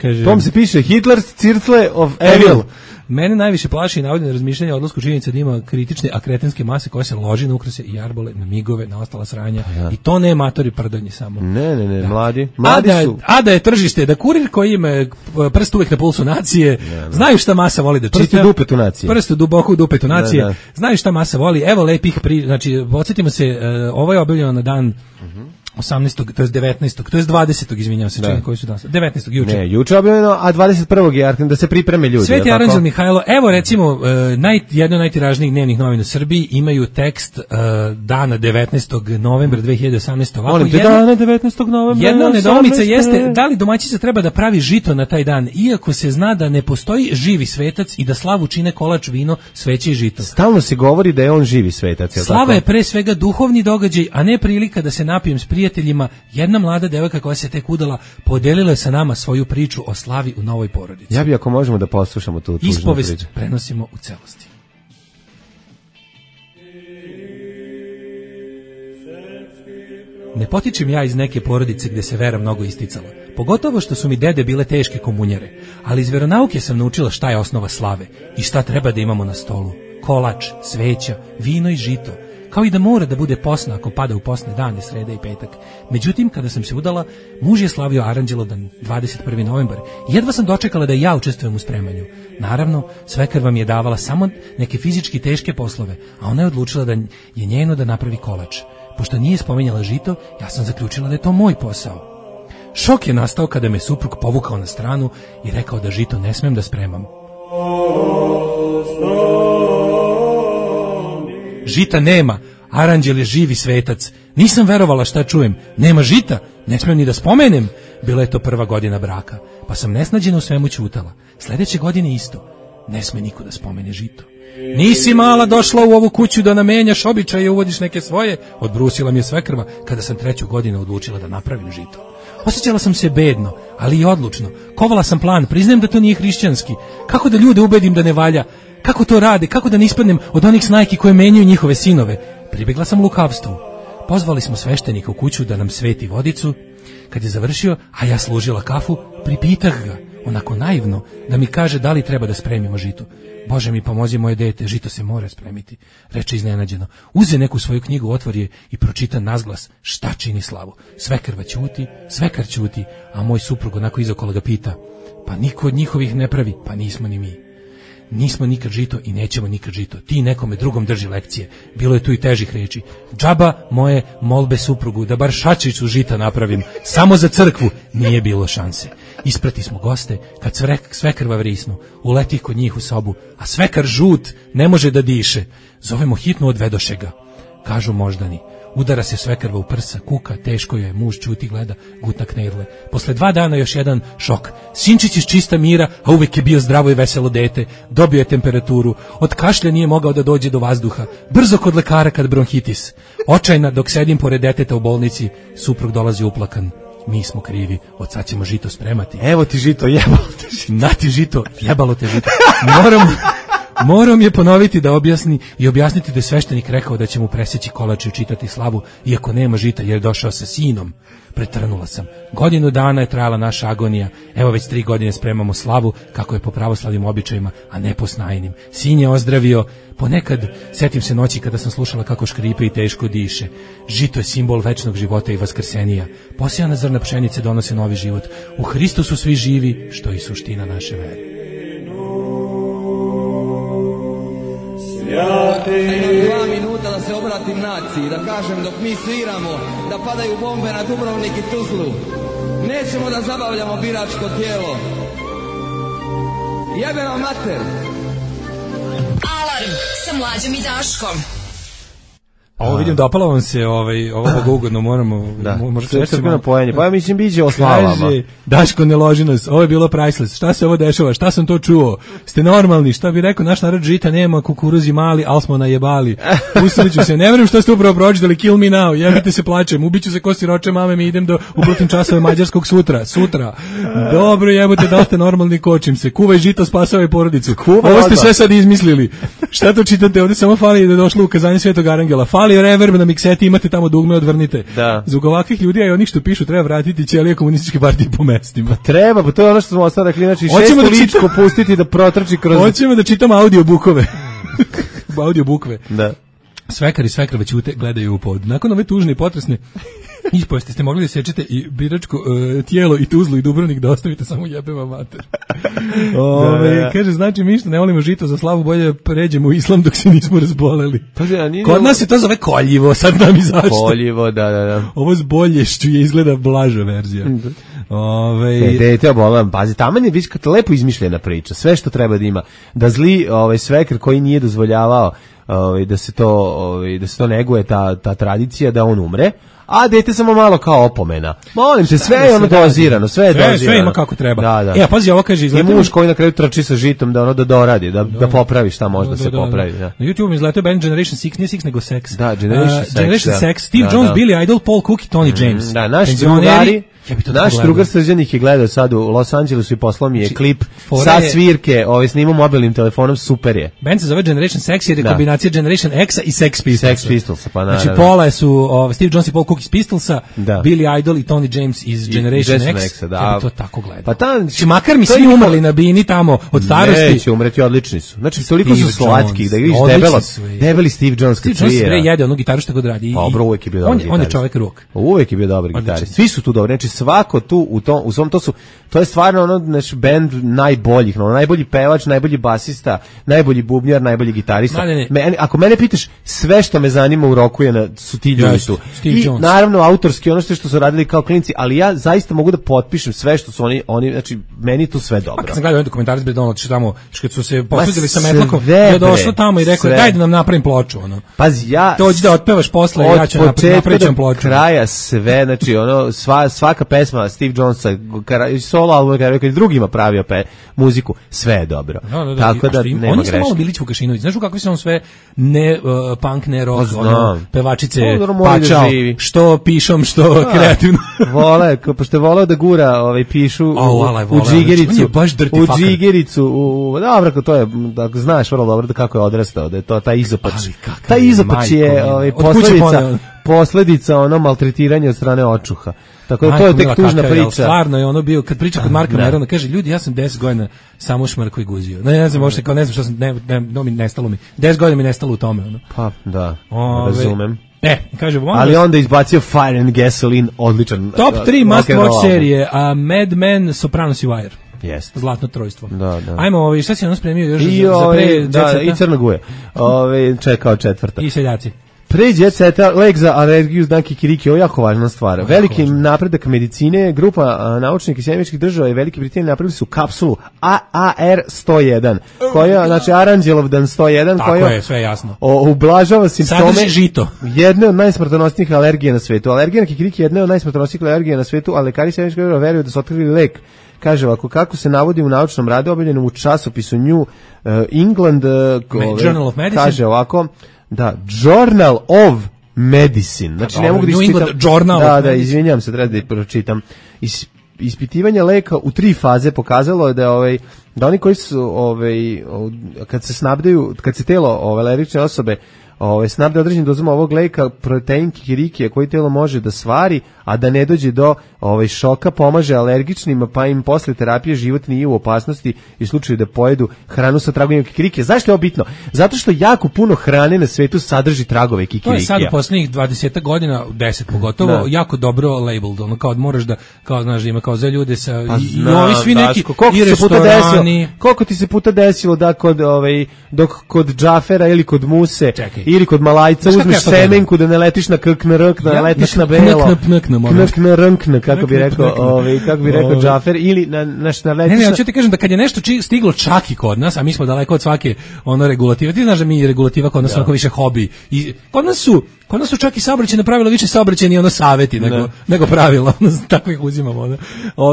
Kaže, tom se piše Hitler's Circle of Evil. Mene najviše plaši i navodi na razmišljanje o odlasku činjenica da ima kritične akretenske mase koje se loži na ukrase i jarbole, na migove, na ostala sranja. I to ne matori pardonji samo. Ne, mladi su. A da je tržište, da kurir koji ima prst uvek na pulsu nacije, znaju šta masa voli da čita. Prst u dupetu nacije. Prst duboko u dupetu nacije. Znaju šta masa voli. Evo lepih znači, podsjetimo se, ovo je objavljeno na dan 18. to je 19. to je 20. izvinjavam se, čini koji su danas. 19. juče. Ne, juče objavljeno, a 21. je da se pripreme ljudi. Sveti Aranđel Mihajlo, evo recimo jedno od najtiražnijih dnevnih novina u Srbiji imaju tekst dana 19. novembra 2018. ovako. Molim te, dana 19. novembra. Jedna nedoumica jeste da li domaćica treba da pravi žito na taj dan, iako se zna da ne postoji živi svetac i da slavu čine kolač, vino, sveće i žito. Stalno se govori da je on živi svetac. Slava je pre svega duhovni događaj, a ne prilika da se napijem s prijateljima. Jedna mlada devojka koja se tek udala podelila je sa nama svoju priču o slavi u novoj porodici. Ja bi, ako možemo da poslušamo tu tužnu ispovest priču. Prenosimo u celosti. Ne potičem ja iz neke porodice gde se vera mnogo isticala. Pogotovo što su mi dede bile teške komunjare. Ali iz veronauke sam naučila šta je osnova slave i šta treba da imamo na stolu. Kolač, sveća, vino i žito. Kao i da mora da bude posna ako pada u posne dane, sreda i petak. Međutim, kada sam se udala, muž je slavio Aranđelovdan 21. novembar. Jedva sam dočekala da i ja učestvujem u spremanju. Naravno, svekrva vam je davala samo neke fizički teške poslove, a ona je odlučila da je njeno da napravi kolač. Pošto nije spominjala žito, ja sam zaključila da je to moj posao. Šok je nastao kada me suprug povukao na stranu i rekao da žito ne smem da spremam. Žita nema, Aranđel je živi svetac. Nisam verovala šta čujem. Nema žita, ne smijem ni da spomenem. Bila je to prva godina braka, pa sam nesnađena u svemu ćutala. Sledeće godine isto. Ne sme niko da spomene žito. Nisi mala došla u ovu kuću da namenjaš običaje i uvodiš neke svoje, odbrusila mi je svekrva kada sam 3. godinu odlučila da napravim žito. Osjećala sam se bedno, ali i odlučno. Kovala sam plan, priznajem da to nije hrišćanski. Kako da ljude ubedim da ne valja? Kako to rade? Kako da ne ispadnem od onih snajki koje menjaju njihove sinove? Pribegla sam lukavstvu. Pozvali smo sveštenika u kuću da nam sveti vodicu. Kad je završio, a ja služila kafu, pripitah ga, onako naivno, da mi kaže da li treba da spremimo žito. Bože mi pomozi moje dete, žito se mora spremiti, reče iznenađeno. Uze neku svoju knjigu, otvori je i pročita nazglas šta čini slavu. Svekrva ćuti, svekar ćuti, a moj suprug onako izokola ga pita, pa niko od njihovih ne pravi, pa nismo ni mi. Nismo nikad žito i nećemo nikad žito. Ti nekome drugom drži lekcije. Bilo je tu i težih reči. Džaba moje molbe suprugu da bar šačicu žita napravim. Samo za crkvu nije bilo šanse. Isprati smo goste, kad svekrva vrisnu, uleti kod njih u sobu, a svekar žut ne može da diše. Zovemo hitno, odvedoše ga. Kažu moždani. Udara se svekrva u prsa, kuka, teško joj je, muž ćuti, gleda, gutna knedle. Posle 2 dana još jedan šok. Sinčić iz čista mira, a uvek je bio zdravo i veselo dete, dobio je temperaturu, od kašlja nije mogao da dođe do vazduha, brzo kod lekara kad bronhitis. Očajna dok sedim pored deteta u bolnici, suprug dolazi uplakan. Mi smo krivi, od sad ćemo žito spremati. Evo ti žito, jebalo te žito. Na ti žito, jebalo te žito. Moram je ponoviti da objasniti da je sveštenik rekao da će mu preseći kolač i čitati slavu, iako nema žita jer je došao sa sinom. Pretrnula sam. 1 godinu dana je trajala naša agonija. Evo već 3 godine spremamo slavu kako je po pravoslavnim običajima, a ne po snajnim. Sin je ozdravio. Ponekad setim se noći kada sam slušala kako škripe i teško diše. Žito je simbol večnog života i vaskrsenija. Posijana zrna pšenice donose novi život. U Hristu su svi živi, što je suština naše vere. Imam 2 minuta da se obratim naciji, da kažem dok mi sviramo, da padaju bombe na Dubrovnik i Tuzlu. Nećemo da zabavljamo biračko tijelo. Jebe vam mater! Alarm sa Mlađom i Daškom. Ovo vidim, dopalo vam se ovo bogougodno, moramo... Da, crkveno pojenje, pa ja mislim biće o slavama. Kaže, Daško ne loži nas, ovo je bilo priceless, šta se ovo dešava, šta sam to čuo, ste normalni, šta bi rekao, naš narod žita nema, kukuruzi mali, al smo najebali. Usiliću se, ne verujem što ste upravo pročitali, kill me now, jebite se plačem, ubiću se ko siroče mame, mi idem do uprotim časove mađarskog sutra. Dobro, jebote, da ste normalni, kočim se, kuvaj žito, spasavaj porodicu. Ovo ste sve sad izmislili. Šta to čitate, ovdje samo fali da je došlo ukazanje Svetog Arangela, fali reverb na mikseti, imate tamo dugme, odvrnite. Da. Zbog ovakvih ljudi, a i onih što pišu, treba vratiti ćelije komunističke partije po mestima. Pa treba, pa to je ono što smo ostali rekli, znači 6 ličko pustiti da protrči kroz... Hoćemo da čitamo audiobukove. Audiobukve. Da. Svekar i svekrva ćute, gledaju u pod. Nakon ove tužne i potresne ispovesti ste mogli da sečete i biračko tijelo i Tuzlu i Dubrovnik da ostavite samo jebeva mater. Kaže, znači mi što ne volimo žito za slavu, bolje pređemo u islam dok se nismo razboleli. Kod nas se to zove koljivo, sad nam i zašto. Koljivo, da. Ovo s bolješću je izgleda blaža verzija. Dete obolam, pazi, taman je viš lepo izmišljena priča, sve što treba da ima. Da zli svekar koji nije dozvoljavao da se to neguje, ta tradicija, da on umre, a dete samo malo kao opomena. Molim te, sve je ono dozirano, sve je dozirano. Sve ima kako treba. Da. Pazi, ovo kaže, izletio... I muž koji na kraju trči sa žitom da doradi, da popravi šta može da se popravi. Da. Na YouTube izletio band Generation 6, nije 6 nego Sex. Da, Generation 6. Steve Jones, Billy Idol, Paul Cook i Tony James. Da, naši drugari... Naš drugar Srđan ih je gledao sad u Los Angelesu i poslao mi je klip sa svirke, snimao mobilnim telefonom, super je. Band se zove Generation Sex jer je kombinacija Generation X-a i Sex Pistolsa. Sex Pistolsa, pa naravno. Znači pola su Steve Jones i Paul Cook iz Pistolsa, Billy Idol i Tony James iz Generation X. Ja bi to tako gledao. Pa znači, makar mi svi umrli na bini tamo od starosti. Neće umreti, odlični su. Znači, toliko su slatki da vidiš debeli Steve Jones kad svira. Steve Jones jede onu gitaru što god radi. Pa bro, uvek je bio dobar gitarist. On je čovek rock. Uvek je bio dobar gitarist. Svi su tu dobri. Znači, svako tu u svom to je stvarno ono naš bend najboljih, najbolji pevač, najbolji basista, najbolji bubnjar, najbolji gitarista. Ako mene pitaš, sve što me zanima u roku su ti ljudi tu. I naravno autorski ono što su radili kao klinci, ali ja zaista mogu da potpišem sve što su oni znači meni tu sve dobro. Kad sam gledao dokumentarac Bredona, tamo kad su se posvetili sa Metlakom, je došao tamo i rekao daj da nam napravim ploču, ono. Pazi, ja dođi da otpevaš posle, ja ću napraviti ploču. Od kraja sve, znači ono svaka pesma Steve Jonesa, solo album, kad drugima pravio muziku, sve je dobro. Tako da nema greške. Oni su malo Bilić Vukašinović, znaš u kakvi su on sve ne punk, ne rock, pevačice pačao, što što pišom, što kreativno. Vole, pošto je voleo da gura pišu u džigericu. U džigericu, dobro, to je, da znaš vrlo dobro da kako je odrastao, da je to taj izopač. Taj izopač je posledica maltretiranja od strane očuha. Tako da to je tek tužna priča. Stvarno je ono bio, kad priča kod Marka Merona, kaže, ljudi, ja sam 10 godina samo šmrko i guzio. Ne znam, možda kao ne znam što sam, nestalo mi. 10 godina mi nestalo u tome. Ono. Pa, da, razumem. Kaže, ali onda izbacio Fire and Gasoline, odličan. Top 3 must watch serije, Mad Men, Sopranos i Wire. Jest. Zlatno trojstvo. Da. Ajmo, šta si ono spremio još za pre da, i Crna Guje. Čekao četvrta. I seljaci. Pre Jet Seta, lek za alergiju zna kikiriki, ovo je jako važna stvar. Veliki napredak medicine, grupa naučnika iz Sjemičkih država i Velike Britanije napravili su kapsulu AR101, koja, znači Aranđelovdan 101, tako koja je, sve jasno. Ublažava simptome žito. Jedne od najsmrtonosnijih alergija na svetu. Alergija na kikiriki je jedna od najsmrtonosnijih alergija na svetu, a lekari Sjemičkih država veruju da su otkrili lek. Kaže ovako, kako se navodi u naučnom radu objavljenom u časopisu New England, Journal of Medicine, kaže ovako, da, Journal of Medicine. Znači, ne mogu da isčitam. Da, izvinjam se, treba da pročitam. Ispitivanje leka u 3 faze pokazalo je da oni koji su, kad se telo alergične osobe snabde određenim dozama ovog leka, protein kikirikije koji telo može da svari, a da ne dođe do šoka, pomaže alergičnima, pa im posle terapije život nije u opasnosti i slučaju da pojedu hranu sa tragovima kikirikije. Zašto je ovo bitno? Zato što jako puno hrane na svetu sadrži tragove kikirikija. To je sad u poslednjih 20 godina, 10 pogotovo, jako dobro labeled, ono kao možeš da, kao znaš, ima kao za ljude sa, i ovi svi neki, i restorani. Koliko ti se puta desilo da dok kod Džafera ili kod Muse, ili kod Malajca uzmeš semenku da ne letiš na krknrk, da ne letiš na belo, knrnkn, kako bi rekao Džafer, ili na letiš na... Ne, ja ću ti kažem da kad je nešto stiglo čak i kod nas, a mi smo daleko od svake regulative, ti znaš da mi regulativa kod nas onako više hobi, i kod nas su čak i saobraćajna pravila više saobraćajni saveti nego pravila, tako ih uzimamo.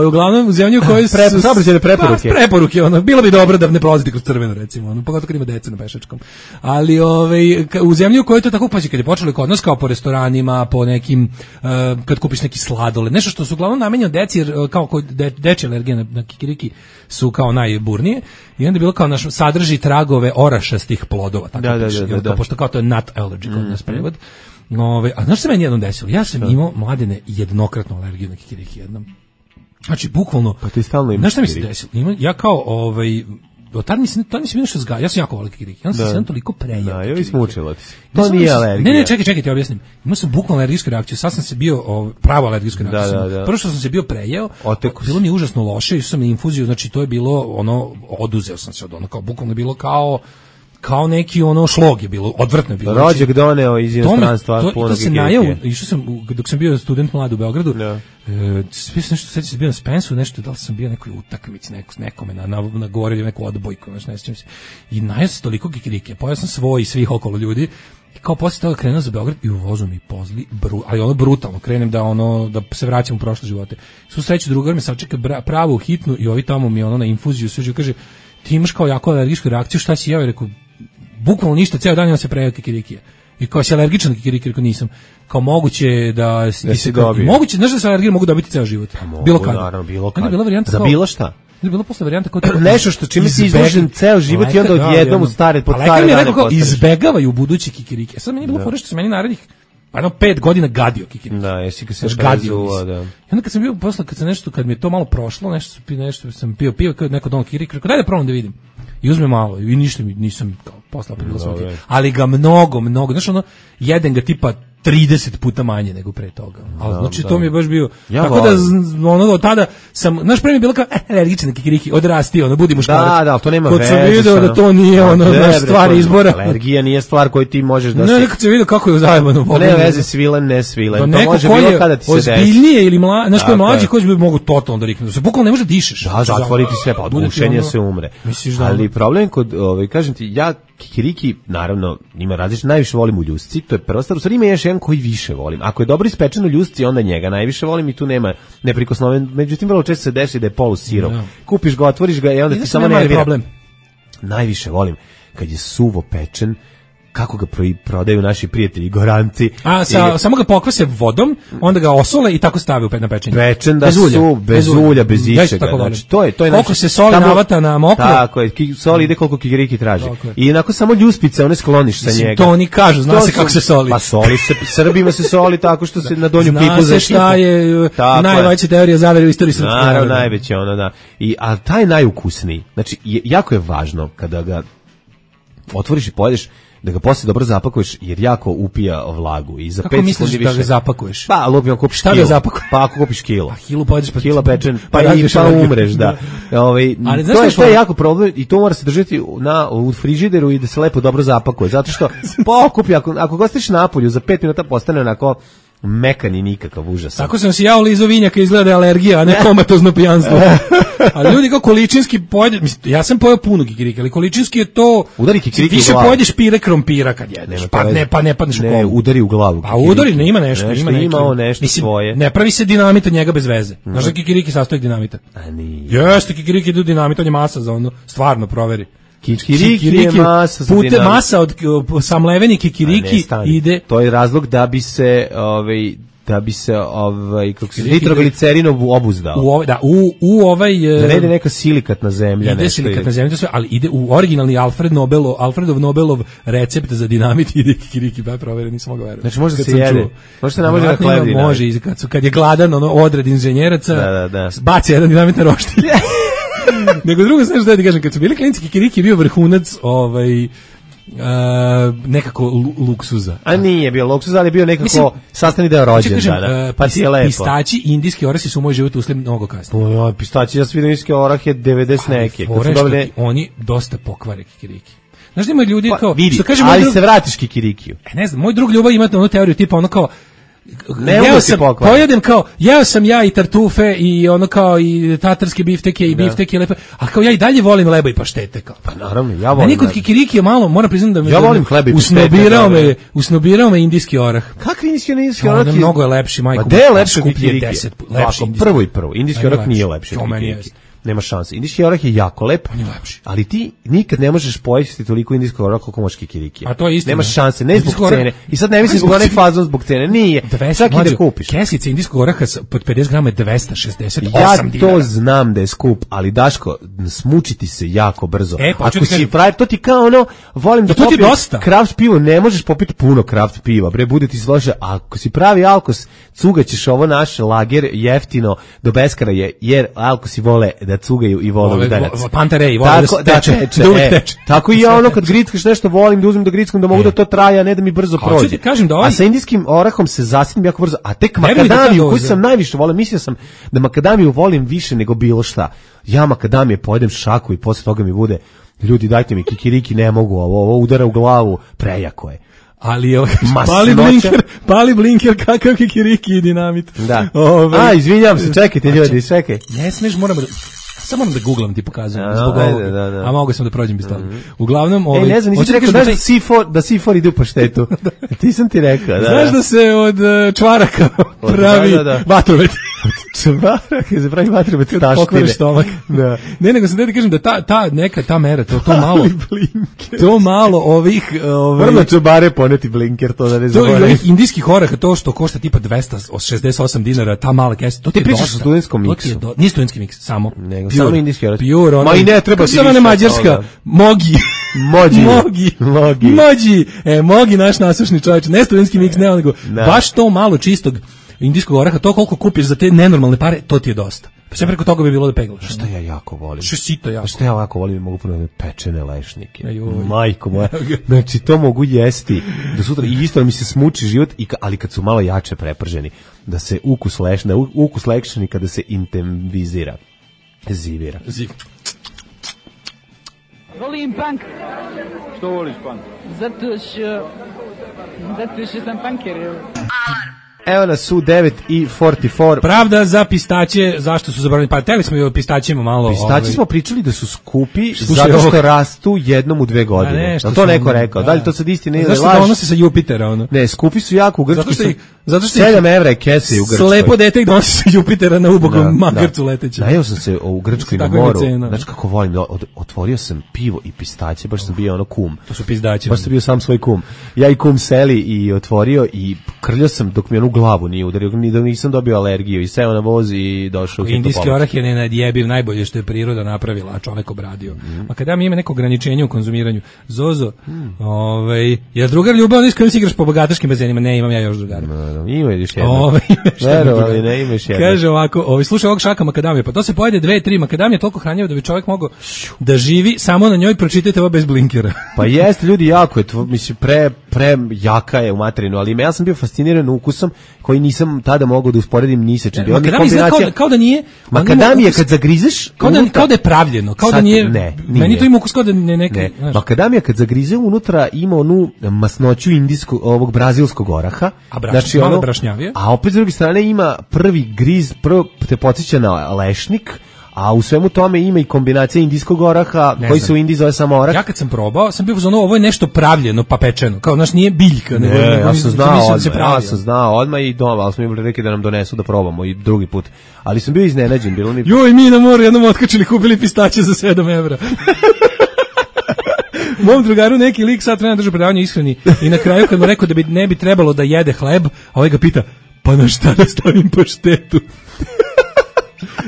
Uglavnom u zemlji u kojoj su saobraćajne preporuke, bilo bi dobro da ne prolazite kroz crveno, recimo, pogotovo kad ima deca na pešačkom, ali u zemlji u kojoj to tako, pazi, kad je počelo kod nas kao po restoranima, po nekim, kad kupiš neki sladoled, nešto što su uglavnom namenjeno deci, jer kao dečje alergije na kikiriki su kao najburnije, i onda je bilo kao sadrži tragove orašastih plodova, tako piše, pošto kao to je nut allergy kod nas prevod. A znaš što se meni jednom desilo? Ja sam imao, Mladene, jednokratnu alergiju na kikiriki jednom. Znači, bukvalno, pa ti stalno imaš. Znaš šta mi se desilo? Ja kao, tad mi se bilo nešto zgaja. Ja sam jako volio kikiriki. Ja sam toliko prejao. Da, joj smučilo ti se. To nije alergija. Ne, čekaj, ti objasnim. Imao sam bukvalno alergijsku reakciju. Sad sam se bio, pravo alergijsku reakciju. Prvo što sam se bio prejao, bilo mi užasno loše, išao sam na infuziju, znači to je bilo, oduzeo sam se od kao bukvalno je bilo kao neki šlog je bilo, odvrtno je bilo. Rođak doneo iz inostranstva puno kikirikije. Išao sam, dok sam bio student mlad u Beogradu, sve sam nešto, sad sam bio na Spensu, nešto, da li sam bio nekoj utakmici, nekome na gore ili neku odbojku, ne sjećam se. I najao sam toliko kikirikije, pojao sam svoj i svih okolo ljudi, i kao posle toga krenuo za Beograd i u vozu mi pozli, ali brutalno, krenem da se vraćam u prošle živote. Svu sreću drugar me sačeka pravu hitnu i ovi tamo mi na infuziju suđu, kaže, ti imaš kao jako alergijsku reakciju, šta si jeo? I rekao, bukvalno ništa, ceo dan imam se prejao kikirikija. I kao si alergičan na kikiriki, rekao nisam. Kao moguće da se dobije. Moguće, znaš da se alergije mogu dobiti ceo život. Bilo kada. Naravno, bilo kada. Bila varijanta za bilo šta. Ili bila posle varijanta kao nešto što čime si izložen ceo život i onda odjednom pod stare dane izbegavaju budući kikiriki. Sad meni je bilo fora što se meni narednih 5 godina gadio kikiriki. Da, jesi ga se gadio, da. I onda kad sam bio posle, kad mi je to malo prošlo, nešto sam pio kao neko don kikiriki, rekao daj da probam da vidim. I uzme malo i ništa mi nisam kao posle prilasao. Ali ga mnogo, znaš jedan ga tipa 30 puta manje nego pre toga. Ali znači to mi je baš bio tako da od tada sam, naš premijer bilo kao alergičan na kikiriki, odrasti, budi muškarac. Da, to nema veze. Kad sam video da to nije naš stvar izbora. Alergija nije stvar koju ti možeš da se. Ne, kad sam video kako je zajebano. Ne veze svilen, ne svilen. To može bilo kada ti se desi. Ozbiljnije ili znaš ko je mlađi, koji bi mogu totalno da riknu. Da se bukvalno ne može da dišeš. Da, zatvoriti sve, pa od bušenja se umre. Ali problem kod, kažem ti, ja kikiriki, naravno, ima različite, najviše volim u ljusci, to je prva stvar, u stvari ima još jedan koji više volim. Ako je dobro ispečeno ljusci, onda njega najviše volim i tu nema neprikosnoven, međutim, vrlo često se desi da je polusirov. Kupiš ga, otvoriš ga i onda ti samo nervira. Najviše volim kad je suvo pečen, kako ga prodaju naši prijatelji Goranci. Samo ga pokvase vodom, onda ga osole i tako stave na pečenje. Pečen da su bez ulja, bez ičega. Znači, to je koliko se soli navata na mokro. Tako je, soli ide koliko kikiriki traži. I onako samo ljuspice, one skloniš sa njega. To oni kažu, zna se kako se soli. Pa soli se, Srbima se soli tako što se na donju pipu zna se šta je najveća teorija zavere u istoriji srpskog naroda. Naravno, najveće ono, da. A taj najukusniji, znači, jako je važno kada ga otvoriš i pojedeš, da ga posle dobro zapakuješ, jer jako upija vlagu. I za kako misliš da ga zapakuješ? Pa, lupim, ako kupiš šta kilo. Da zapakuješ? Pa, ako kupiš kilo. Kilo pojedeš pa... Kilo pečen, pa umreš, da. Ali to je jako problem i to mora se držati u frižideru i da se lepo dobro zapakuje. Zato što pokupi, ako ga ostaviš napolju, za 5 minuta postane onako mekan i nikakav užas. Tako sam si ja lizo vinjaka, izgleda alergija, a ne komatozno pijanstvo. A ljudi kao količinski pojede, ja sam pojeo puno kikiriki, ali količinski je to... Udari kikiriki više pojedeš pire krompira kad jedeš, pa ne padneš u komu. Ne, udari u glavu. A udari, ne ima nešto. Ima nešto svoje. Ne pravi se dinamit od njega bez veze. Znaš da kikiriki sastoji dinamita? A nije. Jeste, kikiriki idu dinamit, on je masa za ono, stvarno proveri. Kikiriki je masa za dinamit. Masa od samleveni kikiriki ide... To je razlog da bi se kako se nitroglicerin obuzdao. Da ne ide neka silikatna zemlja. Ide silikatna zemlja, ali ide u originalni Alfredov Nobelov recept za dinamit, ide kikiriki, pa provere, nisam mogao verovati. Znači može da se jede. Može se namože na hleb dinamit. Može, kad je gladan, odred inženjeraca, baci jedan dinamit na roštilj. Nego drugo, znaš da ti kažem, kad su bili klinci, kikiriki je bio vrhunac nekako luksuza. A nije bio luksuz, ali je bio nekako sastavni deo rođendana. Pa ti je lepo. Pistaći i indijski orasi su u moj život ušli mnogo kasnije. Pistaći, ja sam vidio indijski orah je 90 neke. Oni dosta pokvare kikiriki. Znaš da ima ljudi kao... Vidi, ali se vratiš kikirikiju. Ne znam, moj drug Ljubav ima onu teoriju tipa ono kao jeo sam ja i tartufe i ono kao i tatarske bifteke i bifteke lepe, a kao ja i dalje volim leba i paštete kao. Pa naravno, ja volim. Meni kod kikiriki je malo, moram priznati da me ja volim hleb i paštete. Usnobirao me indijski orah. Kakvi indijski orah? Mnogo je lepši, majko. Pa gde je lepši kikiriki? Prvo. Indijski orah nije lepši od kikiriki. Nema šanse. Indijski orah je jako lep, ali ti nikad ne možeš pojesti toliko indijskog oraha koliko možeš kikiriki. A to je istina. Nema šanse, ne zbog cene. I sad ne mislim zbog onaj fazon zbog cene. Nije. Čak i da kupiš. Kesica indijskog oraha pod 50 grama je 268 dinara. Ja to znam da je skup, ali Daško, smučiti se jako brzo. Ako si frajer, to ti kao ono, volim da popijem kraft pivo, ne možeš popiti puno kraft piva. Bre, bude ti slože. Ako si pravi alkos, cugaćeš ovo naš lager jeftino do beskara je, jer alkosi vole da cugaju i vole udarac. Panterej, vole da teče. Tako i ja ono kad grickaš nešto volim da uzmem da grickam da mogu da to traje, a ne da mi brzo prođe. A sa indijskim orahom se zasnim jako brzo. A tek makadamiju, koju sam najviše volim, mislio sam da makadamiju volim više nego bilo šta. Ja makadamije pojedem šaku i posle toga mi bude, ljudi dajte mi kikiriki, ne mogu, ovo udara u glavu, prejako je. Ali pali blinker, kakav kikiriki i dinamit. Da. Izvinjam se, čekajte ljudi, čekaj. Ne smiješ, samo moram da googlam, ti pokazujem zbog ovoga. A mogu sam da prođem bez toga. Uglavnom, ne znam, nisi rekao da C4 ide u paštetu. Ti sam ti rekao. Znaš da se od čvaraka pravi vatromet. Čvaraka se pravi vatromet taštine. Pokvariš stomak. Ne, nego sam da ti kažem da ta mera, to malo ovih... Vrlo čobare poneti blinker, to da ne zaboravim. To ovih indijskih oraha, to što košta tipa 268 dinara, ta mala kesa, to ti je dosta. Ti pričaš o studentskom miksu. Nije studentski miks, samo. Nego, samo indijski orah. Ma i ne treba ti više. Samo mađarska, Mogi. Mogi naš nasušni čovječ, ne studentski miks, ne nego baš to malo čistog indijskog oraha, to koliko kupiš za te nenormalne pare, to ti je dosta. Pa sve preko toga bi bilo da peglaš. Što ja jako volim? Što ja jako volim, mogu ponavljati pečene lešnike. Majko moja. Znači, to mogu jesti do sutra i isto mi se smuči život, ali kad su malo jače preprženi, da se ukus lešnika da se intenzivira. Zivira. Volim punk. Što voliš punk? Zato što sam punker. Alarm. Evo nas su 9:44. Pravda za pistaće, zašto su zabranili? Pa teli smo i o pistaćima malo. Pistaći smo pričali da su skupi zato što rastu jednom u 2 godine. To neko rekao. Da li to sad istina ili laž? Zašto donose sa Jupitera? Ne, skupi su jako u Grčkoj. Zato što 7 evra je kese u Grčkoj. Slepo dete donosi sa Jupitera na ubogom magarcu letećem. Najeo sam se u Grčkoj na moru. Znači kako volim, otvorio sam pivo i pistaće, baš sam bio ono kum. To su pizdaći. Baš sam bio sam svoj kum. Ja i kum seli i otvorio i krljao sam dok mi onu glavu nije udario, ni da nisam dobio alergiju i seo na voz i došao u indijski orah je nenadjebiv, najbolje što je priroda napravila, a čovek obradio. A kada ima neko ograničenje u konzumiranju, Zozo, je drugar ljubav, s kojim si igraš po bogataškim bazenima? Ne, imam ja još drugara. Ima još jedno. Verovali, ne imaš jedno. Kaže ovako, slušaj ovog šaka makadamije, pa to se pojede 2-3 makadamije, toliko hranjivo da bi čovjek mogao da živi samo na njoj, pročitajte ovo bez blinkera. Pa jeste, ljudi, jako je, mislim, pre jaka je u materinu, ali ja sam bio fasciniran ukusom koji nisam tada mogao da usporedim ni sa čim. Kao da nije... Makadamije kad zagrizeš... Kao da je pravljeno, kao da nije... Meni to ima ukus kao da ne neke... Makadamija kad zagrize unutra ima onu masnoću ovog brazilskog oraha. Znači malo brašnjavije. A opet s druge strane ima prvi griz, prvo te podsjeća na lešnik, a u svemu tome ima i kombinacija indijskog oraha, koji se u Indiji zove samo orah. Ja kad sam probao, sam bio uzmano, ovo je nešto pravljeno, pa pečeno. Kao, znaš, nije biljka. Ja sam znao odmah i doma, ali smo imali rekli da nam donesu da probamo i drugi put. Ali sam bio iznenađen. Joj, mi na moru jednom otkačili, kupili pistaće za 7 evra. Mom drugaru neki lik sad treba držati predavanje ishrani i na kraju kad mu rekao da ne bi trebalo da jede hleb, a ovaj ga pita, pa na šta da stavim paštetu?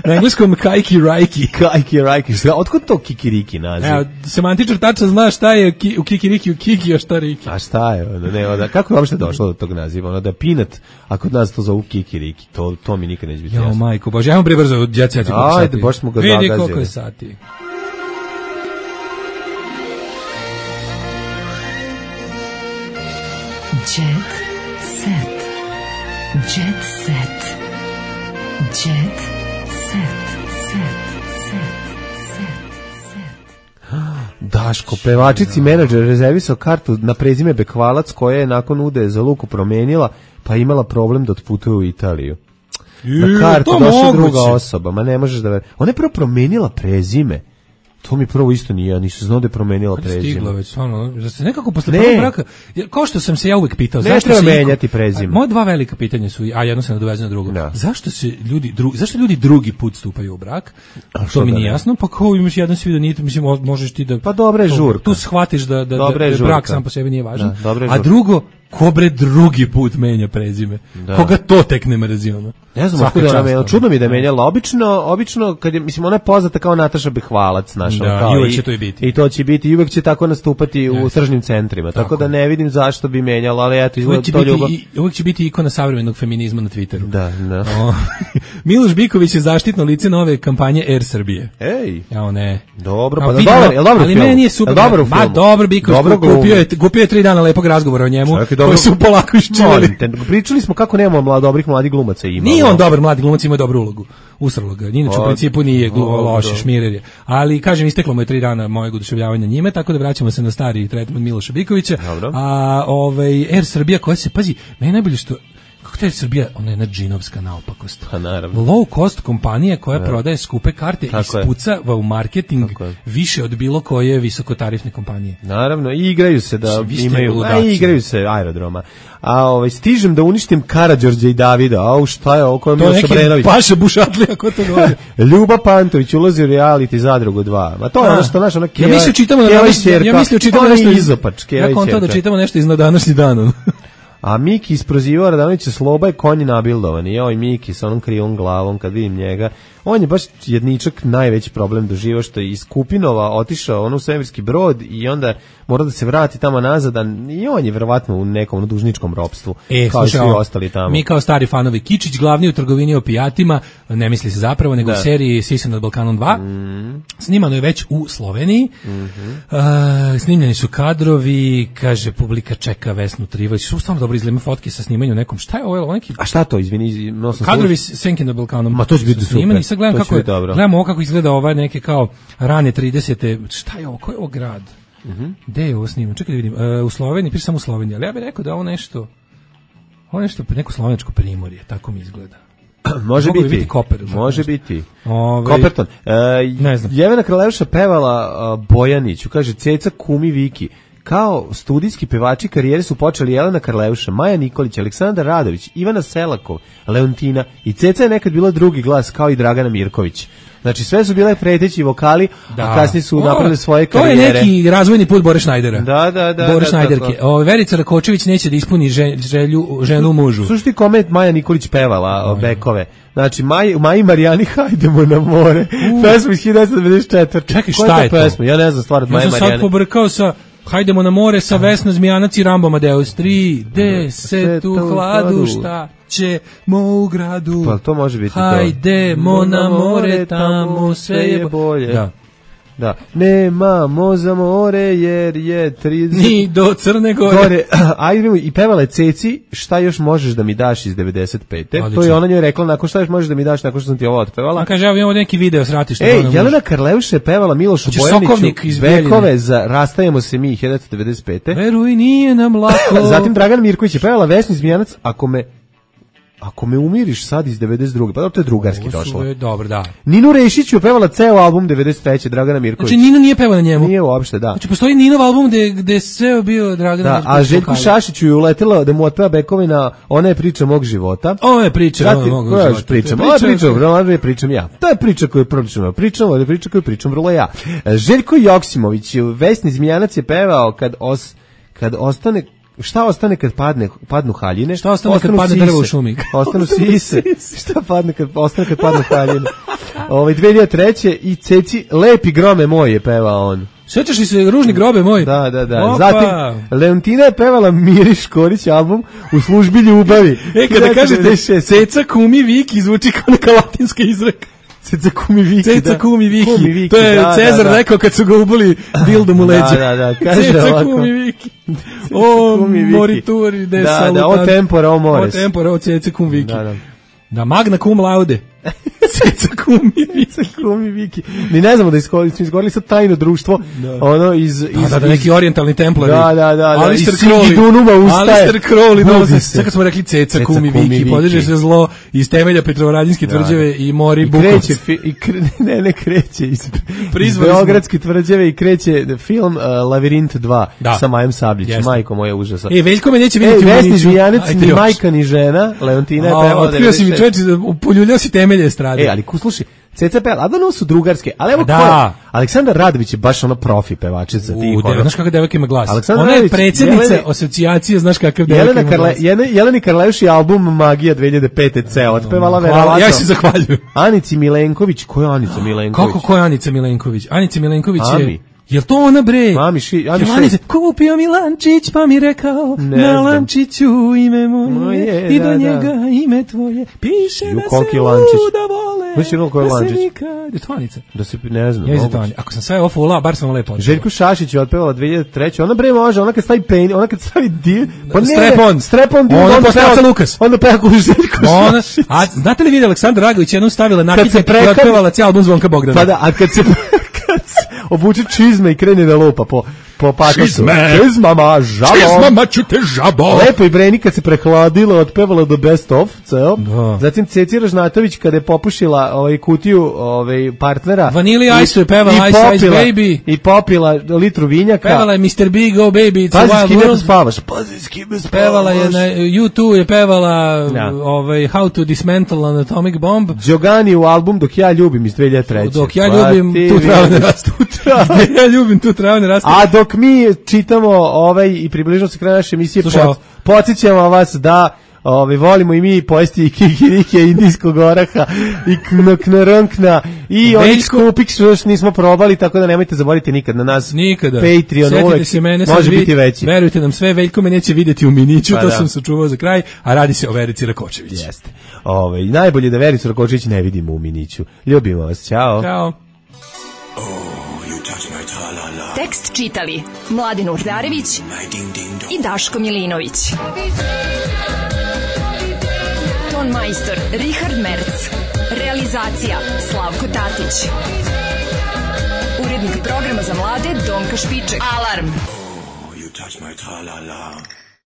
Na engleskom kajki-rajki. Kajki-rajki. Otkud to kikiriki naziv? Evo, semantičar tačno zna šta je u kikiriki, u kiki, a šta riki. A šta je? Kako je uopšte došlo do tog naziva? Da je peanut, a kod nas to zovu kikiriki. To mi nikad neće biti jasno. Jo, majko Bože, ajmo prebrzo od Jet Set. Ajde, baš smo ga zagazili. Vidi koliko je sati. Jet Set. Jet Set. Jet Daško, pevačici menadžer rezervisao kartu na prezime Bekvalac koja je nakon ude za Luku promenila, pa imala problem da otputuje u Italiju. Na kartu došla druga osoba, ma ne možeš da... Ona je prvo promenila prezime. To mi prvo isto nije, ja nisam znao da je promenila prezime. Stigla već, ono, da se nekako posle prvog braka, kao što sam se ja uvek pitao, zašto treba menjati prezime? Moje dva velika pitanja su, a jedno se nadovezuje na drugo. Da. Zašto ljudi drugi put stupaju u brak? To mi nije jasno, pa kao imaš jedan svidanit, mislim, možeš ti da... Pa dobra je žurka. Tu shvatiš da brak sam po sebi nije važan. A drugo, ko bre drugi put menja prezime? Da. Koga to tek ne mrzi, ono? Ne znam, čudno mi da je menjala. Obično, kad je, mislim, ona je poznata kao Nataša Bekvalac, naša. Da, i uvek će to i biti. I to će biti, i uvek će tako nastupati u tržnim centrima. Tako da ne vidim zašto bi menjala, ali eto, izgleda to ljubav. Uvek će biti ikona savremenog feminizma na Twitteru. Da. Miloš Biković je zaštitno lice nove kampanje Air Srbije. Ej. Ja, ne. Dobro, pa dobro, je dobro. Ali meni nije super. Ma dobro, Biković kupio je 3 dana lepog razgovora o njemu, koji su polako iščivali. Pričali smo kako nemamo dobrih mladih glumaca ima. Nije on dobar mladi glumac, ima dobru ulogu. Usralo ga. Inače u principu nije loše, šmirer je. Ali kažem, isteklo mu je 3 dana mojeg oduševljavanja njime, tako da vraćamo se na stari tretman Miloša Bikovića. Dobro. A Air Srbija koja se, pazi, meni najbolje što kako to je Srbija, ona je jedna džinovska naopakost. Pa naravno. Low cost kompanija koja prodaje skupe karte i ispucava u marketing više od bilo koje visokotarifne kompanije. Naravno, i igraju se da imaju, igraju se aerodroma. A stižem da uništim Karađorđa i Davida. Šta je ovo koje Miloš Obrenović? To je neki Paša Bušatlija, ko to govori? Ljuba Pantović ulazi u reality Zadrugu 2. Ma to je ono što naš ono Ja mislio čitamo nešto izopač. Ja konto da čitamo nešto iz na današnji dan. A Miki isprozivao Radanovića Sloba je konji nabildovan. I ovaj Miki sa onom krivom glavom, kad vidim njega, on je baš jedničak najveći problem doživao, što je iz Kupinova otišao u svemirski brod i onda mora da se vrati tamo nazad, i on je verovatno u nekom dužničkom ropstvu, kao i svi ostali tamo. Mi kao stari fanovi, Kičić, glavni u trgovini opijatima, ne misli se zapravo, nego u seriji Sisa nad Balkanom 2, snimano je već u Sloveniji, snimljeni su kadrovi, kaže, publika čeka Vesnu Trivović, su stvarno dobro izgleda fotke sa snimanju nekom, šta je ovo neki... A šta to, izvini? Kadrovi Senke nad Balkanom. Ma to će biti super. Sad gledam ovo kako izgleda ovaj neke kao rane 30. Šta je ovo? Ko je ovo grad? Gde je ovo snimano? Čekaj da vidim. U Sloveniji, samo u Sloveniji. Ali ja bih rekao da ovo nešto neko slovenačko primorje. Tako mi izgleda. Može biti. Koper, može biti. Koperton. Ne znam. Jelena Kralevša pevala Bojaniću. Kaže, Ceca kumi Viki. kao studijski pevači karijere su počeli Jelena Karleuša, Maja Nikolić, Aleksandar Radović, Ivana Selakov, Leontina i Ceca je nekad bila drugi glas kao i Dragana Mirković. Znači sve su bile preteći vokali, a kasnije su napravili svoje karijere. To je neki razvojni put Bore Šnajdera. Da. Bore Šnajderke. Verica Rakočević neće da ispuni ženu mužu. Slušaj koment Maja Nikolić pevala bekove. Znači Maji Marijani hajdemo na more. Pesma iz 1994. Čekaj, šta je to? Pesma? Ja ne znam stvar od Maje Marijani. Ja sam sad pobrkao sa Hajdemo na more sa Vesna Zmijanac i Rambo Amadeus 3D u hladu šta ćemo u gradu. Pa to može biti to. Hajdemo na more, tamo sve je bolje. Da. Nemamo za more jer je 30... Ni do Crne Gore. Ajde, i pevala je Ceci, šta još možeš da mi daš iz 95. To je ona njoj rekla, nakon šta još možeš da mi daš nakon što sam ti ovo otpevala. A kaže, evo imamo neki video s ratišta. Jelena Karleuša je pevala Milošu Bojaniću Bekove za Rastajemo se mi 1995. Veruj, nije nam lako. Zatim Dragan Mirković je pevala Vesni Zmijanac, Ako me umiriš sad iz 92. Pa to je drugarski došlo. Dobro, da. Ninu Rešić je pevala ceo album 93. Dragana Mirković. Znači Nino nije pevao na njemu? Nije uopšte, da. Znači postoji Ninov album gde sve bio Dragana Mirković. A Željku Šašiću je uletela da mu otpeva bekove na Ona je priča mog života. Ona je priča mog života. Pričam ja. To je priča koju pričam vrlo ja. Željko Joksimović, Vesni Zmijanac je pevao kad ostane... Šta ostane kad padnu haljine? Šta ostane kad padne drvo u šumi? Ostanu sise. Šta ostane kad padnu haljine? 2003. i Ceci Lepi grome moj je pevao on. Sjećaš li se Ružni grobe moj? Da. Zatim Leontina je pevala Miri Škorić album U službi ljubavi. Kada kažete Ceca kumi Viki zvuči kao neka latinska izreka. Ceca kumi Viki. To je Cezar rekao kad su ga ubili dildom u leđa. Da. Kaže Ceca kumi Viki. O morituri de salutant. O tempora, o mores. O tempora, o Ceca kumi Viki. Da, magna cum laude. Ceca kumi Viki. Mi ne znamo da smo izgovorili sad tajno društvo. Ono iz neki orijentalni templari. Da. Alistair Crowley dolazi. Sad kad smo rekli Ceca kumi Viki, podiže se zlo iz temelja Petrovaradinske tvrđave i Mori Bukovci. Kreće iz Beogradske tvrđave i kreće film Lavirint 2 sa Majom Sabljić. Majko moja užasa. Veljko me neće vidjeti u Miniću. Vesni Zmijanac, ni majka ni žena. Leontina je pevala. Otkrio si mi čovječ, poljuljao si temelje estrade. Ali slušaj, Ceca peva, a da no su drugarske, ali evo ko je? Aleksandar Radović je baš ono profi pevačica. Znaš kakav devojka ima glas? Ona je predsjednica asocijacije, znaš kakav devojka ima glas. Jeleni Karleuši album Magija 2005. ceo otpevala verovatno. Ja se zahvaljujem. Anici Milenković, ko je Anica Milenković? Kako ko je Anica Milenković? Anica Milenković je... Jel to ona bre? Kupio mi lančić pa mi rekao na lančiću ime moje i do njega ime tvoje piše da se luda vole. Mislim ko je lančić? Je to Anica? Da se ne znam. Ako sam sve ofula, bar sam lepo. Željko Šašić je otpevala 2003. Ona bre može, ona kad stavi pen, ona kad stavi dio, pa strepon, ona postavlja Lukas. Onda peva ko Željko Šašić. A znate li Aleksandar Ragović jednom stavila nakitnik i otpevala cijeli album Zvonka Bogdana? Pa da, a kad se obuče čizme i krene da lupa po patosu. Čizmama, žabo. Čizmama ću te žabo. Lepo i Breni kad se prehladila, otpevala do Best of, ceo. Zatim Ceci Ražnatović kada je popušila kutiju partnera. Vanili Ice je pevala Ice Ice Baby. I popila litru vinjaka. Pevala je Mr. Big, Oh Baby, It's a Wild World. Pazi s kime spavaš. Pazi s kime spavaš. Pevala je na U2 je pevala How to Dismantle an Atomic Bomb. Đogani u album Dok ja ljubim iz 2003. Dok ja ljubim tu travu ne rastu. Ja ljubim tu travu ne rastu. A dok mi čitamo i približno se kraj naše emisije, podsjećamo vas da volimo i mi pojesti i kikirike indijskog oraha i knoknoronkna i onih skupik što još nismo probali, tako da nemojte zaboraviti nikad na nas. Nikada. Patreon uvek može biti veći. Verujte nam sve, Veljko me neće vidjeti u Miniću, to sam sačuvao za kraj, a radi se o Verici Rakočević. Jeste. Najbolje da Vericu Rakočević ne vidimo u Miniću. Ljubimo vas, ćao. Ćao. Tekst čitali Mladin Urdarević i Daško Milinović. Ton majstor Richard Merc. Realizacija Slavko Tatić. Urednik programa za mlade Donka Špiček. Alarm! You touch my tra-la-la.